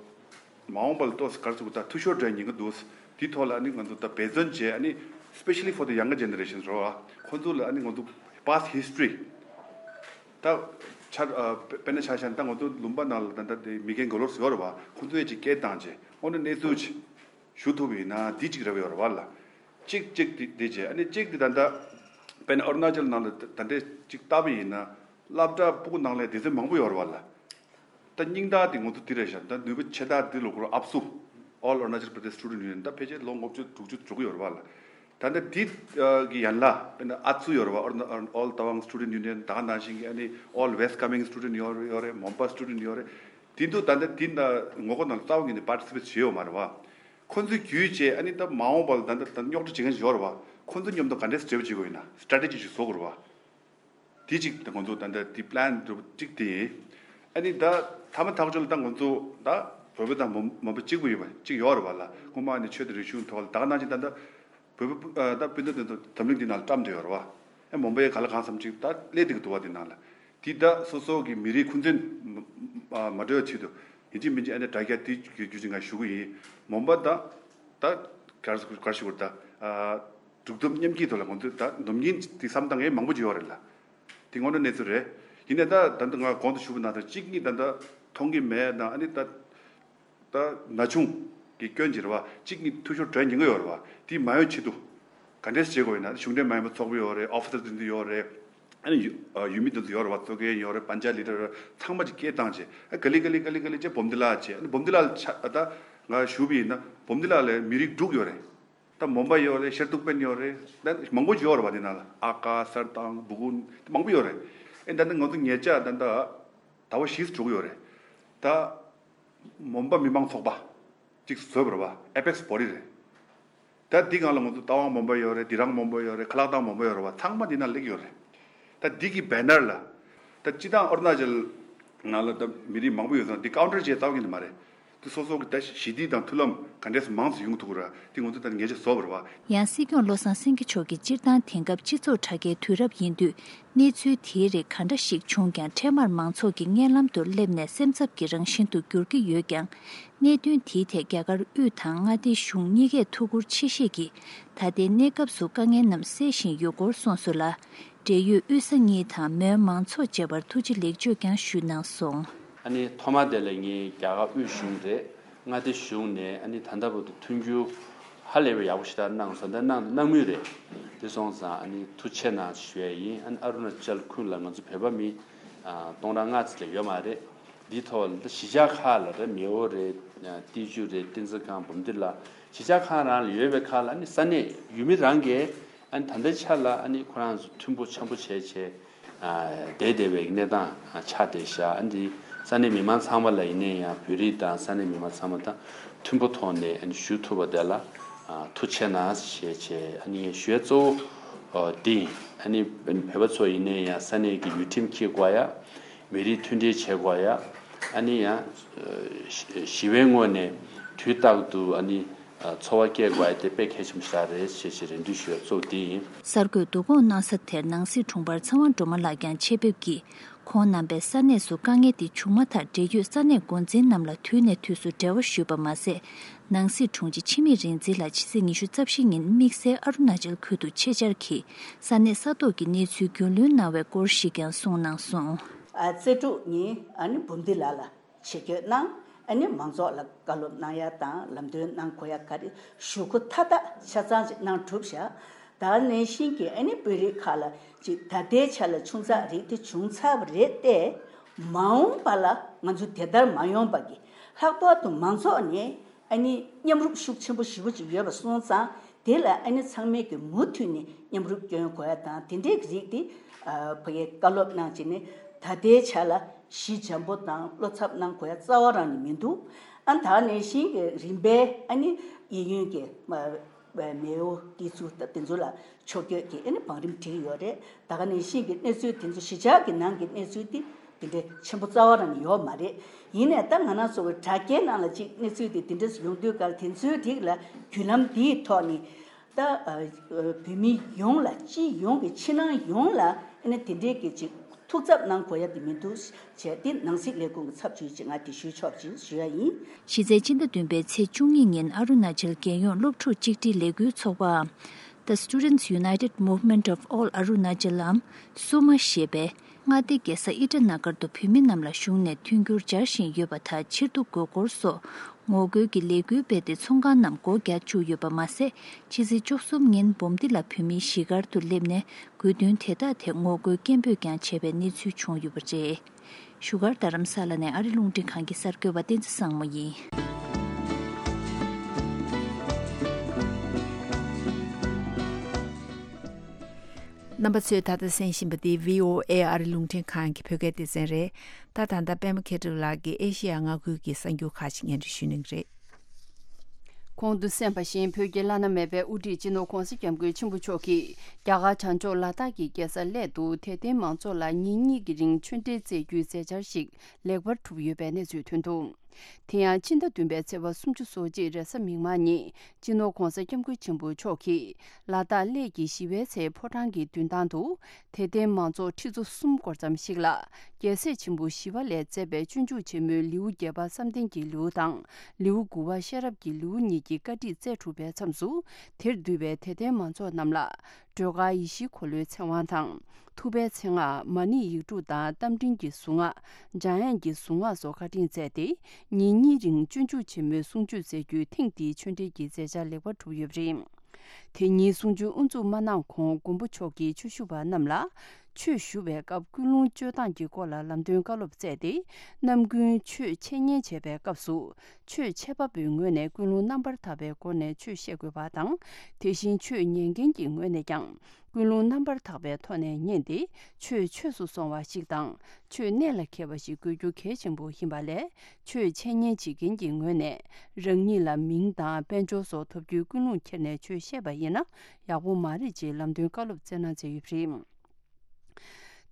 མ་འོངས་པ་ལ་ཏོག་ཙམ་ག་རེ་ཟེར་དགོས། ད་འཐུས་ཤོར་འགྲོ་ཉེན་ཁ་འདུག། དེའི་ཐོག་ལ་ཨ་ནི་ང་ཚོ་ད་འབད་བརྩོན་བྱས། ཨ་ནི་especially for the younger generations རོ། ཁོང་ཚོ་ལ་ཨ་ནི་ང་ཚོ་past history ད་ཆ་དཔེར་ན་ཆ་བཞག་ན། ད་ང་ཚོ་ལུང་པ་ནང་ལ་ད་ད་དེ་མི་རྒན་མགོ་ལོག་ཡོད་རེད་བ། ཁོང་ཚོ་ཡས་ཅིག་སྐད་བཏང་བྱས་དངོས་གནས་གནས་ཚུལ་ཅིག་ཞུ་ཐུབ་པ་ཡིན་ན་འདི་གཅིག་རེ་བ་ཡོད་རེད་བ་ལ། གཅིག་གཅིག་དེ་དེ་བྱས། ཨ་ནི་གཅིག་དེ་ད་ལྟ་དཔེར་ན་ཨ་རུ་ན་ཅལ་ནང་ལ་ད་ལྟ་གཅིག་ལྟ་བ་ཡིན་ན། སློབ་གྲྭ་སྤུ་གུ་ནང་ལ་སྡེ་ཚན་མང་པོ་ཡོད་རེད་བ་ལ། ད་སྙིང་ཐག་དེ་ང་ཚོ་དེ་རེད་ཤག། ད་ནུས་པ་ཆེ་ཐག་དེ་ལོ་ཁོ་རང་ཨབ་སུ། All Arunachal Pradesh Student Union ད་ཕལ་ཆེར་ལོ་ལྔ་བཅུ་དྲུག་ཅུ་འགྲོ་གི་ཡོད་རེད་བ་ལ། ད་ལྟ་འདི་གི་ཡན་ལག་དཔེར་ན་ཨ་ཚུ་ཡོད་རེད་བ། All Tawang Student Union། ད་ག་ནང་བཞིན་གྱི་ཨ་ནི་All West Kameng Student ཡོད་རེད། ཡོད་རེད། མོན་པ་Student ཡོད་རེད། དེ་འདུག། ད་ལྟ་དེ་ད་ངོ་རྒོལ་ནང་ལ་རྩ་བ་ཉིད་ནས་participate བྱས་ཡོད་མ་རེད་བ། ཁོ་ཚོའི་བརྒྱུད་བྱས་ཨ་ནི་ད་མ་འོངས་པ་ལ་ད་ལྟ་ད་རྙོག་དྲ་བྱེད་མཁན་ཞིག་ཡོད་རེད་བ། ཁོ་ཚོ་མཉམ་དུ་ག་འདྲས་འབྲེལ་བ་བྱེད་དགོས་ཡིན་ན་strategy ཅིག་བཟོ་དགོས་རེད་བ། དེ་གཅིག་ད་ང་ཚོ་ད་ལྟ་དེ་plan གཅིག་དེ་ཡིན། ཨ་ནི་ད་མཐའ་མ་ཐག་གཅོད་ལ་ད་ང་ཚོ་ད་བོད་པ་དང་མོན་པ་གཅིག་པུ་ཡོད་པ་གཅིག་ཡོད་རེད་བ་ལ། སྔོན་མ་ནས་ཆོས་དང་རིག་གཞུང་ཐོག་ལ་ད་ག་ནང་བཞིན་ད་ལྟ་བོད་པ་ད་སྤུན་ཟླ་དེ་ཚོ་འཛམ་གླིང་འདི་ནང་ལ་བཀྲམ་བསྡད་ཡོད་རེད་བ། ཨེ་མོན་པའི་ག་ལ་གང་འཚམ་ཅིག་ད་སླེབས་བསྡད་ཀྱི་འདུག་བ། དེ་ནང་ལ་དེ་ད་སོ་སོ་གི་མི་རིགས་ཁུངས་བཙན་མ་འགྲོ་བའི་ཆེད་དུ་ཡིན་གཅིག་མིན་གཅིག་ཨ་ནི་དྲ་རྒྱ་དེ་བརྒྱུད་བརྒྱུད་ཅིག་ང་ཞུ་གི་ཡིན། མོན་པ་ད་ད་ག་རེ་ག་རེ་ཞུ་དགོས་རེད། ད་གྲུབ་ཐོབ་མཉམ་སྐྱེད་ཐོག་ལ་ང་ཚོས་ད་སྡོམ་རྒྱུན་དེ་བསམ་སྟངས་ཡང་མང་པོ་ཅིག་ཡོད་རེད་ལ། དེ་དངོས་གནས་གནས་ཚུལ་རེད། ཡིན་ནའི་ད་ད་ལྟ་ང་གོང་དུ་ཞུས་པ་ནང་ལྟར་གཅིག་གཉིས་ད་ལྟ་མཐོང་གི་མེད་དང་། ཨ་ནི་ད་ད་ན་ཆུང་གི་སྐྱོན་ཅིག་རེད་བ། གཅིག་གཉིས་འཐུས་ཤོར་འགྲོ་ཉེན་ཁ་ཡོད་རེད་བ། དེ་མ་ཡོང་ཆེད་དུ་ག་འདྲས་བྱེད་དགོས་ཡིན་ན། གཞུང་འབྲེལ་མ་ཡིན་པ་ཚོགས་པ་ཡོད་རེད། ཨོ་ཕི་སར་དེ་ཚོ་ཡོད་རེད། ཨ་ནི་ཡུ་ཨ་ཡུལ་མི་དེ་ཚོ་ཡོད་རེད་བ། གཙོ་འགན་ཡོད་རེད། པན་ཅ་ལི་ཌར་ཚང་མ་ཅིག་སྐད་བཏང་བྱས། ཨ་ག་ལེ་ག་ལེ་ག་ལེ་ག་ལེ་བྱས་བུམ་ཐི་ལ་བྱས། ཨ་ནི་བུམ་ཐི་ལ་ལ་ཆ་ད་ང་ཞུས་པ་ཡིན་ན་བུམ་ཐི་ལ་ལ་མི་རིགས་དྲུག་ཡོད་རེད། ད་མོན་པ་ཡོད་རེད། ཤར་ཏུག་པན་ཡོད་རེད། ད་མང་པོ་ཅིག་ཡོད་རེད་བ། དེ་ནང་ལ་ཨ་ཀ་སར་ཏང་སྦུ་གུན་མང་པོ་ཡོད་རེད། ཨེ་ད་ནི་ང་ཚོ་ཉེ་ཆར་ད་ད་ཟླ་བ་བཞི་འགྲོ་གི་ཡོད་རེད། ད་མོན་པ་མི་མང་ཚོགས་པ་ཅིག་བཟོས་པ་རེད་བ། ཨེ་པེག་སི་བོ་ཌི་རེད། ད་འདི་སྒང་ལ་ང་ཚོ་རྟ་དབང་མོན་པ་ཡོད་རེད། དི་རང་མོན་པ་ཡོད་རེད། ཁ་ལག་ཐང་མོན་པ་ཡོད་རེད་བ། ཚང་མ་འདི་ནང་སླེབས་ཡོད་རེད། ད་འདི་གི་བེ་ནར་ལ་ད་སྤྱི་བཏང་ཨ་རུ་ན་ཅལ་ནང་ལ་ད་མི་རིགས་མང་པོ་ཡོད་ཙང་འདི་ཀའུན་ཊར་བྱས་རྩ་བ་ཉིད་ནས་མ་རེད། འདི་སོ་སོ་གི་ད་ཞི་བདེ་དང་མཐུན་ལམ་ག་འདྲས་སེ་མང་ཙམ་ཡོང་ཐུབ་ཀྱི་རེད། འདི་ང་ཚོ་ད་ངེས་ཅན་བཟོ་བ་རེད་བ། ཡང་སྲིད་སྐྱོང་བློ་བཟང་སེང་གེ་མཆོག་གིས་སྤྱིར་བཏང་དེང་སྐབས་སྤྱི་ཚོགས་དྲ་རྒྱའི་དུས་རབས་ཡིན་དུས། གནས་ཚུལ་དེའི་རིགས་ག་འདྲ་ཞིག་བྱུང་ཀྱང་འཕྲལ་མར་མང་ཚོགས་ཀྱི་སྙན་ལམ་དུ་སླེབས་ནས་སེམས་འཚབ་ཀྱི་རང་བཞིན་དུ་འགྱུར་གྱི་ཡོད་ཀྱང་། གནད་དོན་དེའི་ཐད་རྒྱ་གར་དབུས་དང་མངའ་སྡེ་གཞུང་གཉིས་ཀས་ཐུགས་ཁུར་ཆེ་བཞེས་ཀྱིས་ད་ལྟའི་གནས་སྐབས་སུ་དཀའ་ངལ་རྣམས་སེལ་བཞིན་ཡོད་སྐོར་གསུངས་སོང་ལ། འབྲེལ་ཡོད་དབུས་ས་གཉིས་དང་མོན་མང་ཚོགས་བཅས་པར་ཐུགས་རྗེ་ལེགས་བརྗོད་ཀྱང་ཞུས་གནང་སོང་། ཨ་ནི་ཐོག་མ་དེ་ལ་ངས་རྒྱ་གར་དབུས་གཞུང་རེད། མངའ་སྡེ་གཞུང་ནས་ཨ་ནི་ད་ལྟ་བར་དུ་མཐུན་འགྱུར་ཧ་ལས་པའི་ཡག་པོ་ཞེ་དྲག་གནང་སོང་། ད་གནང་གནང་མུས་རེད། དེ་སོང་ཙང་ཨ་ནི་ཐུགས་རྗེ་ཆེ་གནང་ཞུ་ཡས་ཡིན། ཨ་ནི་ཨ་རུ་ན་ཅལ་ཁུལ་ལ་ང་ཚོ་བོད་པ་མི་ཨ་སྟོང་ཕྲག་ལྔ་ཙམ་ལས་ཡོད་མ་རེད། འདིའི་ཐོག་ལ་ད་གཞིས་ཆགས་ཁག་ལ་རེད། མེ་འོ་རེད། ཏི་ཇུ་རེད། ཏིན་ཙི་སྒང་། བུམ་ཐི་ལ། གཞིས་ཆགས་ཁག་རང་ལ་ཡོད་པའི་ཁག་ལ་ཨ་ནི་ས་གནས་ཡུལ་མི་རང་གིས་ཨ་ནི་ད་ལྟའི་ཆ་ལ་ཨ་ནི་ཁོ་རང་ཚོ་མཐུན་པོ་འཆམ་པོ་བྱས་བྱས། བསྡད་བསྡད་པའི་གནས་སྟངས་ཆགས་བསྡད་ཤག། ཨ་འདི་ས་གནས་མི་མང་ཚང་མ་ལ་ཡིན་ནའི་ཡང་བོད་རིགས་དང་ས་གནས་མི་མང་ཚང་མ་དང་མཐུན་པོ་ཐོག་ནས་ཨ་ནི་ཞུ་ཐུབ་པ་དེ་ལ་ཐུགས་རྗེ་གནང་ཞེས་བྱས། ཨ་ནི་ཞུ་ཡ་གཙོ་བོ་འདི་ཡིན། ཨ་ནི་བོད་པ་ཚོ་ཡིན་ནའི་ཡང་ས་གནས་ཀྱི་ཡུལ་ཁྲིམས་འཁྱེར་དགོས་ཡ། མི་རིགས་མཐུན་སྒྲིལ་བྱེད་དགོས་ཡ། ཨ་ནི་ཡང་ཞི་བའི་ངོས་ནས་དུས་རྟག་ཏུ་ཨ་ནི། འཚོ་བ་སྐྱེལ་དགོས་ཡ་དེ་དཔེ་གལ་ཆེན་པོ་ཞིག་རེད་ཞེས་ཞེས་རེ་འདུན་ཞུ་ཡ་གཙོ་བོ་དེ་ཡིན། གསར་འགོད་བསྡུ་སྐོང་གནང་ས་དེར་ནང་སྲིད་དྲུང་འཕར་ཚེ་དབང་སྒྲོལ་མ་ལགས་ཀྱང་ཆེད་ཕེབས་ཀྱིས། ཁོང་རྣམ་པས་ས་གནས་སུ་དཀའ་ངལ་དེ་བྱུང་མ་ཐག་འབྲེལ་ཡོད་ས་གནས་འགོ་འཛིན་རྣམས་ལ་དུས་ནས་དུས་སུ་འབྲེལ་བ་ཞུས་པ་མ་ཟད། ནང་སྲིད་དྲུང་ཆེ་འཆི་མེད་རིག་འཛིན་ལགས་ཕྱི་ཚེས་ཉི་ཤུ་རྩ་བཞི་ཉིན་དམིགས་བསལ་ཨ་རུ་ན་ཅལ་ཁུལ་དུ་ཆེད་བཅར་གྱིས་ས་གནས་ས་ཐོག་གི་གནས་ཚུལ་རྒྱུས་ལོན་གནང་བའི་སྐོར་ཞིག་ཀྱང་གསུངས་གནང་སོང་། ཨ་རྩེ་དྲུག་ཉིན་ཨ་ནི་འབུམ་སྡེ་ལ་ལ་ཆེད་བསྐྱོད་གནང་། ཨ་ནི་མང་ཚོགས་ལ་བཀའ་སློབ་གནང་ཡ་དང་ལམ་སྟོན་གནང་དགོས་ཡ་ག་རེ་ཞུ་དགོས་མཐའ་དག་ཆ་ཚང་ཅིག་གནང་གྲུབ་ཤག་ད་ནང་བཞིན་གྱི་ཨ་ནི་དཔོན་རིགས་ཁག་ལ་ཅིག་ད་ལྟའི་ཆ་ལ་ཆུང་ཙག་རིགས་དེ་བྱུང་ཚར་བ་རེད་དེ། མ་འོངས་པ་ལ་ང་ཚོ་དེ་ལྟར་མ་ཡོང་པ་གི་ལྷག་པར་དུ་མང་ཚོགས་ནས་ཨ་ནི་མཉམ་རུབ་ཤུགས་ཆེན་པོ་ཞེ་པོ་ཅིག་ཡོད་པ་སོང་ཙང་། དེ་ལ་ཨ་ནི་ཚང་མས་ཀྱི་མུ་མཐུད་ནས་མཉམ་རུབ་སྐྱོན་དགོས་ཡ་དང་དེ་འདྲའི་རིགས་དེ་ཨ་ཕ་གིའི་བཀའ་སློབ་གནང་བྱས་ནས་ད་ལྟའི་ཆ་ལ་ཞི་འཇམ་པོ་དང་བློ་འཚབ་གནང་དགོས་ཡ་རྩ་བ་རང་ནས་མི་འདུག་ཨ་ད་ནང་བཞིན་གྱི་རིམ་པས་ཨ་ནི་གཡས་གཡོན་གྱི་མ་མེའོ་ཏི་ཙུ་ད་དེ་ཚོ་ལ་ཕྱོགས་བསྐྱོད་ཀྱིས་ཨ་ནི་བང་རིམ་བསྒྲིགས་ཡོད་རེད། ད་ག་ནང་བཞིན་གྱི་གནས་ཚུལ་དེ་ཚོ་གཞིས་ཆགས་ཀྱི་ནང་གི་གནས་ཚུལ་དེ་དེ་འདྲའི་ཆེན་པོ་རྩ་བ་རང་ཡོད་མ་རེད། ཡིན་ནའི་ད་ང་རང་ཚོ་གི་དྲ་རྒྱའི་ནང་ལ་ཅིག་གནས་ཚུལ་དེ་དེ་འདྲ་ཡོང་དུས་ག་ལ་དེ་ཚོའི་རིགས་ལ་བརྒྱུད་ལམ་འདིའི་ཐོག་ནས་ད་ཨ་བོད་མི་ཡོངས་ལ་སྤྱི་ཡོངས་ཀྱི་ཕྱི་ནང་ཡོངས་ལ་ཨ་ནི་དེ་འདྲའི་གི་ཅིག་ཐུགས་འཚབ་གནང་དགོས་ཡ་དེ་མི་འདུག་བྱས་ཏེ་ནང་སྲིད་ལས་ཁུངས་ཀྱི་ཚབ་ཞུས་ཅིག་ང་དེ་ཞུས་ཆོག་ཅིག་ཞུ་ཡ་ཡིན། གཞི་རྩའི་སྤྱི་ཟླ་བདུན་པའི་ཚེས་བཅུ་གཉིས་ཉིན་ཨ་རུ་ན་ཅལ་རྒྱལ་ཡོངས་སློབ་ཕྲུག་གཅིག་སྒྲིལ་ལས་འགུལ་ཚོགས་པའམ། The Students United Movement of All Arunachal ཨམ་སུ་མ་ཞེས་པས་མངའ་སྡེ་རྒྱལ་ས་ཨི་ཊ་ན་གར་དུ་བོད་མི་རྣམས་ལ་གཞུང་ནས་མཐུན་འགྱུར་སྦྱར་བཞིན་ཡོད་པ་དང་ཕྱིར་བསྡུ་དགོས་སྐོར་སོགས་ངོ་རྒོལ་གྱི་ལས་འགུལ་སྤེལ་ཏེ་ཚོང་ཁང་རྣམས་སྒོ་རྒྱག་བཅུག་ཡོད་པ་མ་ཟད། ཕྱི་ཚེས་བཅུ་གསུམ་ཉིན་འབུམ་སྡེ་ལ་བོད་མིའི་གཞིས་སྒར་དུ་སླེབས་ནས་དགོས་འདུན་དེ་དག་ཐད་ངོ་རྒོལ་སྐད་འབོད་ཀྱང་བྱས་པའི་གནས་ཚུལ་བྱུང་ཡོད་པ་རེད། བཞུགས་སྒར་རྡ་རམ་ས་ལ་ནས་ཨ་རི་རླུང་འཕྲིན་ཁང་གི་གསར་འགོད་པ་བསྟན་འཛིན་བཟང་མོ་ཡིན། རྣམ་པ་ཚོས་ད་ལྟ་གསན་བཞིན་པ་འདི་བྷི་ཨོ་ཨེ་ཨ་རི་རླུང་འཕྲིན་ཁང་གི་བོད་སྐད་སྡེ་ཚན་རེད། ད་ད་ལྟ་པད་མ་མཁས་གྲུབ་ལགས་ཀྱིས་ཨེ་ཤེ་ཡ་མངའ་ཁུལ་གྱི་གསར་འགྱུར་ཁག་ཅིག་སྙན་སྒྲོན་ཞུ་གནང་གི་རེད། གོང་དུ་གསན་པ་བཞིན་བོད་ཀྱི་བླ་ན་མེད་པའི་དབུ་ཁྲིད་སྤྱི་ནོར་༧གོང་ས་༧སྐྱབས་མགོན་ཆེན་པོ་མཆོག་གིས་རྒྱ་གར་བྱང་ཕྱོགས་ལ་དྭགས་ཀྱི་རྒྱལ་ས་གླེ་དུ་དད་ལྡན་མང་ཚོགས་ལ་ཉིན་གཉིས་ཀྱི་རིང་ཆོས་འབྲེལ་སྩལ་རྒྱུའི་མཛད་འཆར་ཞིག་ལེགས་པར་གྲུབ་ཡོད་པའི་གནས་ཚུལ་ཐོན་འདུག་དེ་ཡང་ཕྱི་ཟླ་བདུན་པའི་ཚེས་པ་སུམ་ཅུ་སོ་གཅིག་རེས་གཟའ་མིག་དམར་ཉིན་སྤྱི་ནོར་༧གོང་ས་༧སྐྱབས་མགོན་ཆེན་པོ་མཆོག་གིས་ལ་དྭགས་གླེ་གི་ཞི་བའི་ཚལ་ཕོ་བྲང་གི་མདུན་ཐང་དུ་དད་ལྡན་མང་ཚོགས་ཁྲི་ཚོ་གསུམ་སྐོར་ཙམ་ཞིག་ལ་རྒྱལ་སྲས་ཆེན་པོ་ཞི་བ་ལྷས་མཛད་པའི་སྤྱོད་འཇུག་ཆེན་མོའི་ལེའུ་བརྒྱད་པ་བསམ་གཏན་གྱི་ལེའུ་དང་ལེའུ་དགུ་པ་ཤེས་རབ་ཀྱི་ལེའུ་གཉིས་ཀྱི་བཀའ་ཁྲིད་སྩལ་གྲུབ་པའི་མཚམས་སུ་དེར་འདུས་པའི་དད་ལྡན་མང་ཚོགས་རྣམས་ལ་སྒྲོལ་དཀར་ཡེ་ཤེས་འཁོར་ལོའི་ཚེ་དབང་དང་། ཐུབ་པའི་མཚན་སྔགས་མ་ཎི་ཡིག་དྲུག་དང་རྟ་མགྲིན་གྱི་གཟུངས་སྔགས་འཇམ་དབྱངས་ཀྱི་གཟུངས་སྔགས་སོགས་བཀའ་དྲིན་སྩལ་ཏེ་ཉིན་གཉིས་རིང་སྤྱོད་འཇུག་ཆེན་མོའི་གསུང་ཆོས་སྩལ་རྒྱུའི་ཐེངས་འདིའི་ཆོས་འབྲེལ་གྱི་མཛད་འཆར་ལེགས་པར་གྲུབ་ཡོད་པ་རེད། དེ་ཉིན་གསུང་ཆོས་དབུ་འཛུགས་མ་གནང་གོང་མགོན་པོ་མཆོག་གིས་ཆོས་ཞུ་བ་རྣམས་ལ་ཆོས་ཞུ་བའི་སྐབས་ཀུན་སློང་སྤྱོད་སྟངས་ཀྱི་སྐོར་ལ་ལམ་སྟོན་བཀའ་སློབ་སྩལ་ཏེ་རྣམ་ཀུན་ཆོས་འཆད་ཉན་བྱེད་པའི་སྐབས་སུ་ཆོས་འཆད་པ་པོའི་ངོས་ནས་ཀུན་སློང་རྣམ་པར་དག་པའི་སྒོ་ནས་ཆོས་བཤད་དགོས་པ་དང་། དེ་བཞིན་ཆོས་ཉན་མཁན་གྱི་ངོས་ནས་ཀྱང་ཀུན་སློང་རྣམ་པར་དག་པའི་ཐོག་ནས་ཉན་ཏེ་ཆོས་ཆོས་སུ་སོང་བ་ཞིག་དང་ཆོས་གནད་ལ་འཁེལ་བ་ཞིག་དགོས་རྒྱུ་གལ་ཆེན་པོ་ཡིན་པ་ལས་ཆོས་འཆད་ཉན་བྱེད་མཁན་གྱི་ངོས་ནས་རང་ཉིད་ལ་མིང་དང་དཔལ་འབྱོར་སོགས་ཐོབ་རྒྱུའི་ཀུན་སློང་འཁྱེར་ནས་ཆོས་བཤད་པ་ཡིན་ན་ཡག་པོ་མ་རེད་ཅེས་ལམ་སྟོན་བཀའ་སློབ་སྩལ་གནང་མཛད་ཡོད་པ་རེད།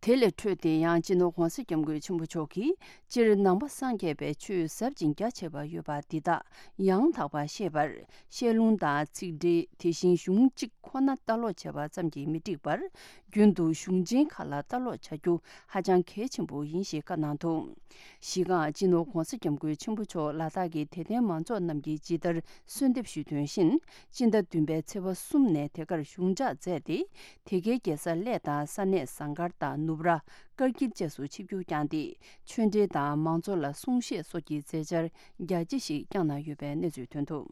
དེ་ལས་འཕྲོས་ཏེ་ཡང་སྤྱི་ནོར་༧གོང་ས་༧སྐྱབས་མགོན་ཆེན་པོ་མཆོག་གིས་སྤྱིར་ནང་པ་སངས་རྒྱས་པའི་ཆོས་ཟབ་ཅིང་རྒྱ་ཆེ་བ་ཡོད་པ་འདི་དག་ཡང་དག་པར་ཤེས་པར་བཤད་ལུང་དང་ཚིག་འགྲེལ་དེ་བཞིན་གཞུང་གཅིག་ཁོ་ན་ལྟ་ཀློག་བྱས་པ་ཙམ་གྱིས་མི་འགྲིག་པར་རྒྱུན་དུ་གཞུང་ཆེན་ཁག་ལ་ལྟ་ཀློག་བྱ་རྒྱུ་ཧ་ཅང་གལ་ཆེན་པོ་ཡིན་ཞེས་བཀའ་གནང་འདུག་གཞི་རྐང་སྤྱི་ནོར་༧གོང་ས་༧སྐྱབས་མགོན་ཆེན་པོ་མཆོག་ལ་དྭགས་ཀྱི་དད་ལྡན་མང་ཚོགས་རྣམས་ཀྱིས་ཇི་ལྟར་གསོལ་འདེབས་ཞུས་དོན་བཞིན་སྤྱི་ཟླ་བདུན་པའི་ཚེས་པ་གསུམ་ནས་དེ་གར་གཞུང་འཇགས་མཛད་དེ། དེ་གའི་རྒྱལ་ས་གླེ་དང་ས་གནས་ཟངས་དཀར་དང་ནུབ་ར། དཀར་འགྱིབ་བཅས་སུ་ཆིབས་བསྒྱུར་བསྐྱངས་ཏེ་ཆོས་འབྲེལ་དང་མང་ཚོགས་ལ་གསུང་བཤད་སོགས་ཀྱི་མཛད་འཆར་རྒྱ་ཆེ་ཞིག་བསྐྱངས་གནང་ཡོད་པའི་གནས་ཚུལ་ཐོན་འདུག་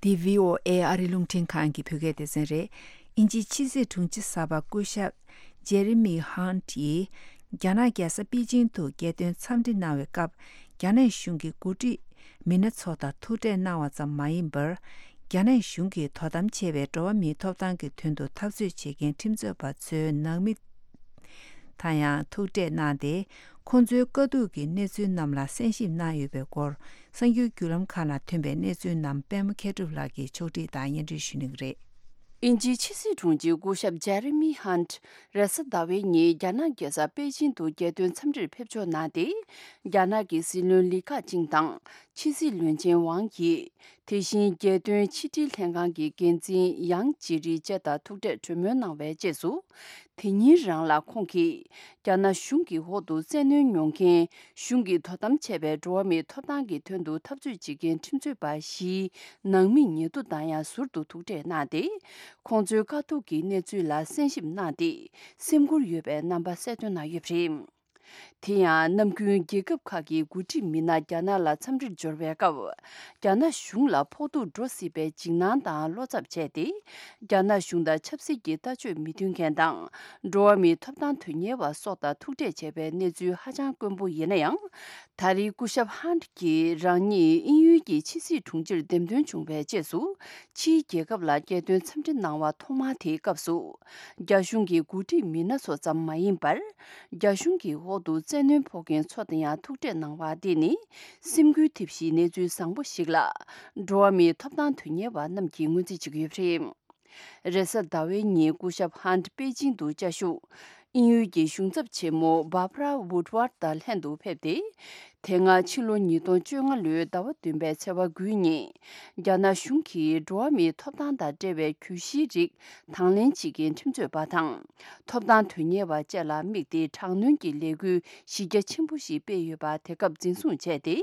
འདི་བྷི་ཨོ་ཨེ་ཨ་རི་རླུང་འཕྲིན་ཁང་གི་བོད་སྐད་སྡེ་ཚན་རེད། དབྱིན་ཇིའི་ཕྱི་སྲིད་དྲུང་ཆེ་གསར་པ་སྐུ་ཞབས་ཇེ་རི་མི་ཧན་ཡིས་རྒྱ་ནག་རྒྱལ་ས་པེ་ཅིང་དུ་རྒྱལ་དོན་འཚམས་འདྲི་གནང་བའི་སྐབས། རྒྱ་ནག་གཞུང་གི་འགོ་ཁྲིད་མི་སྣ་ཚོ་དང་ཐུག་འཕྲད་གནང་བ་ཙམ་མ་ཡིན་པར། རྒྱ་ནག་གཞུང་གིས་དོ་དམ་བྱས་པའི་འགྲོ་བ་མིའི་ཐོབ་ཐང་གི་དོན་དུ་འཐབ་རྩོད་བྱེད་མཁན་ཁྲིམས་རྩོད་པ་ཚོའི་ནང་མི་དང་ཡང་ཐུག་འཕྲད་གནང་སྟེ། ཁོང་ཚོའི་དཀའ་སྡུག་གི་གནས་ཚུལ་རྣམས་ལ་གསན་ཞིབ་གནང་ཡོད་པའི་སྐོར། གསར་འགྱུར་བརྒྱུད་ལམ་ཁག་ནང་ཐོན་པའི་གནས་ཚུལ་རྣམས་པད་མ་མཁས་གྲུབ་ལགས་ཀྱིས་ཕྱོགས་སྒྲིག་དང་སྙན་སྒྲོན་ཞུ་གནང་གི་རེད། དབྱིན་ཇིའི་ཕྱི་སྲིད་དྲུང་ཆེ་སྐུ་ཞབས་ཇེ་རི་མི་ཧན་རེས་གཟའ་ཟླ་བའི་ཉིན་རྒྱ་ནག་རྒྱལ་ས་པེ་ཅིང་དུ་རྒྱལ་དོན་འཚམས་འདྲིར་ཕེབས་འབྱོར་གནང་སྟེ། རྒྱ་ནག་གི་སྲིད་བློན་ལི་ཁེ་ཆིང་དང་ཕྱི་སྲིད་བློན་ཆེན་ཝང་ཡི། དེ་བཞིན་རྒྱལ་དོན་ཕྱི་དྲིལ་ལྷན་ཁང་གི་འགན་འཛིན་ཡང་ཅི་རི་བཅས་དང་ཐུག་འཕྲད་གྲོས་མོལ་གནང་བའི་རྗེས་སུ། དེ་ཉིན་རང་ལ་ཁོང་གིས་རྒྱ་ནག་གཞུང་གི་འོག་ཏུ་བཙན་གནོན་མྱོང་མཁན། གཞུང་གིས་དོ་དམ་བྱས་པའི་འགྲོ་བ་མིའི་ཐོབ་ཐང་གི་དོན་དུ་འཐབ་རྩོད་བྱེད་མཁན་ཁྲིམས་རྩོད་པ་བཞིའི་ནང་མི་ཉེ་དུ་དང་ཡང་ཟུར་དུ་ཐུག་འཕྲད་གནང་སྟེ། ཁོང་ཚོའི་དཀའ་སྡུག་གི་གནས་ཚུལ་ལ་གསན་ཞིབ་གནང་སྟེ། སེམས་འགུལ་ཡོད་པའི་རྣམ་པ་གསལ་སྟོན་གནང་ཡོད་པ་རེད། དེ་ཡང་ནམ་རྒྱུན་རྒྱལ་ཁབ་ཁག་གི་འགོ་ཁྲིད་མི་སྣ་རྒྱ་ནག་ལ་འཚམས་འདྲིར་འབྱོར་བའི་སྐབས། རྒྱ་ནག་གཞུང་ལ་ཕོག་ཐུག་འགྲོ་སྲིད་པའི་འཇིགས་སྣང་དང་བློ་འཚབ་བྱས་ཏེ། རྒྱ་ནག་གཞུང་དང་ཆབ་སྲིད་ཀྱི་ལྟ་སྤྱོད་མི་མཐུན་མཁན་དང་། འགྲོ་བ་མིའི་ཐོབ་ཐང་དོན་གཉེར་བ་སོགས་དང་ཐུག་འཕྲད་བྱས་པའི་གནས་ཚུལ་ཧ་ཅང་དཀོན་པོ་ཡིན་ན་ཡང་། ད་རེས་སྐུ་ཞབས་ཧན་གྱིས་རང་ཉིད་དབྱིན་ཡུལ་གྱི་ཕྱི་སྲིད་དྲུང་ཆེར་འདེམས་ཐོན་བྱུང་བའི་རྗེས་སུ། ཕྱིའི་རྒྱལ་ཁབ་ལ་རྒྱལ་དོན་འཚམས་འདྲི་གནང་བ་ཐོག་མ་དེའི་སྐབས་སུ། རྒྱ་གཞུང་གི་འགོ་ཁྲིད་མི་སྣ་ཚོ་ཙམ་མ་ཡིན་པར། རྒྱ་གཞུང་གི་འོག་ཏུ་བཙན་གནོན་ཕོག་མཁན་ཚོ་དང་ཡང་ཐུག་འཕྲད་གནང་བ་འདི་ནི། སེམས་འགུལ་ཐེབས་གཞིའི་གནས་ཚུལ་བཟང་པོ་ཞིག་ལ། འགྲོ་བ་མིའི་ཐོབ་ཐང་དོན་གཉེར་བ་རྣམས་ཀྱིས་ངོས་འཛིན་བྱེད་ཀྱི་ཡོད་པ་རེད། རེས་གཟའ་ཟླ་བའི་ཉིན་སྐུ་ཞབས་ཧན་པེ་ཅིང་དུ་བཅའ་བཞུགས། དབྱིན་ཡུལ་གྱི་གཞུང་ཚབ་ཆེན་མོ་Barbara Woodward་དང་ལྷན་དུ་ཕེབས་ཏེ། དེ་སྔ་ཕྱི་ལོ་ཉིས་སྟོང་བཅོ་ལྔ་ལོའི་ཟླ་བ་བདུན་པའི་ཚེས་པ་དགུའི་ཉིན། རྒྱ་ནག་གཞུང་གིས་འགྲོ་བ་མིའི་ཐོབ་ཐང་དང་འབྲེལ་བའི་གྱོད་གཞིའི་རིགས་དང་ལེན་བྱེད་མཁན་ཁྲིམས་རྩོད་པ་དང་། ཐོབ་ཐང་དོན་གཉེར་བ་བཅས་ལ་དམིགས་ཏེ་དྲག་གནོན་གྱི་ལས་འགུལ་གཞི་རྒྱ་ཆེན་པོ་ཞིག་སྤེལ་ཡོད་པ་དེ་སྐབས་འཛིན་བཟུང་བྱས་ཏེ།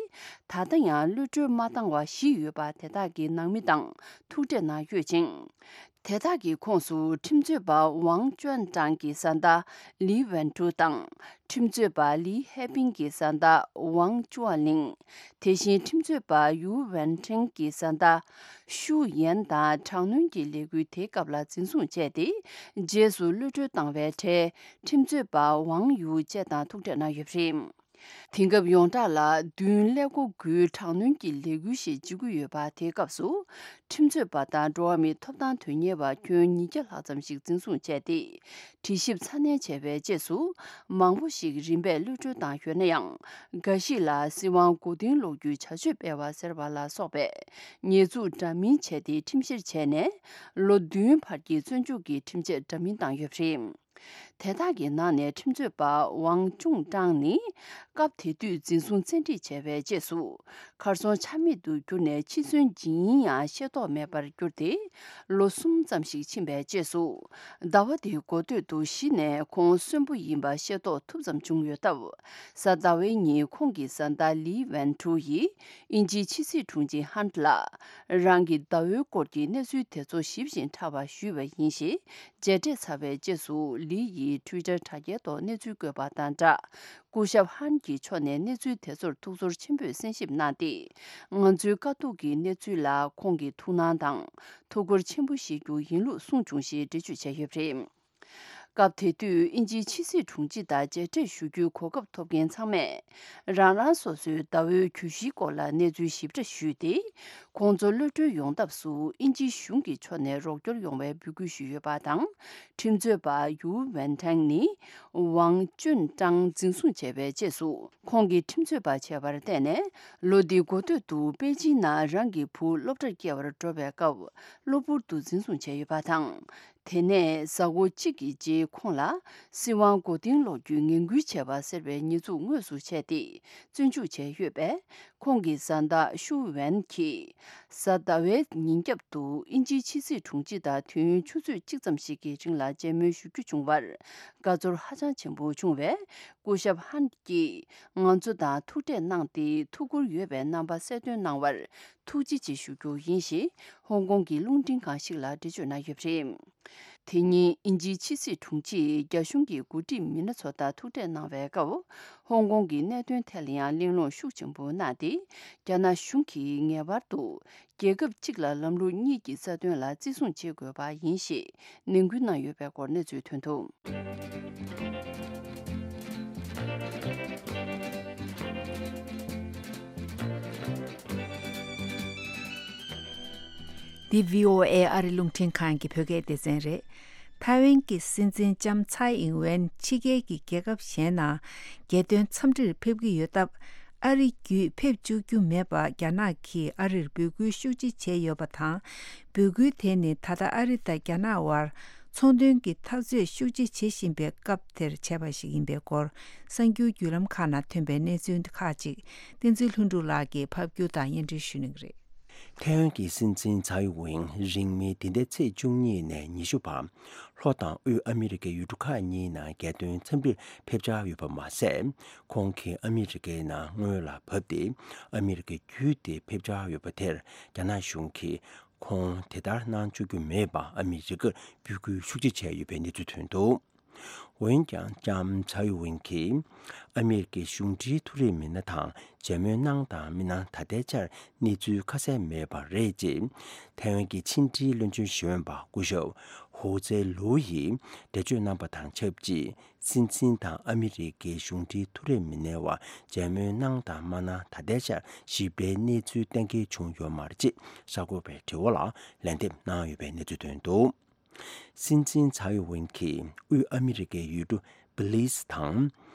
ད་ལྟ་ཡང་གློད་གྲོལ་མ་བཏང་བ་བཞི་ཡོད་པ་དེ་དག་གི་ནང་མི་དང་ཐུག་འཕྲད་གནང་ཡོད་ཅིང་། དེ་དག་གི་ཁོངས་སུ་ཁྲིམས་རྩོད་པ་ཝང་ཅོན་ཀྲང་གི་བཟའ་ཟླ་ལི་ཝན་ཀྲུའུ་དང་། ཁྲིམས་རྩོད་པ་ལི་ཧེ་པིང་གི་བཟའ་ཟླ་ཝང་ཅུའ་ལིང་། དེ་བཞིན་ཁྲིམས་རྩོད་པ་ཡུའུ་ཝན་ཁྲེང་གི་བཟའ་ཟླ་ཤུའུ་ཡན་དང་དྲག་གནོན་གྱི་ལས་འགུལ་དེའི་སྐབས་ལ་འཛིན་བཟུང་བྱས་ཏེ། རྗེས་སུ་གློད་གྲོལ་བཏང་བའི་གྲས་ཁྲིམས་རྩོད་པ་ཝང་ཡུའུ་བཅས་དང་ཐུག་འཕྲད་གནང་ཡོད་པ་རེད། དེང་སྐབས་ཡོངས་གྲགས་ལ་བདུན་ཀླད་ཀོར་དགུའི་དྲག་གནོན་གྱི་ལས་འགུལ་ཞེས་བརྗོད་ཀྱི་ཡོད་པ་དེའི་སྐབས་སུ། ཁྲིམས་རྩོད་པ་དང་འགྲོ་བ་མིའི་ཐོབ་ཐང་དོན་གཉེར་བ་ཁྱོན་ཉིས་བརྒྱ་ལྷག་ཙམ་ཞིག་འཛིན་བཟུང་བྱས་ཏེ། དྲི་ཞིབ་ཚ་ནན་བྱས་པའི་རྗེས་སུ། མང་པོ་ཞིག་རིམ་པས་གློད་གྲོལ་བཏང་ཡོད་ན་ཡང་། འགའ་ཞིག་ལ་སྲིད་དབང་མགོ་རྟིང་སློག་རྒྱུའི་བྱ་སྤྱོད་སྤེལ་བ་ཟེར་བ་ལ་སོགས་པའི་ཉེས་འཛུགས་འདྲ་མིན་བྱས་ཏེ་ཁྲིམས་བཤེར་བྱས་ནས། ལོ་བདུན་བར་གྱི་བཙོན་འཇུག་གི་ཁྲིམས་ཆད་འདྲ་མིན་བཏང་ཡོད་པ་རེད། དེ་དག་གི་ནང་ནས་ཁྲིམས་རྩོད་པ་ཝང་ཅུང་ཀྲང་ནི། སྐབས་དེ་དུས་འཛིན་བཟུང་བཙན་ཁྲིད་བྱས་པའི་རྗེས་སུ། གར་སོང་ཆ་མེད་དུ་གྱུར་ནས་འཆི་གསོན་ཇི་ཡིན་ཡང་ཤེས་རྟོགས་མེད་པར་གྱུར་ཏེ། ལོ་གསུམ་ཙམ་ཞིག་ཕྱིན་པའི་རྗེས་སུ། ཟླ་བ་འདིའི་འགོ་སྟོད་དུ་གཞི་ནས་ཁོང་གསོན་པོ་ཡིན་པ་ཤེས་རྟོགས་ཐུབ་ཙམ་བྱུང་ཡོད་སྟབས། གཟའ་ཟླ་བའི་ཉིན་ཁོང་གི་བཟའ་ཟླ་ལི་ཝན་ཀྲུའུ་ཡིས་དབྱིན་ཇིའི་ཕྱི་སྲིད་དྲུང་ཆེ་ཧན་ལ། རང་གི་ཟླ་བོའི་སྐོར་གྱི་གནས་ཚུལ་དེ་ཚོ་ཞིབ་ཅིང་ཕྲ་བ་ཞུས་པ་ཡིན་ཞེས། མཇལ་འཕྲད་ཚར་བའི་རྗེས་སུ་ལི་ཡིས་ཊུའི་ཊར་དྲ་རྒྱའི་ཐོག་གནས་ཚུལ་བཀོད་པ་དང་སྦྲགས། སྐུ་ཞབས་ཧན་གྱི་ཕྱོགས་ནས་གནས་ཚུལ་དེ་ཚོར་ཐུགས་ཚོར་ཆེན་པོས་གསན་ཞིབ་གནང་སྟེ། ང་ཚོའི་དཀའ་སྡུག་གི་གནས་ཚུལ་ལ་ཁོང་གིས་ཐུགས་སྣང་དང་ཐུགས་ཁུར་ཆེན་པོ་བཞེས་རྒྱུ་ཡིན་ལུགས་གསུངས་བྱུང་ཞེས་འགྲེལ་བརྗོད་བྱས་ཡོད་པ་རེད། སྐབས་དེ་དུས་དབྱིན་ཇིའི་ཕྱི་སྲིད་དྲུང་ཆེ་དང་མཇལ་འཕྲད་ཞུ་རྒྱུའི་གོ་སྐབས་ཐོབ་མཁན་ཚང་མས། རང་རང་སོ་སོའི་ཟླ་བོའི་གྱོད་གཞིའི་སྐོར་ལ་གནས་ཚུལ་ཞིབ་ཕྲ་ཞུས་ཏེ། ཁོང་ཚོ་གློད་གྲོལ་ཡོང་ཐབས་སུ་དབྱིན་ཇིའི་གཞུང་གི་ཕྱོགས་ནས་རོགས་སྐྱོར་ཡོང་བའི་འབོད་སྐུལ་ཞུས་ཡོད་པ་དང་། ཁྲིམས་རྩོད་པ་ཡུའུ་ཝན་ཐང་ནི་ཝང་ཅུན་ཀྲང་འཛིན་བཟུང་བྱས་པའི་རྗེས་སུ། ཁོང་གིས་ཁྲིམས་རྩོད་པ་བྱས་པར་བརྟེན་ནས། ལོ་འདིའི་འགོ་སྟོད་དུ་པེ་ཅིན་ནང་རང་གི་བུ་སློབ་གྲྭར་སྐྱེལ་བར་འགྲོ་བའི་སྐབས། གློ་བུར་དུ་འཛིན་བཟུང་བྱས་ཡོད་པ་དང་། དེ་ནས་གཟའ་འཁོར་གཅིག་གི་རྗེས་ཁོང་ལ་སྲིད་དབང་མགོ་རྟིང་སློག་རྒྱུའི་ངན་སྐུལ་བྱས་པ་ཟེར་བའི་ཉེས་འཛུགས་དངོས་སུ་བྱས་ཏེ་བཙོན་འཇུག་བྱས་ཡོད་པས། ཁོང་གི་བཟའ་ཟླ་ཤུ་ཝན་གྱིས་གཟའ་ཟླ་བའི་ཉིན་རྒྱབ་ཏུ་དབྱིན་ཇིའི་ཕྱི་སྲིད་དྲུང་ཆེ་དང་དུས་ཡུན་ཆུ་ཚོད་གཅིག་ཙམ་ཞིག་གི་རིང་ལ་མཇལ་མོལ་ཞུ་རྒྱུ་བྱུང་བར་དགའ་ཚོར་ཧ་ཅང་ཆེན་པོ་བྱུང་བས། སྐུ་ཞབས་ཧན་གྱིས་ང་ཚོ་དང་ཐུག་འཕྲད་གནང་སྟེ་ཐུགས་ཁུར་ཡོད་པའི་རྣམ་པ་གསལ་སྟོན་གནང་བར་ཐུགས་རྗེ་ཆེ་ཞུ་རྒྱུ་ཡིན་ཞེས་ཧོང་ཀོང་གི་རླུང་འཕྲིན་ཁང་ཞིག་ལ་འགྲེལ་བརྗོད་གནང་ཡོད་པ་རེད། དེ་ཉིན་དབྱིན་ཇིའི་ཕྱི་སྲིད་དྲུང་ཆེས་རྒྱ་གཞུང་གི་འགོ་ཁྲིད་མི་སྣ་ཚོ་དང་ཐུག་འཕྲད་གནང་བའི་སྐབས། ཧོང་ཀོང་གི་གནད་དོན་ཐད་ལ་ཡང་གླེང་སློང་ཤུགས་ཆེན་པོ་གནང་སྟེ། རྒྱ་ནག་གཞུང་གིས་ངེས་པར་དུ་རྒྱལ་ཁབ་གཅིག་ལ་ལམ་ལུགས་གཉིས་ཀྱི་རྩ་དོན་ལ་བརྩི་སྲུང་བྱེད་དགོས་པ་ཡིན་ཞེས་ནན་སྐུལ་གནང་ཡོད་པའི་སྐོར་གནས་ཚུལ་ཐོན་འདུག། འདི་བྷི་ཨོ་ཨེ་ཨ་རི་རླུང་འཕྲིན་ཁང་གི་བོད་སྐད་སྡེ་ཚན་རེད། ཐའེ་ཝན་གྱི་སྲིད་འཛིན་ལྕམ་ཚའེ་ཨིང་ཝེན་ཕྱི་རྒྱལ་གྱི་རྒྱལ་ཁབ་གཞན་ནང་རྒྱལ་དོན་འཚམས་འདྲིར་ཕེབས་ཀྱི་ཡོད་སྟབས། ཨ་རི་བརྒྱུད་ཕེབས་བཅུག་རྒྱུ་མེད་པ་རྒྱ་ནག་གིས་ཨ་རིར་འབོད་སྐུལ་ཤུགས་ཆེ་བྱས་ཡོད་པ་དང་། འབོད་སྐུལ་དེ་ནི་ད་ལྟ་ཨ་རི་དང་རྒྱ་ནག་དབར་ཚོང་དོན་གྱི་འཐབ་རྩོད་ཤུགས་ཆེ་བྱེད་བཞིན་པའི་སྐབས་དེར་བྱས་པ་ཞིག་ཡིན་པའི་སྐོར། གསར་འགྱུར་བརྒྱུད་ལམ་ཁག་ནང་ཐོན་པའི་གནས་ཚུལ་ཁག་ཅིག་བསྟན་འཛིན་ལྷུན་གྲུབ་ལགས་ཀྱིས་ཕབ་སྒྱུར་དང་སྙན་སྒྲོན་ཞུ་གནང་གི་རེད། ཐའེ་ཝན་གྱི་སྲིད་འཛིན་ཚའེ་ཝེན་རིང་མིན་འདི་ཟླའི་ཚེས་བཅུ་གཉིས་ནས་ཉི་ཤུ་བར་ལྷོ་དང་དབུས་ཨ་མི་རི་ཀའི་ཡུལ་གྲུ་ཁག་གཉིས་ནང་རྒྱལ་དོན་འཚམས་འདྲིར་ཕེབས་འཆར་ཡོད་པ་མ་ཟད། ཁོང་གིས་ཨ་མི་རི་ཀའི་ནང་སྔོན་ལ་བབས་ཏེ་ཨ་མི་རི་ཀའི་བརྒྱུད་དེ་ཕེབས་འཆར་ཡོད་པ་དེར་རྒྱ་ནག་གཞུང་གིས་ཁོང་དེ་ལྟར་གནང་བཅུག་རྒྱུ་མེད་པར་ཨ་མི་རི་ཀར་འབོད་སྐུལ་ཤུགས་ཆེ་བྱས་ཡོད་པའི་གནས་ཚུལ་ཐོན་འདུག་འོན་ཀྱང་ལྕམ་ཚའེ་ཝེན་གྱིས་ཨ་མི་རི་ཀའི་གཞུང་འབྲེལ་མཐོ་རིམ་མི་སྣ་དང་མཇལ་མོལ་གནང་དང་མི་གནང་ད་ལྟའི་ཆར་གནས་ཚུལ་ཁ་གསལ་མེད་པ་རེད་ཅེས་ཐའེ་ཝན་གྱི་ཕྱི་འབྲེལ་བློན་ཆེན་ཞིག་འོས་པ་སྐུ་ཞབས་ཧུའུ་ཙེ་ལུའུ་ཡིས་འགྲེལ་བརྗོད་གནང་པ་དང་ཆབས་ཅིག་སྲིད་འཛིན་དང་ཨ་མི་རི་ཀའི་གཞུང་འབྲེལ་མཐོ་རིམ་མི་སྣའི་བར་མཇལ་མོལ་གནང་དང་མ་གནང་ད་ལྟའི་ཆར་ཞིབ་ཕྲའི་གནས་ཚུལ་གཏན་འཁེལ་བྱུང་ཡོད་མ་རེད་ཅེས་གསར་འགོད་པའི་དྲི་བ་ལ་ལན་འདེབས་གནང་ཡོད་པའི་གནས་ཚུལ་ཐོན་འདུག་སྲིད་འཛིན་ཚའེ་ཝེན་གྱིས་དབུས་ཨ་མི་རི་ཀའི་ཡུལ་གྲུ་བི་ལིས་དང་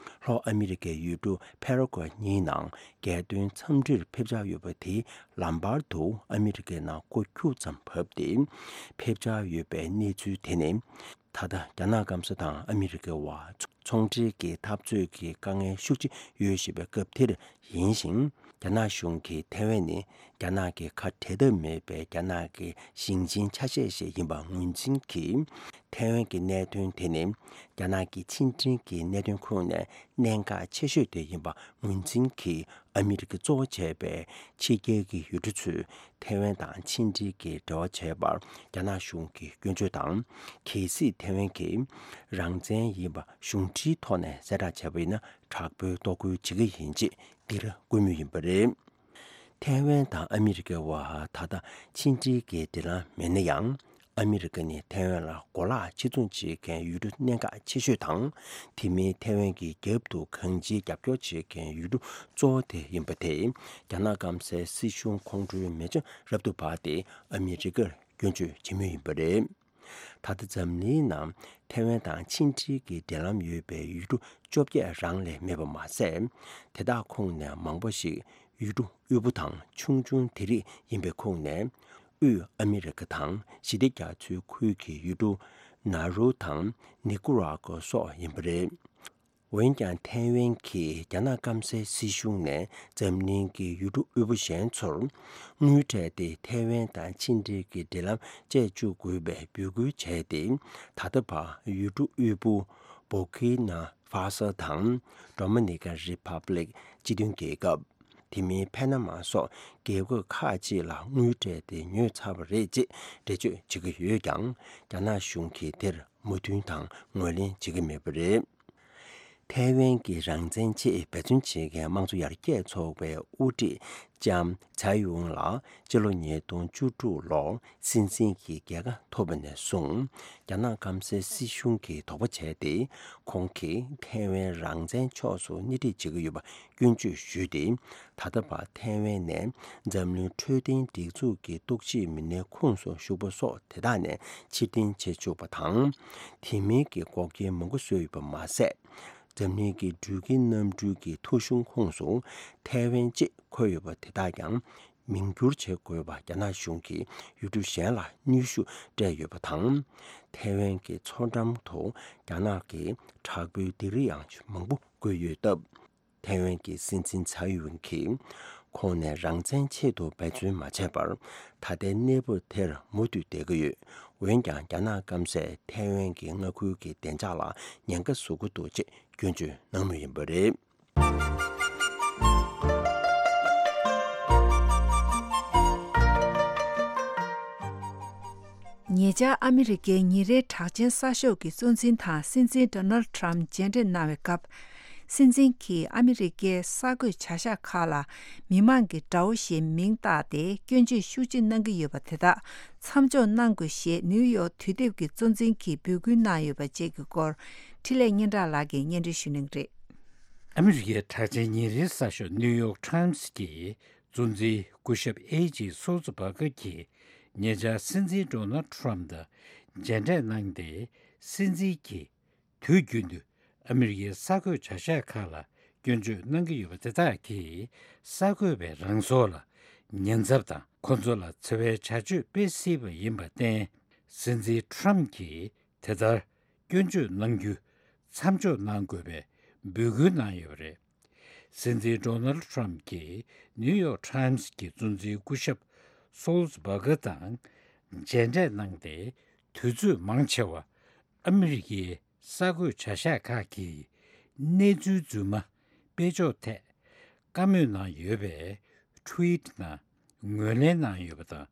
ལྷོ་ཨ་མི་རི་ཀའི་ཡུལ་གྲུ་ཕེ་ར་ཀོ་གཉིས་ནང་རྒྱལ་དོན་འཚམས་འདྲིར་ཕེབས་འཆར་ཡོད་པ་དེའི་ལམ་བར་དུ་ཨ་མི་རི་ཀའི་ནང་སྐོར་ཁྱུག་ཙམ་བབས་ཏེ་ཕེབས་འཆར་ཡོད་པའི་གནས་ཚུལ་དེ་ནི། ད་ལྟ་རྒྱ་ནག་སྐམ་ས་དང་ཨ་མི་རི་ཀའི་བར་ཚོང་འབྲེལ་གྱི་འཐབ་རྩོད་ཀྱི་དཀའ་ངལ་ཤུགས་ཆེ་ཡོད་བཞིན་པའི་སྐབས་དེར་ཡིན་ཞིང་། རྒྱ་ནག་གཞུང་གིས་ཐའེ་ཝན་ནི་རྒྱ་ནག་གི་ཁ་བྲལ་ཐབས་མེད་པའི་རྒྱ་ནག་གི་ཞིང་ཆེན་ཆ་ཤས་ཤིག་ཡིན་པ་ངོས་འཛིན་གྱིས། ཐའེ་ཝན་གྱི་གནད་དོན་དེ་ནི་རྒྱ་ནག་གི་ཕྱི་འབྲེལ་གྱི་གནད་དོན་ཁོངས་ནས་གནད་འགག་ཆེ་ཤོས་དེ་ཡིན་པ་ངོས་འཛིན་གྱིས། ཨ་མི་རི་ཀ་གཙོ་བོ་བྱས་པའི་ཕྱི་རྒྱལ་གྱི་ཡུལ་གྲུ་ཚོས་ཐའེ་ཝན་དང་ཕྱི་འབྲེལ་གྱི་འབྲེལ་བ་བྱས་པར་རྒྱ་ནག་གཞུང་གིས་སྐྱོན་བརྗོད་དང་། གལ་སྲིད་ཐའེ་ཝན་གྱིས་རང་བཙན་ཡིན་པ་གཞུང་འབྲེལ་ཐོག་ནས་གསལ་བསྒྲགས་བྱས་པ་ཡིན་ན་དྲག་པོའི་གཏོར་རྒོལ་བྱེད་ཀྱི་ཡིན་ཅེས་འདིར་བཀོད་མུས་ཡིན་པ་རེད། ཐའེ་ཝན་དང་ཨ་མི་རི་ཀའི་བར་ད་ལྟ་ཕྱི་འབྲེལ་གྱི་འབྲེལ་ལམ་མེད་ན་ཡང་། ཨ་མི་རི་ཀ་ནི་ཐའེ་ཝན་ལ་གོ་ལག་ཕྱིར་ཚོང་བྱེད་མཁན་ཡུལ་གྲུ་གནད་འགག་ཆེ་ཤོས་དང་། དེ་མིན་ཐའེ་ཝན་གྱི་རྒྱབ་ཏུ་གང་ཅིའི་རྒྱབ་སྐྱོར་བྱེད་མཁན་ཡུལ་གྲུ་གཙོ་བོ་དེ་ཡིན་པ་དེས། རྒྱ་ནག་སྐམ་སའི་སྲིད་གཞུང་ཁོང་ཁྲོའི་མེ་མཆོད་རབ་ཏུ་འབར་ཏེ་ཨ་མི་རི་ཀར་སྐྱོན་བརྗོད་བྱེད་མུས་ཡིན་པ་རེད། ད་ལྟ་འཛམ་གླིང་ནང་ཐའེ་ཝན་དང་ཕྱི་འབྲེལ་གྱི་འབྲེལ་ལམ་ཡོད་པའི་ཡུལ་གྲུ་བཅོ་བརྒྱད་རང་ལས་མེད་པ་མ་ཟད། དེ་དག་ཁོངས་ནས་མང་པོ་ཞིག་ཡུལ་གྲུ་དབུལ་པོ་དང་ཆུང་ཆུང་དེ་རིགས་ཡིན་པའི་ཁོངས་ནས། དབུས་ཨ་མི་རི་ཀ་དང་ཞི་བདེ་རྒྱ་མཚོའི་ཁུལ་གྱི་ཡུལ་གྲུ་ནཱ་རུ་དང་ནི་ཀུ་ར་ཀོ་སོགས་ཡིན་པ་རེད། འོན་ཀྱང་ཐའེ་ཝན་གྱིས་རྒྱ་ནག་སྐམ་སའི་སྲིད་གཞུང་ནས་འཛམ་གླིང་གི་ཡུལ་གྲུ་དབུལ་པོ་གཞན་ཚོར་དངུལ་སྤྲད་དེ་ཐའེ་ཝན་དང་ཕྱི་འབྲེལ་གྱི་འབྲེལ་ལམ་བཅད་བཅུག་དགོས་པའི་འབོད་སྐུལ་བྱས་ཏེ། ད་ལྟ་བར་ཡུལ་གྲུ་དབུལ་པོ་བྷོ་ཁི་ན་ཧྥ་སོ་དང་ཌོ་མི་ནི་ཀན་རི་ཕབ་ལིག་སྤྱི་མཐུན་རྒྱལ་ཁབ། དེ་མིན་ཕ་ན་མ་སོགས་རྒྱལ་ཁབ་ཁག་ཅིག་ལ་དངུལ་སྤྲད་དེ་ཉོས་ཚར་བ་རེད་ཅེས་འགྲེལ་བརྗོད་བྱེད་ཀྱི་ཡོད་ཀྱང་། རྒྱ་ནག་གཞུང་གིས་དེར་མོས་མཐུན་དང་ངོས་ལེན་བྱེད་ཀྱི་མེད་པ་རེད། ཐའེ་ཝན་གྱི་རང་བཙན་ཆེད་འབད་བརྩོན་བྱེད་མཁན་དམངས་གཙོ་ཡར་རྒྱས་ཚོགས་པའི་དབུ་ཁྲིད་ལྕམ་ཚའེ་ཝུང་ལ་སྤྱི་ལོ་ཉིས་སྟོང་བཅུ་དྲུག་ལོར་སྲིད་འཛིན་གྱི་རྒྱལ་ཁ་ཐོབ་པ་ནས་བཟུང་། རྒྱ་ནག་སྐམ་སའི་སྲིད་གཞུང་གིས་དོགས་པ་བྱས་ཏེ། ཁོང་གིས་ཐའེ་ཝན་རང་བཙན་ཕྱོགས་སུ་སྣེ་ཁྲིད་བྱེད་ཀྱི་ཡོད་པ་སྐྱོན་བརྗོད་ཞུས་ཏེ། ད་ལྟ་བར་ཐའེ་ཝན་ནས་འཛམ་གླིང་འཕྲོད་བསྟེན་སྒྲིག་འཛུགས་ཀྱི་རྟོག་ཞིབ་མི་སྣའི་ཁོངས་སུ་ཞུགས་པ་སོགས་དེ་དག་ནས་ཕྱིར་འཐེན་བྱེད་བཅུག་པ་དང་། དེ་མིན་གྱི་འགོག་རྐྱེན་མང་པོ་བཟོས་ཡོད་པ་མ་ཟད། འཛམ་གླིང་གི་འགྲུལ་སྐྱེལ་གནམ་གྲུ་གི་ཐོ་གཞུང་ཁོངས་སུ་ཐའེ་ཝན་ཅེས་འཁོད་ཡོད་པ་དེ་དག་ཀྱང་མིང་བསྒྱུར་བྱེད་དགོས་པ། རྒྱ་ནག་གཞུང་གིས་ཡུལ་གྲུ་གཞན་ལ་གནོན་ཤུགས་སྤྲད་ཡོད་པ་དང་། ཐའེ་ཝན་གྱི་མཚོ་འགྲམ་དུ་རྒྱ་ནག་གི་དྲག་པོའི་སྡིགས་ར་ཡང་མང་པོ་བཀོད་ཡོད་སྟབས། ཐའེ་ཝན་གྱི་སྲིད་འཛིན་ཚའེ་ཝེན་གྱིས་ཁོང་ནས་རང་བཙན་ཆེད་དུ་འབད་བརྩོན་མ་བྱས་པར། ད་ལྟའི་གནས་བབ་དེར་མུ་མཐུད་བསྡད་ཀྱི་ཡོད། འོན་ཀྱང་རྒྱ་ནག་སྐམ་སས་ཐའེ་ཝན་གྱི་མངའ་ཁུལ་གྱི་བདེ་འཇགས་ལ་ཉེན་ཁ་བཟོ་གི་འདུག་ཅེས་སྐྱོན་བརྗོད་གནང་མུས་ཡིན་པ་རེད། ཉེ་ཆར་ཨ་མི་རི་ཀའི་ཉིན་རེའི་གྲགས་ཅན་གསར་ཤོག་གི་གཙོ་འཛིན་དང་སྲིད་འཛིན་ཌོ་ནལ་ཌི་ཊརམ་མཇལ་འཕྲད་གནང་བའི་སྐབས། སྲིད་འཛིན་གྱིས་ཨ་མི་རི་ཀའི་གསར་འགོད་བྱ་གཞག་ཁག་ལ་མི་མང་གི་དགྲ་བོ་ཞེས་མིང་བཏགས་ཏེ་སྐྱོན་བརྗོད་ཤུགས་ཆེ་གནང་གི་ཡོད་པ་དེ་དག་མཚམས་འཇོག་གནང་དགོས་ཞེས་ནིའུ་ཡོག་དུས་དེབ་ཀྱི་གཙོ་འཛིན་གྱིས་འབོད་སྐུལ་གནང་ཡོད་པ་བཅས་ཀྱི་སྐོར་འཕྲིན་ལས་སྙན་གྲགས་ལགས་ཀྱིས་སྙན་སྒྲོན་ཞུ་གནང་གི་རེད། ཨ་མི་རི་ཀའི་གྲགས་ཅན་ཉིན་རེའི་གསར་ཤོག་ནིའུ་ཡོག་ཊའིམ་སི་གི་གཙོ་འཛིན་སྐུ་ཞབས་ཨེ་ཇི་སོལ་ཙི་བྷ་གྷར་གྱིས་ཉེ་ཆར་སྲིད་འཛིན་ཌོ་ནལ་ཌི་ཊརམ་དང་མཇལ་འཕྲད་གནང་སྟེ། སྲིད་འཛིན་གྱིས་དུས་རྒྱུན་དུ་ཨ་མི་རི་ཀའི་གསར་འགོད་བྱ་གཞག་ཁག་ལ་སྐྱོན་བརྗོད་གནང་གི་ཡོད་པ་དེ་དག་གིས་གསར་འགོད་པའི་རང་སྲོག་ལ་ཉེན་ཚབས་དང་། ཁོ་ཚོ་ལ་འཚེ་བའི་བྱ་སྤྱོད་སྤེལ་སྲིད་པ་ཡིན་པར་བརྟེན། སྲིད་འཛིན་ཊརམ་གྱིས་དེ་ལྟར་སྐྱོན་བརྗོད་གནང་རྒྱུ་མཚམས་འཇོག་གནང་དགོས་པའི་འབོད་སྐུལ་གནང་ཡོད་པ་རེད། སྲིད་འཛིན་ཌོ་ནལ་ཌི་ཊརམ་གྱིས་ནིའུ་ཡོག་ཊའིམ་སི་གི་གཙོ་འཛིན་སྐུ་ཞབས་ སོལ་སྦར་གྷི་དང་མཇལ་འཕྲད་གནང་སྟེ། དུས་ཚོད་མང་ཆེ་བ་ཨ་མི་རི་ཀའི་གསར་འགོད་བྱ་གཞག་ཁག་གིས་གནས་ཚུལ་རྫུན་མ་སྤེལ་ཕྱོགས་ཐད་བཀའ་མོལ་གནང་ཡོད་པའི་ཊུ་ཝིཊ་ནང་ངོས་ལེན་གནང་ཡོད་པ་དང་།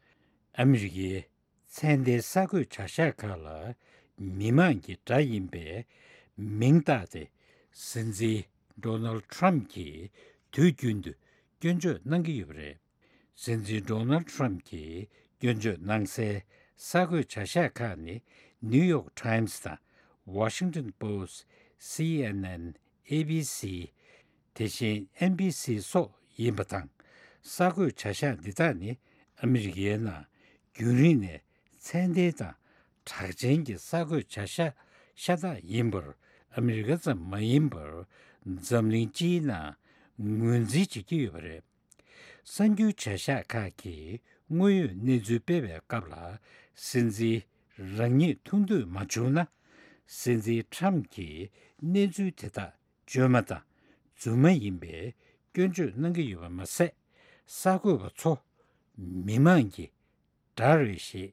ཨ་མི་རི་ཀའི་ཚན་ལྡན་གསར་འགོད་བྱ་གཞག་ཁག་ལ་མི་མང་གི་དགྲ་ཡིན་པའི་མིང་བཏགས་ཏེ། སྲིད་འཛིན་ཌོ་ནལ་ཊམ་གྱིས་དུས་རྒྱུན་དུ་སྐྱོན་བརྗོད་གནང་གི་ཡོད་པ་རེད། སྲིད་འཛིན་ཌོ་ནལ་ཊམ་གྱིས་སྐྱོན་བརྗོད་གནང་སའི་གསར་འགོད་བྱ་གཞག་ཁག་ནི་ནིའུ་ཡོག་ཊའིམ་སི་དང་ཝ་ཤིང་ཊོན་པོ་སི་ཊི། སི་ཨེན་ཨེན། ཨེ་བི་སི། དེ་བཞིན་ཨེན་བི་སི་སོགས་ཡིན་པ་དང་། གསར་འགོད་བྱ་གཞག་འདི་དག་ནི་ཨ་མི་རི་ཀའི་ནང་རྒྱུན་རིང་ནས་ཚད་ལྡན་དང་གྲགས་ཅན་གྱི་གསར་འགོད་བྱ་གཞག་ཤ་སྟག་ཡིན་པར། ཨ་མི་རི་ཀ་ཙམ་མ་ཡིན་པར་འཛམ་གླིང་སྤྱིའི་ནང་ངོས་འཛིན་བྱེད་ཀྱི་ཡོད་པ་རེད། གསར་འགྱུར་བྱ་གཞག་ཁག་གིས་དངོས་ཡོད་གནས་ཚུལ་སྤེལ་བའི་སྐབས་ལ། སྲིད་འཛིན་རང་ཉིད་ཐུགས་འདོད་མ་བྱུང་ན། སྲིད་འཛིན་ཊམ་གྱིས་གནས་ཚུལ་དེ་དག་བཅོས་མ་དང་རྫུན་མ་ཡིན་པའི་སྐྱོན་བརྗོད་གནང་གི་ཡོད་པ་མ་ཟད། གསར་འགོད་པ་ཚོ་མི་མང་གི་དགྲ་རེད་ཞེས་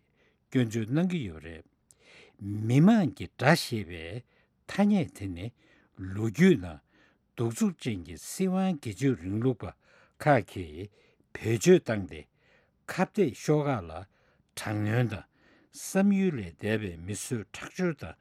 སྐྱོན་བརྗོད་གནང་གི་ཡོད་པ་རེད། མི་མང་གི་དགྲ་ཞེས་པའི་ཐ་སྙད་དེ་ནི་ལོ་རྒྱུས་ནང་གདུག་རྩུབ་ཅན་གྱི་སྲིད་དབང་སྒེར་གཅོད་རིང་ལུགས་པ་ཁག་གིས་བེད་སྤྱོད་བཏང་སྟེ། ཁ་གཏད་ཤོག་ཁག་ལ་དྲག་གནོན་དང་། བསམ་ཡུལ་ལས་འདས་པའི་མི་གསོད་ཁྲག་སྦྱོར་དང་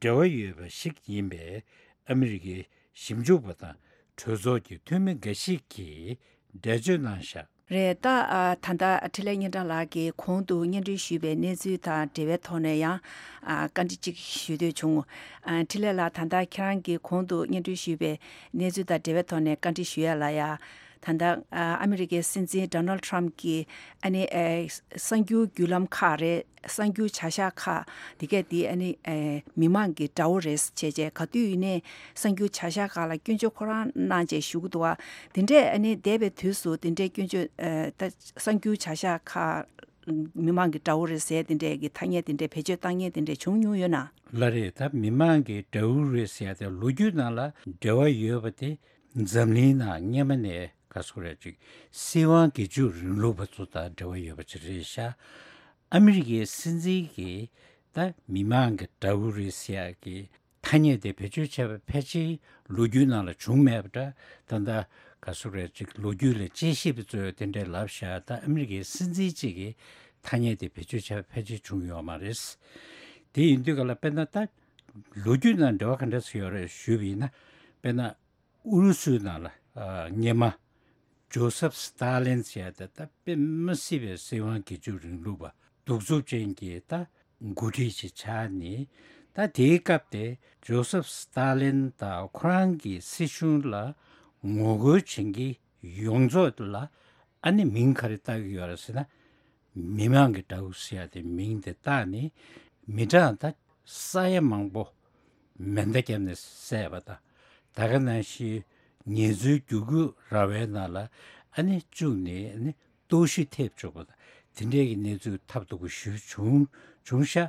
འབྲེལ་བ་ཡོད་པ་ཞིག་ཡིན་པས། ཨ་མི་རི་ཀའི་ཞིབ་འཇུག་པ་དང་གྲོས་ཚོགས་ཀྱི་འཐུས་མི་འགའ་ཞིག་གིས་འགྲེལ་བརྗོད་གནང་བཞག་རེད། ད་ཨ་ད་ལྟ་འཕྲིན་ལས་སྙན་གྲགས་ལགས་ཀྱིས་གོང་དུ་སྙན་སྒྲོན་ཞུས་པའི་གནས་ཚུལ་དང་འབྲེལ་བའི་ཐོག་ནས་ཡང་ཨ་བཀའ་འདྲི་གཅིག་ཞུ་འདོད་བྱུང་། ཨ་འཕྲིན་ལས་ལགས། ད་ལྟ་ཁྱེད་རང་གིས་གོང་དུ་སྙན་སྒྲོན་ཞུས་པའི་གནས་ཚུལ་དང་འབྲེལ་བའི་ཐོག་ནས་བཀའ་འདྲི་ཞུ་ཡ་ལ་ཡ། ད་ལྟ་ཨ་ཨ་མི་རི་ཀའི་སྲིད་འཛིན་ཌོ་ནལ་ཊམ་གྱིས་ཨ་ནི་ཨེ་གསར་འགྱུར་བརྒྱུད་ལམ་ཁག་རེད། གསར་འགྱུར་བྱ་གཞག་ཁག་འདི་གས་འདི་ཨ་ནི་ཨེ་མི་མང་གི་དགྲ་བོ་རེད་ཅེས་བྱས། ག་དུས་ཡིན་ནའི་གསར་འགྱུར་བྱ་གཞག་ཁག་ལ་སྐྱོན་བརྗོད་ཁོ་རང་གནང་བྱས་ཞུ་གི་འདུག་བ། དེ་འདྲས་ཨ་ནི་འདས་པའི་དུས་སུ་དེ་འདྲས་སྐྱོན་བརྗོད་ཨེ་ད་གསར་འགྱུར་བྱ་གཞག་ཁག་མི་མང་གི་དགྲ་བོ་རེད་ཟེར་དེ་འདྲས་ཀྱི་ཐ་སྙད་དེ་འདྲས་བེད་སྤྱོད་བཏང་མཁན་དེ་འདྲས་བྱུང་མྱོང་ཡོད་ན། ལགས་རེད། ད་མི་མང་གི་དགྲ་བོ་རེད་ཟེར་ཡ་དེ་ལོ་རྒྱུས་ནང་ལ་འབྲེལ་བ་ཡོད་པ་དེ་འཛམ་གླིང་ནང་སྔས་མ་ནས་ག་ཟེར་རེད་ཅིག་སྲིད་དབང་སྒེར་གཅོད་རིང་ལུགས་པ་ཚོ་དང་འབྲེལ་བ་ཡོད་པ་ཅིག་རེད་ཤག་ཨ་མི་རི་ཀའི་སྲིད་འཛིན་གྱིས་ད་མི་མང་གི་དགྲ་བོ་རེད་ཟེར་ཡ་གི་ཐ་སྙད་དེ་བེད་སྤྱོད་བྱས་པ་ཕལ་ཆེར་ལོ་རྒྱུས་ནང་ལ་བྱུང་མེད་པ་འདྲ། ད་ལྟ་ག་ཟེར་རེད་ཅིག་ལོ་རྒྱུས་ལ་དཔྱད་ཞིབ་པ་ཚོས་དེ་འདྲས་ལབ་ཤག་ད་ཨ་མི་རི་ཀའི་སྲིད་འཛིན་གཅིག་གིས་ཐ་སྙད་དེ་བེད་སྤྱོད་བྱས་པ་ཕལ་ཆེར་བྱུང་ཡོད་མ་རེད། དེ་ཡིན་དུས་ག་ལ་དཔེར་ན་ད་ལོ་རྒྱུས་ནང་འབྲེལ་བ་ག་འདྲ་ཞིག་ཡོད་རེད་ཞུས་པ་ཡིན་ན། དཔེར་ན་ཨུ་རུ་སུའི་ནང་ལ་ཨ་སྔས་མ་ཇོ་སེབ་སི་ཏཱ་ལིན་ཟེར་ཡ་དེ་ད་དཔེ་མི་སྲིད་པའི་སྲིད་དབང་སྒེར་གཅོད་རིང་ལུགས་པ་གདུག་རྩུབ་ཅན་གྱི་ད་འགོ་ཁྲིད་ཅིག་ཆགས་ནས། ད་དེའི་སྐབས་དེ་ཇོ་སེབ་སི་ཏཱ་ལིན་དང་ཁོ་རང་གི་སྲིད་གཞུང་ལ་ངོ་རྒོལ་བྱེད་མཁན་ཡོངས་རྫོགས་ལ་ཨ་ནི་མིང་ག་རེ་བཏགས་ཀྱི་ཡོད་རེད་ཟེར་ན། མི་མང་གི་དགྲ་བོ་ཟེར་ཡ་དེ་མིང་དེ་བཏགས་ནས། མི་གྲངས་ད་ས་ཡ་མང་པོ་མེ་མདའ་བརྒྱབ་ནས་བསད་པ་དང་། ད་ག་ནང་བཞིན་ངལ་རྩོལ་བསྒྱུར་བཀོད་ར་བའི་ནང་ལ་ཨ་ནི་བཅུག་ནས་ཨ་ནི་གཏོར་བཤིག་ཐེབས་བཅུག་པ་དང་། དེ་འདྲའི་གི་གནས་ཚུལ་ཐབས་སྡུག་པོ་ཞིག་བྱུང་བྱུང་ཤག་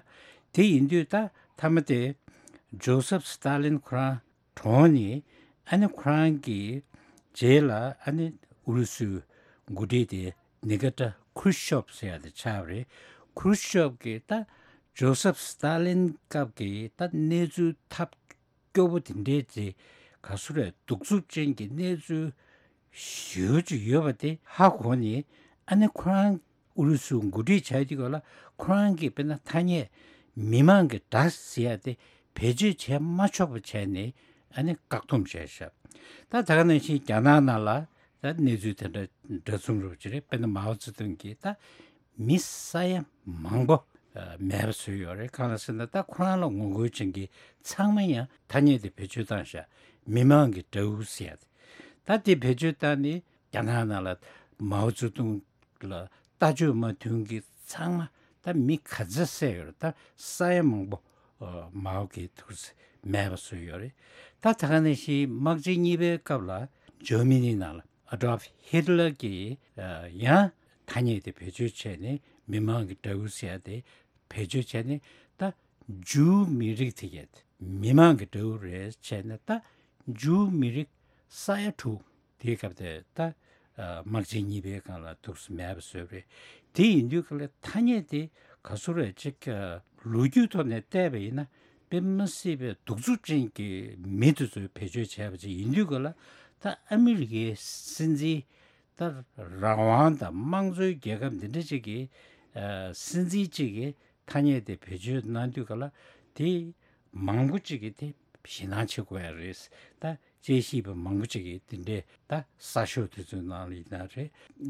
དེ་ཡིན་དུས་ད་མཐའ་མ་དེ་ཇོ་སེབ་སི་ཏཱ་ལིན་ཁོ་རང་གྲོངས་ནས། ཨ་ནི་ཁོ་རང་གི་རྗེས་ལ་ཨ་ནི་ཨུ་རུ་སུའི་འགོ་ཁྲིད་དེ་ནི་ཀི་ཏཱ་ཁུ་རུ་ཤོབ་ཟེར་ཡ་དེ་ཆགས་པ་རེད། ཁུ་རུ་ཤོབ་གིས་ད་ཇོ་སེབ་སི་ཏཱ་ལིན་སྐབས་ཀྱི་ད་གནས་ཚུལ་ཐབས་སྐྱོ་པོ་དེ་འདྲའི་ཚེ་ག་ཟེར་རེད། གདུག་རྩུབ་ཅན་གྱི་གནས་ཚུལ་ཞེ་པོ་ཅིག་ཡོད་པ་དེ་ཧ་གོ་ནས། ཨ་ནི་ཁོ་རང་ཨུ་རུ་སུའི་འགོ་ཁྲིད་བྱས་དུས་སྐབས་ལ་ཁོ་རང་གིས་དཔེར་ན་ཐ་སྙད་མི་མང་གི་དགྲ་ཟེར་ཡ་དེ་བེད་སྤྱོད་བྱས་མ་ཆོག་པ་བྱས་ནས་ཨ་ནི་བཀག་སྡོམ་བྱས་ཤག་ད་ད་ག་ནང་བཞིན་རྒྱ་ནག་ནང་ལ་ད་གནས་ཚུལ་དེ་འདྲ་འདྲ་མཚུངས་རུབ་ཅིག་རེད། དཔེར་ན་མའོ་ཙེ་ཏུང་གིས་ད་མི་ས་ཡ་མང་པོ་ཨ་མེད་པ་བཟོས་ཡོད་རེད། གང་ལ་ཟེར་ན་ད་ཁོ་རང་ལ་ངོ་རྒོལ་བྱེད་མཁན་ཚང་མ་ཡང་ཐ་སྙད་དེ་བེད་སྤྱོད་བཏང་ཤག་མི་མང་གི་དགྲ་བོ་ཟེར་ཡ་དེ། ད་དེ་བེད་སྤྱོད་བཏང་ནས་རྒྱ་ནག་ནང་ལ་མའོ་ཙེ་ཏུང་ལ་ལྟ་སྤྱོད་མ་མཐུན་གྱི་ཚང་མ་ད་མི་ག་ཚོད་བསད་ཡོད་རེད། ད་ས་ཡ་མང་པོ་ཨ་མའོ་གིས་ཐུགས་མེད་པ་བཟོས་ཡོད་རེད། ད་ད་ག་ནང་བཞིན་དམག་ཆེན་གཉིས་པའི་སྐབས་ལ་ཇར་མ་ནི་ནང་ལ་ཨ་ཌོལཕ་ཧི་ཊ་ལར་གྱིས་ཨ་ཡང་ཐ་སྙད་དེ་བེད་སྤྱོད་བྱས་ནས་མི་མང་གི་དགྲ་བོ་ཟེར་ཡ་དེ་བེད་སྤྱོད་བྱས་ནས། ད་ཇུའུ་མི་རིགས་དེ་གས་མི་མང་གི་དགྲ་བོ་རེད་བྱས་ནས། ད་ཇུའུ་མི་རིགས་ས་ཡ་དྲུག་དེའི་སྐབས་དེ་ད་ དམག་ཆེན་གཉིས་པའི་སྒང་ལ་འདུག་སེ་མེད་པ་བཟོས་པ་རེད། དེ་ཡིན་དུས་ག་ལ་ཐ་སྙད་དེ་ག་ཚོད་རེད་ཅིག་ལོ་རྒྱུས་ཐོག་ནས་བལྟས་པ་ཡིན་ན་དཔེ་མི་སྲིད་པའི་གདུག་རྩུབ་ཅན་གྱི་མི་དེ་ཚོས་བེད་སྤྱོད་བྱས་པ་ཅིག་ཡིན་དུས་ག་ལ་ད་ཨ་མི་རི་ཀའི་སྲིད་འཛིན་ད་རང་དབང་དང་དམངས་གཙོའི་རྒྱལ་ཁབ་འདི་འདྲ་ཅིག་གི་སྲིད་འཛིན་ཅིག་གི་ཐ་སྙད་དེ་བེད་སྤྱོད་གནང་དུས་ག་ལ་དེ་མང་པོ་ཅིག་གིས་དེ་ཞེད་སྣང་བྱེད་དགོས་ཡ་རེད། ད་དཔྱད་ཞིབ་པ་མང་པོ་ཅིག་གིས་དེ་འདྲའི་ད་གསར་ཤོག་དེ་ཚོའི་ནང་ལ་ཡིན་ན་རེད།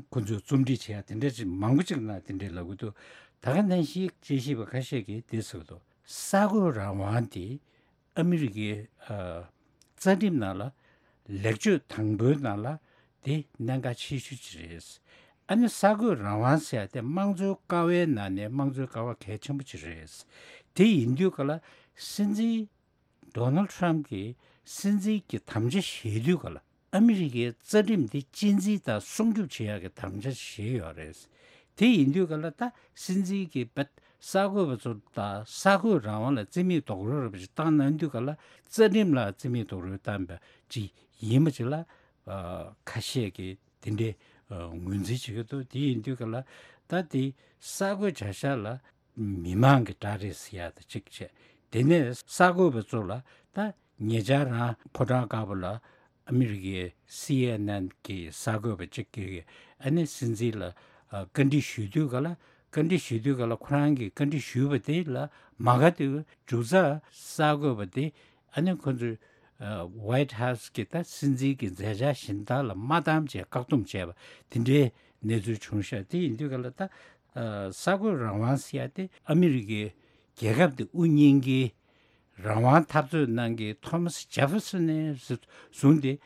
ཁོ་ཚོས་རྩོམ་སྒྲིག་བྱེད་ཡ་དེ་འདྲ་ཅིག་མང་པོ་ཅིག་ནང་དེ་འདྲའི་ལབ་གི་འདུག་ད་ག་ནང་བཞིན་དཔྱད་ཞིབ་པ་ཁ་ཤས་ཀྱིས་དེ་ཟེར་གི་འདུག་གསར་འགོད་རང་དབང་དེ་ཨ་མི་རི་ཀའི་ཨ་རྩ་ཁྲིམས་ནང་ལ་ལེགས་བཅོས་དང་པོའི་ནང་ལ་དེ་གནད་འགག་ཆེ་ཤོས་ཅིག་རེད། ཨ་ནི་གསར་འགོད་རང་དབང་ཟེར་ཡ་དེ་དམངས་གཙོའི་ཀ་བའི་ནང་ནས་དམངས་གཙོའི་ཀ་བ་གལ་ཆེན་པོ་ཅིག་རེད། དེ་ཡིན་དུས་ག་ལ་སྲིད་འཛིན་ཌོ་ནལ་ཊམ་གྱིས་སྲིད་འཛིན་གྱི་དམ་བཅའ་བཞེས་དུས་ག་ལ་ཨ་མི་རི་ཀའི་རྩ་ཁྲིམས་འདི་གཅེས་འཛིན་དང་སྲུང་སྐྱོབ་བྱེད་ཡག་གི་དམ་བཅའ་བཞེས་ཡོད་རེད། དེ་ཡིན་དུས་ག་ལ་ད་སྲིད་འཛིན་གྱི་བ་གསར་འགོད་པ་ཚོ་དང་གསར་འགོད་རང་དབང་ལ་རྩིས་མེད་རྡོག་རོལ་ར་བ་ཞིག་བཏང་གནང་དུས་ག་ལ་རྩ་ཁྲིམས་ལ་རྩིས་མེད་རྡོག་རོལ་བཏང་བ་ཅིག་ཡིན་པ་ཅིག་ལ་ཁ་ཤས་ཀྱིས་དེ་འདྲའི་ངོས་འཛིན་བྱེད་ཀྱི་འདུག་དེ་ཡིན་དུས་ག་ལ་ད་དེ་གསར་འགོད་བྱ་གཞག་ལ་མི་མང་གི་དགྲ་རེད་ཟེར་ཡ་ད་གཅིག་བྱས། དེ་ནས་གསར་འགོད་པ་ཚོ་ལ་ད་ཉེ་ཆར་རང་ཕོ་བྲང་དཀར་པོ་ལ་ཨ་མི་རི་ཀའི་སི་ཨེན་ཨེན་གི་གསར་འགོད་པ་གཅིག་གིས་ཨ་ནི་སྲིད་འཛིན་ལ་བཀའ་འདྲི་ཞུ་དུས་ག་ལ་བཀའ་འདྲི་ཞུ་དུས་ག་ལ་ཁོ་རང་གིས་བཀའ་འདྲི་ཞུས་པ་དེ་ལ་མ་དགའ་དུས་མཇུག་རྩ་གསར་འགོད་པ་དེ་ཨ་ནི་ཁོ་ཚོས་ཝའིཊ་ཧའུ་སི་གི་ད་སྲིད་འཛིན་གྱི་མཛད་འཆར་གཞན་དག་ལ་མ་བཏང་བྱས་བཀག་སྡོམ་བྱས་པ་དེ་འདྲའི་གནས་ཚུལ་བྱུང་ཤག་དེ་ཡིན་དུས་ག་ལ་ད་གསར་འགོད་རང་དབང་ཟེར་ཡ་དེ་ཨ་མི་རི་ཀའི་རྒྱལ་ཁབ་དེ་དབུ་བརྙེས་མཁན་རང་དབང་འཐབ་རྩོད་གནང་མཁན་ཐོ་མ་སི་ཇེ་ཧྥེར་སོན་ནས་བཟུང་སྟེ་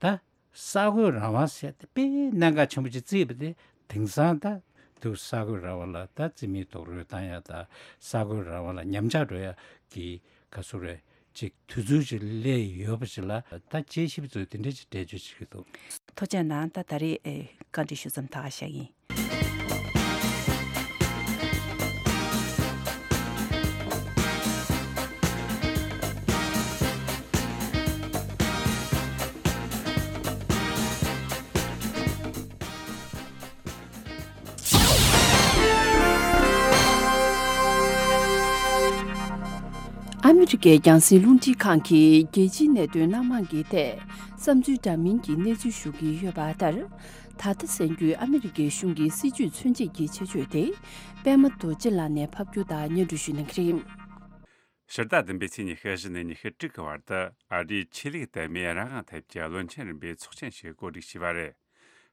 ད་གསར་འགོད་རང་དབང་ཟེར་ཏེ་དཔེ་གནད་འགག་ཆེན་པོ་ཅིག་བརྩིས་པ་དེ་དེང་སང་ད་དུ་གསར་འགོད་རང་དབང་ལ་ད་རྩིས་མེད་རྡོག་རོལ་བཏང་ཡ་ད་གསར་འགོད་རང་དབང་ལ་ཉམས་ཆག་འགྲོ་ཡ་གི་ག་ཚོད་རེད་ཅིག་དུས་ཚོད་ཅིག་སླེབས་ཡོད་པ་ཅིག་ལ་ད་དཔྱད་ཞིབ་ཚོས་དེ་འདྲ་ཅིག་འགྲེལ་བརྗོད་བྱེད་ཀྱི་འདུག་ཐུགས་རྗེ་གནང་། ད་ད་རེས་ཨེ་བཀའ་འདྲི་ཞུ་མཚམས་ད་ག་བཞག་ཡིན། ཨ་མི་རི་ཀའི་རྒྱང་སྲིང་རླུང་འཕྲིན་ཁང་གིས་རྒྱལ་སྤྱིའི་གནད་དོན་སྣ་མང་གི་ཐད་བསམ་ཚུལ་འདྲ་མིན་གྱི་གནས་ཚུལ་ཞུ་གི་ཡོད་པ་ལྟར། ད་ལྟ་གསན་རྒྱུའི་ཨ་མི་རི་ཀའི་གཞུང་གི་སྲིད་བྱུས་མཚོན་བྱེད་ཀྱི་ཆེད་བརྗོད་དེ་པད་མ་རྡོ་རྗེ་ལགས་ནས་ཕབ་སྒྱུར་དང་སྙན་སྒྲོན་ཞུ་གནང་གི་རེད། ཕྱི་ཟླ་བདུན་པའི་ཚེས་ཉི་ཤུ་བཞི་ནས་ཉི་ཤུ་དྲུག་གི་བར་དུ་ཨ་རིའི་ཆོས་ལུགས་དད་མོས་རང་དབང་ཐད་ཀྱི་བློན་ཆེན་རིམ་པའི་ཚོགས་ཆེན་ཞིག་གོ་སྒྲིག་བྱས་པ་རེད།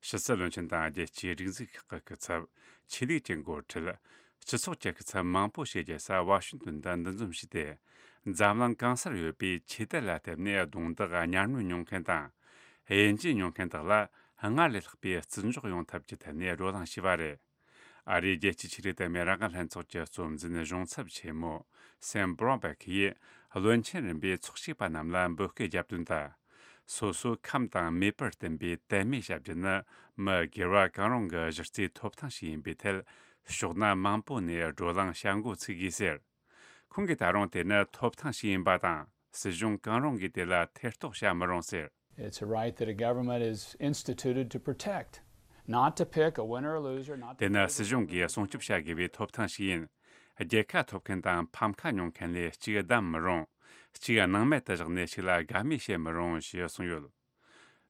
ཕྱི་སྲིད་བློན་ཆེན་དང་རྒྱལ་སྤྱིའི་སྒྲིག་འཛུགས་ཁག་གི་སྐུ་ཚབ། ཆོས་ལུགས་ཀྱི་འགོ་ཁྲིད། སྤྱི་ཚོགས་ཀྱི་སྐུ་ཚབ་མང་པོ་ཞིག་རྒྱལ་ས་ཝ་ཤིང་ཏོན་དུ་འདུ་འཛོམས་བྱས་ཏེ། འཛམ་གླིང་གང་སར་ཡོད་པའི་ཆོས་དད་ལ་བརྟེན་ནས་རྡུང་རྡེག་གཉའ་གནོན་མྱོང་མཁན་དང་། དབྱེ་འབྱེད་མྱོང་མཁན་དག་ལ་སྔར་ལས་ལྷག་པའི་བརྩི་འཇོག་ཡོང་ཐབས་ཀྱི་ཐད་ནས་བགྲོ་གླེང་བྱས་པ་རེད། ཨ་རིའི་རྒྱལ་སྤྱིའི་ཆོས་ལུགས་དད་མོས་རང་དབང་ལྷན་ཚོགས་ཀྱི་གཙོ་འཛིན་གཞུང་ཚབ་ཆེན་མོ་སེམ་བྷྲོན་བྷེག་གིས་བློན་ཆེན་རིམ་པའི་ཚོགས་གཅིག་པ་རྣམས་ལ་འབོད་སྐུལ་བརྒྱབ་དོན་དང་། སོ་སོའི་ཁམས་དང་མོས་པར་བསྟུན་པའི་དད་མོས་བྱ་རྒྱུ་ནི་མི་སྒེར་བ་གང་རུང་གི་གཞི་རྩའི་ཐོབ་ཐང་ཞིག་ཡིན་པའི་ཐད་ཕྱོགས་སྣ་མང་པོ་ནས་བགྲོ་གླེང་བྱ་འགོ་ཚུགས་དགོས་ཟེར། ཁོང་གིས་ད་རུང་དེ་ནི་ཐོབ་ཐང་ཞིག་ཡིན་པ་དང་སྲིད་གཞུང་གང་རུང་གིས་དེ་ལ་ཐེ་གཏོགས་བྱ་མི་རུང་ཟེར། It's a right that a government is instituted to protect, not to pick a winner or loser, not to དེ་ནི་སྲིད་གཞུང་གིས་སྲུང་སྐྱོབ་བྱ་དགོས་པའི་ཐོབ་ཐང་ཞིག་ཡིན། རྒྱལ་ཁ་ཐོབ་མཁན་དང་ཕམ་ཁ་མྱོང་མཁན་ལས་གཅིག་བདམས་མི་རུང་། གཅིག་སྣང་མེད་དུ་བཞག་ནས་གཅིག་ལ་དགའ་མོས་བྱེད་མི་རུང་ཞེས་གསུངས་ཡོད།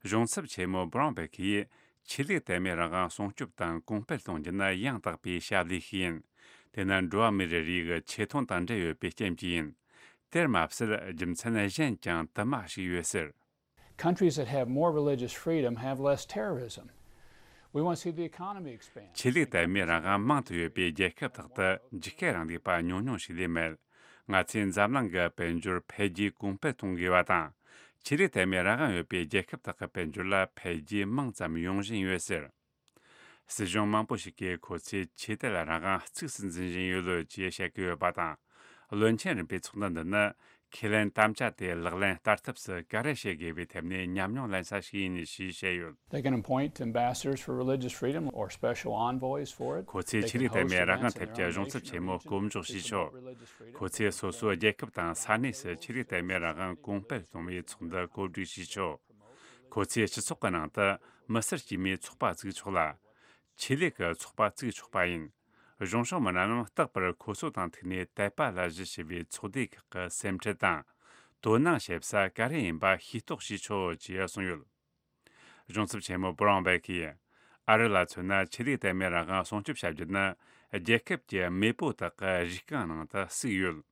གཞུང་ཚབ་ཆེན་མོ་བྷ་རོན་བྷེག་གིས་ཆོས་ལུགས་དད་མོས་རང་དབང་སྲུང་སྐྱོབ་དང་གོང་སྤེལ་གཏོང་རྒྱུ་ནི་ཡང་དག་པའི་ཞབས་ལས་ཤིག་ཡིན། དེ་ནི་འགྲོ་བ་མིའི་རིགས་ཀྱི་ཆེ་མཐོང་དང་འབྲེལ་ཡོད་པའི་རྐྱེན་གྱིས་ཡིན། དེར་མ་ཟད་རྒྱུ་མཚན་གཞན་ཀྱང་དུ་མ་ཞིག་ཡོད་ཟེར། Countries that have more religious freedom have less terrorism. We want to see the economy expand. ཆོས་ལུགས་དད་མོས་རང་དབང་མང་དུ་ཡོད་པའི་རྒྱལ་ཁབ་དག་ཏུ་འཇིགས་སྐུལ་རིང་ལུགས་པ་ཉུང་ཉུང་ཞིག་ལས་མེད། ང་ཚོས་འཛམ་གླིང་གི་དཔལ་འབྱོར་འཕེལ་རྒྱས་གོང་སྤེལ་གཏོང་དགོས་པ་དང་། ཆོས་ལུགས་དད་མོས་རང་དབང་ཡོད་པའི་རྒྱལ་ཁབ་དག་གི་དཔལ་འབྱོར་ལ་འཕེལ་རྒྱས་མང་ཙམ་ཡོང་བཞིན་ཡོད་ཟེར། སྲིད་གཞུང་མང་པོ་ཞིག་གིས་ཁོ་ཚོས་ཆོས་དད་རང་དབང་གཙིགས་སུ་འཛིན་བཞིན་ཡོད་ལོས་ཅེས་བཤད་ཀྱི་ཡོད་པ་དང་། བློན་ཆེན་རིམ་པའི་ཚོགས་འདུ་འདི་ནི་ཁས་ལེན་དམ་བཅའ་དེ་ལག་ལེན་བསྟར་ཐབས་སུ་ག་རེ་བྱེད་དགོས་པའི་ཐད་ནས་ཉམས་མྱོང་ལེན་ས་ཞིག་ཡིན་ཞེས་བཤད་ཡོད། They can appoint ambassadors for religious freedom or special envoys for it. ཁོ་ཚོས་ཆོས་ལུགས་དད་མོས་རང་དབང་ཐད་ཀྱི་གཞུང་ཚབ་ཆེན་མོ་བསྐོ་འཇོག་བྱས་ཆོག་ཁོ་ཚོས་སོ་སོའི་རྒྱལ་ཁབ་དང་ས་གནས་སུ་ཆོས་ལུགས་དད་མོས་རང་དབང་གོང་སྤེལ་གཏོང་བའི་ཚོགས་འདུ་གོ་སྒྲིག་བྱས་ཆོག་ཁོ་ཚོས་སྤྱི་ཚོགས་ཀྱི་ནང་དུ་ མི་སེར་དཀྱུས་མའི་ཚོགས་པ་བཙུགས་ཆོག་ལ། ཆེད་ལས་ཀྱི་ཚོགས་པ་བཙུགས་ཆོག་པ་ཡིན། གཞུང་ཕྱོགས་མི་སྣ་རྣམས་རྟག་པར་ཁོ་ཚོ་དང་ཐུག་ནས་དད་པ་ལ་གཞི་བྱས་པའི་ཚོགས་སྡེ་ཁག་གི་སེམས་ཁྲལ་དང་། དོ་སྣང་བྱེད་ས་ག་རེ་ཡིན་པ་ཤེས་རྟོགས་བྱེད་ཆོག་ཅེས་གསུངས་ཡོད། གཞུང་ཚབ་ཆེན་མོ་བུ་རང་བེ་གིས། ཨ་རི་ལ་མཚོན་ན་ཆེད་ལས་དད་མོས་རང་དབང་སྲུང་སྐྱོབ་བྱ་རྒྱུ་ནི། རྒྱལ་ཁབ་ཀྱི་མེས་པོ་དག་གི་རིགས་རྐང་ནང་དུ་བརྩིས་ཡོད།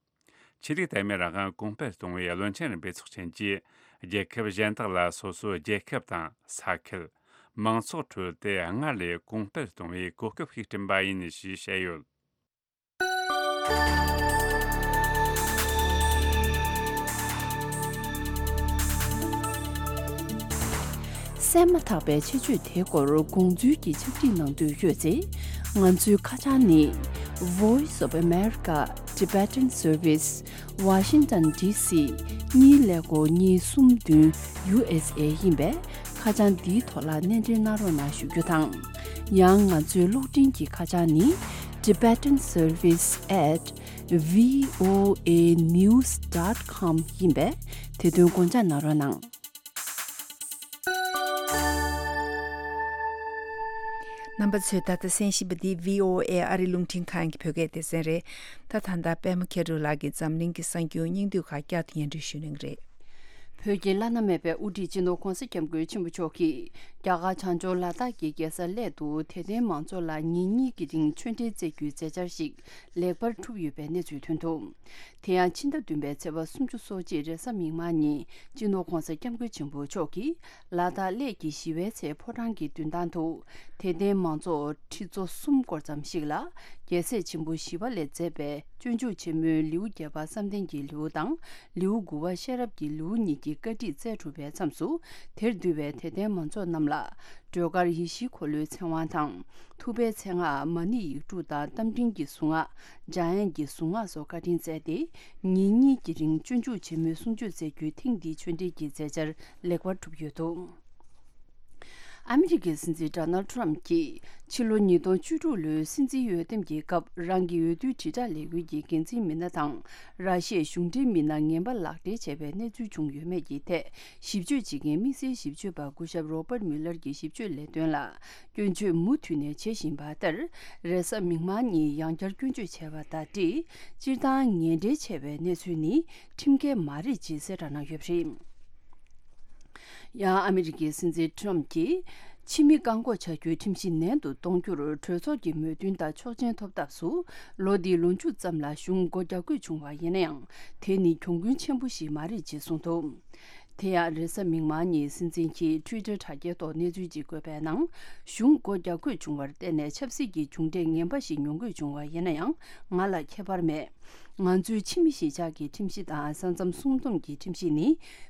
ཆེད་ལས་དད་མོས་རང་དབང་གོང་སྤེལ་གཏོང་བའི་བློན་ཆེན་རིམ་པའི་ཚོགས་ཆེན་གྱིས། རྒྱལ་ཁབ་གཞན་དག་ལ་སོ་སོའི་རྒྱལ་ཁབ་དང་ས་ཁུལ། མང་ཚོགས་ཁྲོད་དེ་སྔར་ལས་གོང་སྤེལ་གཏོང་བའི་གོ་སྐབས་ཤིག་བསྐྲུན་པ་ཡིན་ཞེས་བཤད་ཡོད། གསན་མ་ཐག་པའི་ཆེད་བརྗོད་དེའི་སྐོར་དགོངས་ཚུལ་གྱི་ཕྱག་བྲིས་གནང་འདོད་ཡོད་ཚེ། ང་ཚོའི་ཁ་བྱང་ནི། Voice of America Tibetan Service, Washington D C གཉིས་ཀླད་ཀོར་གཉིས་གསུམ་བདུན་U S A ཡིན་པས། ཁ་བྱང་འདིའི་ཐོག་ལ་གནས་འབྲེལ་གནང་རོགས་གནང་ཞུ་རྒྱུ་དང་། ཡང་ང་ཚོའི་གློག་འཕྲིན་གྱི་ཁ་བྱང་ནི། Tibetan Service at V O A news dot com ཡིན་པས། དེ་དོན་དགོངས་འཇགས་གནང་རོགས་གནང་། རྣམ་པ་ཚོས་ད་ལྟ་གསན་བཞིན་པ་འདི་V O A ཨ་རི་རླུང་འཕྲིན་ཁང་གི་བོད་སྐད་སྡེ་ཚན་རེད། ད་ད་ལྟ་པད་མ་མཁས་གྲུབ་ལགས་ཀྱིས་འཛམ་གླིང་གི་གསར་འགྱུར་སྙིང་བསྡུས་ཁག་བསྐྱར་དུ་སྙན་སྒྲོན་ཞུ་གནང་གི་རེད། བོད་ཀྱི་བླ་ན་མེད་པའི་དབུ་ཁྲིད་སྤྱི་ནོར་༧གོང་ས་༧སྐྱབས་མགོན་ཆེན་པོ་མཆོག་གིས་རྒྱ་གར་བྱང་ཕྱོགས་ལ་དྭགས་ཀྱི་རྒྱལ་ས་གླེ་དུ་དད་ལྡན་མང་ཚོགས་ལ་ཉིན་གཉིས་ཀྱི་རིང་ཆོས་འབྲེལ་སྩལ་རྒྱུའི་མཛད་འཆར་ཞིག་ལེགས་པར་གྲུབ་ཡོད་པའི་གནས་ཚུལ་ཐོན་འདུག་དེ་ཡང་ཕྱི་ཟླ་བདུན་པའི་ཚེས་པ་སུམ་ཅུ་སོ་གཅིག་རེས་གཟའ་མིག་དམར་ཉིན་སྤྱི་ནོར་༧གོང་ས་༧སྐྱབས་མགོན་ཆེན་པོ་མཆོག་གིས་ལ་དྭགས་གླེ་གི་ཞི་བའི་ཚལ་ཕོ་བྲང་གི་མདུན་ཐང་དུ་དད་ལྡན་མང་ཚོགས་ཁྲི་ཚོ་གསུམ་སྐོར་ཙམ་ཞིག་ལ་རྒྱལ་སྲས་ཆེན་པོ་ཞི་བ་ལྷས་མཛད་པའི་སྤྱོད་འཇུག་ཆེན་མོའི་ལེའུ་བརྒྱད་པ་བསམ་གཏན་གྱི་ལེའུ་དང་ལེའུ་དགུ་པ་ཤེས་རབ་ཀྱི་ལེའུ་གཉིས་ཀྱི་བཀའ་ཁྲིད་སྩལ་གྲུབ་པའི་མཚམས་སུ། དེར་འདུས་པའི་དད་ལྡན་མང་ཚོགས་རྣམས་ལ་སྒྲོལ་དཀར་ཡེ་ཤེས་འཁོར་ལོའི་ཚེ་དབང་དང་། ཐུབ་པའི་མཚན་སྔགས་མ་ཎི་ཡིག་དྲུག་དང་རྟ་མགྲིན་གྱི་གཟུངས་སྔགས། འཇམ་དབྱངས་ཀྱི་གཟུངས་སྔགས་སོགས་བཀའ་དྲིན་སྩལ་ཏེ། ཉིན་གཉིས་ཀྱི་རིང་སྤྱོད་འཇུག་ཆེན་མོའི་གསུང་ཆོས་སྩལ་རྒྱུའི་ཐེངས་འདིའི་ཆོས་འབྲེལ་གྱི་མཛད་འཆར་ལེགས་པར་གྲུབ་ཡོད་འདུག་ཨ་མི་རི་ཀའི་སྲིད་འཛིན་ཌོ་ནལ་ཌི་ཊརམ་གྱིས་ཕྱི་ལོ་ཉིས་སྟོང་བཅུ་དྲུག་ལོའི་སྲིད་འཛིན་འོས་འདེམས་ཀྱི་སྐབས་རང་གི་འོས་བསྡུའི་དྲིལ་བསྒྲགས་ལས་འགུལ་གྱི་འགན་འཛིན་མི་སྣ་དང་། ར་ཤི་ཡའི་གཞུང་འབྲེལ་མི་སྣ་ངན་པ་ལག་སྦྲེལ་བྱས་པའི་གནས་ཚུལ་བྱུང་ཡོད་མེད་ཀྱི་ཐད་ཞིབ་དཔྱོད་བྱེད་མཁན་དམིགས་བསལ་ཞིབ་དཔྱོད་པ་སྐུ་ཞབས་རོ་པར་མུ་ལར་གྱི་ཞིབ་དཔྱོད་ལས་དོན་ལ་སྐྱོན་བརྗོད་མུ་མཐུད་ནས་བྱེད་བཞིན་པ་ལྟར། རེས་གཟའ་མིག་དམར་ཉིན་ཡང་བསྐྱར་སྐྱོན་བརྗོད་བྱས་པ་དང་འབྲེལ། སྤྱིར་བཏང་ངན་འབྲེལ་བྱས་པའི་གནས་ཚུལ་ནི་ཁྲིམས་འགལ་མ་རེད་ཅེས་གསལ་བསྒྲགས་གནང་ཡོད་པ་རེད། ཡང་ཨ་མི་རི་ཀའི་སྲིད་འཛིན་ཊརམ་གྱིས་ཕྱི་མི་བཀག་འགོག་བྱ་རྒྱུའི་ཁྲིམས་གཞི་ནན་དུ་གཏོང་རྒྱུར་གྲོས་ཚོགས་ཀྱི་མོས་མཐུན་དང་ཆོག་མཆན་ཐོབ་ཐབས་སུ་ལོ་འདིའི་ལོ་མཇུག་ཙམ་ལ་གཞུང་སྒོ་རྒྱག་དགོས་བྱུང་བ་ཡིན་ན་ཡང་། དེ་ནི་གྱོང་གུན་ཆེན་པོ་ཞིག་མ་རེད་ཅེས་གསུངས་འདུག་དེ་ཡང་རེས་གཟའ་མིག་དམར་ཉིན་སྲིད་འཛིན་གྱིས་ཊུའི་ཊར་དྲ་རྒྱའི་ཐོག་གནས་ཚུལ་ཅིག་བཀོད་པའི་ནང་། གཞུང་སྒོ་རྒྱག་དགོས་བྱུང་བར་བརྟེན་ནས་ཆབ་སྲིད་ཀྱི་མཇུག་འབྲས་ངན་པ་ཞིག་མྱོང་དགོས་བྱུང་བ་ཡིན་ན་ཡང་། ང་ལ་ཁྱད་པར་མེད། ང་ཚོའི་ཕྱི་མི་གཞིས་ཆགས་ཀྱི་ཁྲིམས་གཞི་དང་ས་མཚམས་སྲུང་སྡོམ་གྱི་ཁྲིམས་གཞི་ནི་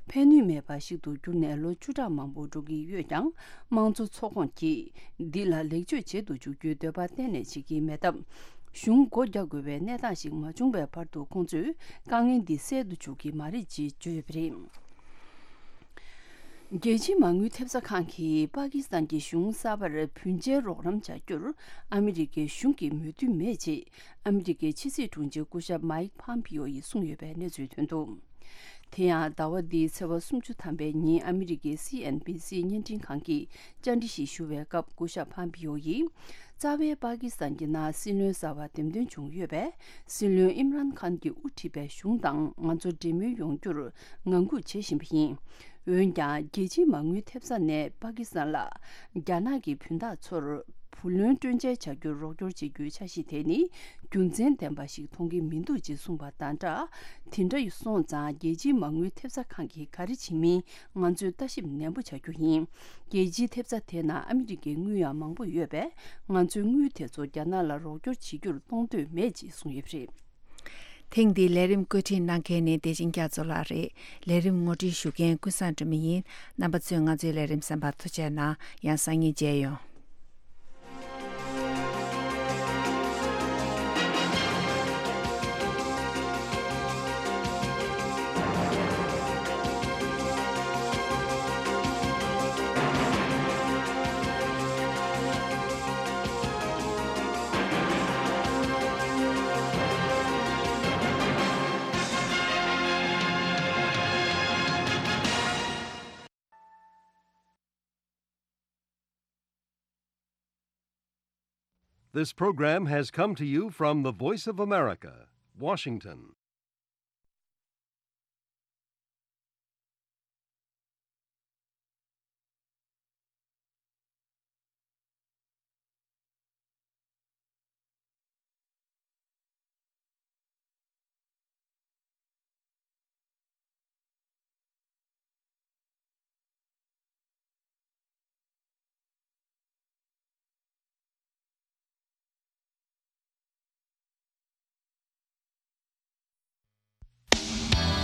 ཕན་ནུས་མེད་པ་ཞིག་ཏུ་གྱུར་ནས་ལོ་བཅུ་ཕྲག་མང་པོ་འགྲོ་གི་ཡོད་ཀྱང་། དམངས་གཙོ་ཚོགས་ཁོངས་ཀྱིས་འདི་ལ་ལེགས་བཅོས་བྱེད་དུ་འཇུག་རྒྱུའི་འདོད་པ་གཏན་ནས་བྱེད་ཀྱི་མེད་སྟབས། གཞུང་སྒོ་རྒྱག་དགོས་པའི་གནས་སྟངས་ཤིག་མ་བྱུང་བའི་བར་དུ་ཁོང་ཚོས་དཀའ་ངལ་འདི་སེལ་དུ་འཇུག་གི་མ་རེད་ཅེས་བརྗོད་ཡོད་པ་རེད། རྒྱལ་སྤྱིའི་མ་དངུལ་ཐེབས་རྩ་ཁང་གིས་པ་ཀི་སི་ཐན་གྱི་གཞུང་གསར་པར་བུན་འཇལ་རོགས་རམ་བྱ་རྒྱུར་ཨ་མི་རི་ཀའི་གཞུང་གིས་མོས་མཐུན་མེད་ཅེས་ཨ་མི་རི་ཀའི་ཕྱི་སྲིད་དྲུང་ཆེ་སྐུ་ཞབས་མའིག་ཕམ་པིའོ་ཡིས་གསུངས་ཡོད་པའི་གནས་ཚུལ་ཐོན་འདུག་དེ་ཡང་ཟླ་བ་འདིའི་ཚེས་པ་སུམ་ཅུ་ཐམ་པའི་ཉིན་ཨ་མི་རི་ཀའི་སི་ཨེན་བྷི་སི་བརྙན་འཕྲིན་ཁང་གིས་བཅར་འདྲི་ཞིག་ཞུ་བའི་སྐབས་སྐུ་ཞབས་ཕམ་པིའོ་ཡིས། རྩ་བའི་པ་ཀི་སི་ཐན་གྱི་ནང་སྲིད་བློན་གསར་བ་འདེམས་ཐོན་བྱུང་ཡོད་པས། སྲིད་བློན་ཨིམ་རཱན་ཁཱན་གྱིས་དབུ་ཁྲིད་པའི་གཞུང་དང་ང་ཚོ་འབྲེལ་མོལ་ཡོང་རྒྱུར་ངང་སྒུག་བྱེད་བཞིན་པ་ཡིན། འོན་ཀྱང་རྒྱལ་སྤྱིའི་མ་དངུལ་ཐེབས་རྩ་ནས་པ་ཀི་སི་ཐན་ལ་རྒྱ་ནག་གི་བུན་བདག་ཚོར་བུ་ལོན་སྤྲོད་འཇལ་བྱ་རྒྱུར་རོགས་སྐྱོར་བྱེད་རྒྱུའི་འཆར་གཞི་དེ་ནི་རྒྱུ་མཚན་ལྡན་པ་ཞིག་མཐོང་གི་མི་འདུག་ཅེས་གསུངས་པ་དང་སྦྲགས། དེ་འདྲ་སོང་ཙང་རྒྱལ་སྤྱིའི་མ་དངུལ་ཐེབས་རྩ་ཁང་གིས་ག་རེ་བྱེད་མིན་ང་ཚོས་ལྟ་ཞིབ་ནན་པོ་བྱ་རྒྱུ་ཡིན། རྒྱལ་སྤྱིའི་ཐེབས་རྩ་དེའི་ནང་ཨ་མི་རི་ཀའི་དངུལ་ཡང་མང་པོ་ཡོད་པས། ང་ཚོའི་དངུལ་དེ་ཚོ་རྒྱ་ནག་ལ་རོགས་སྐྱོར་བྱེད་རྒྱུར་གཏོང་འདོད་མེད་ཅེས་གསུངས་ཡོད་པ་རེད། ཐེངས་འདིའི་ལས་རིམ་བཀོད་སྒྲིག་གནང་མཁན་ནི་བདེ་ཆེན་རྒྱ་མཚོ་ལགས་རེད། ལས་རིམ་ངོ་སྤྲོད་ཞུ་མཁན་ཀུན་བཟང་སྒྲོལ་མ་ཡིན། རྣམ་པ་ཚོས་ང་ཚོའི་ལས་རིམ་གསན་པར་ཐུགས་རྗེ་གནང་། ཡང་སང་ཉིན་མཇལ་ཡོང་། This program has come to you from the Voice of America, Washington.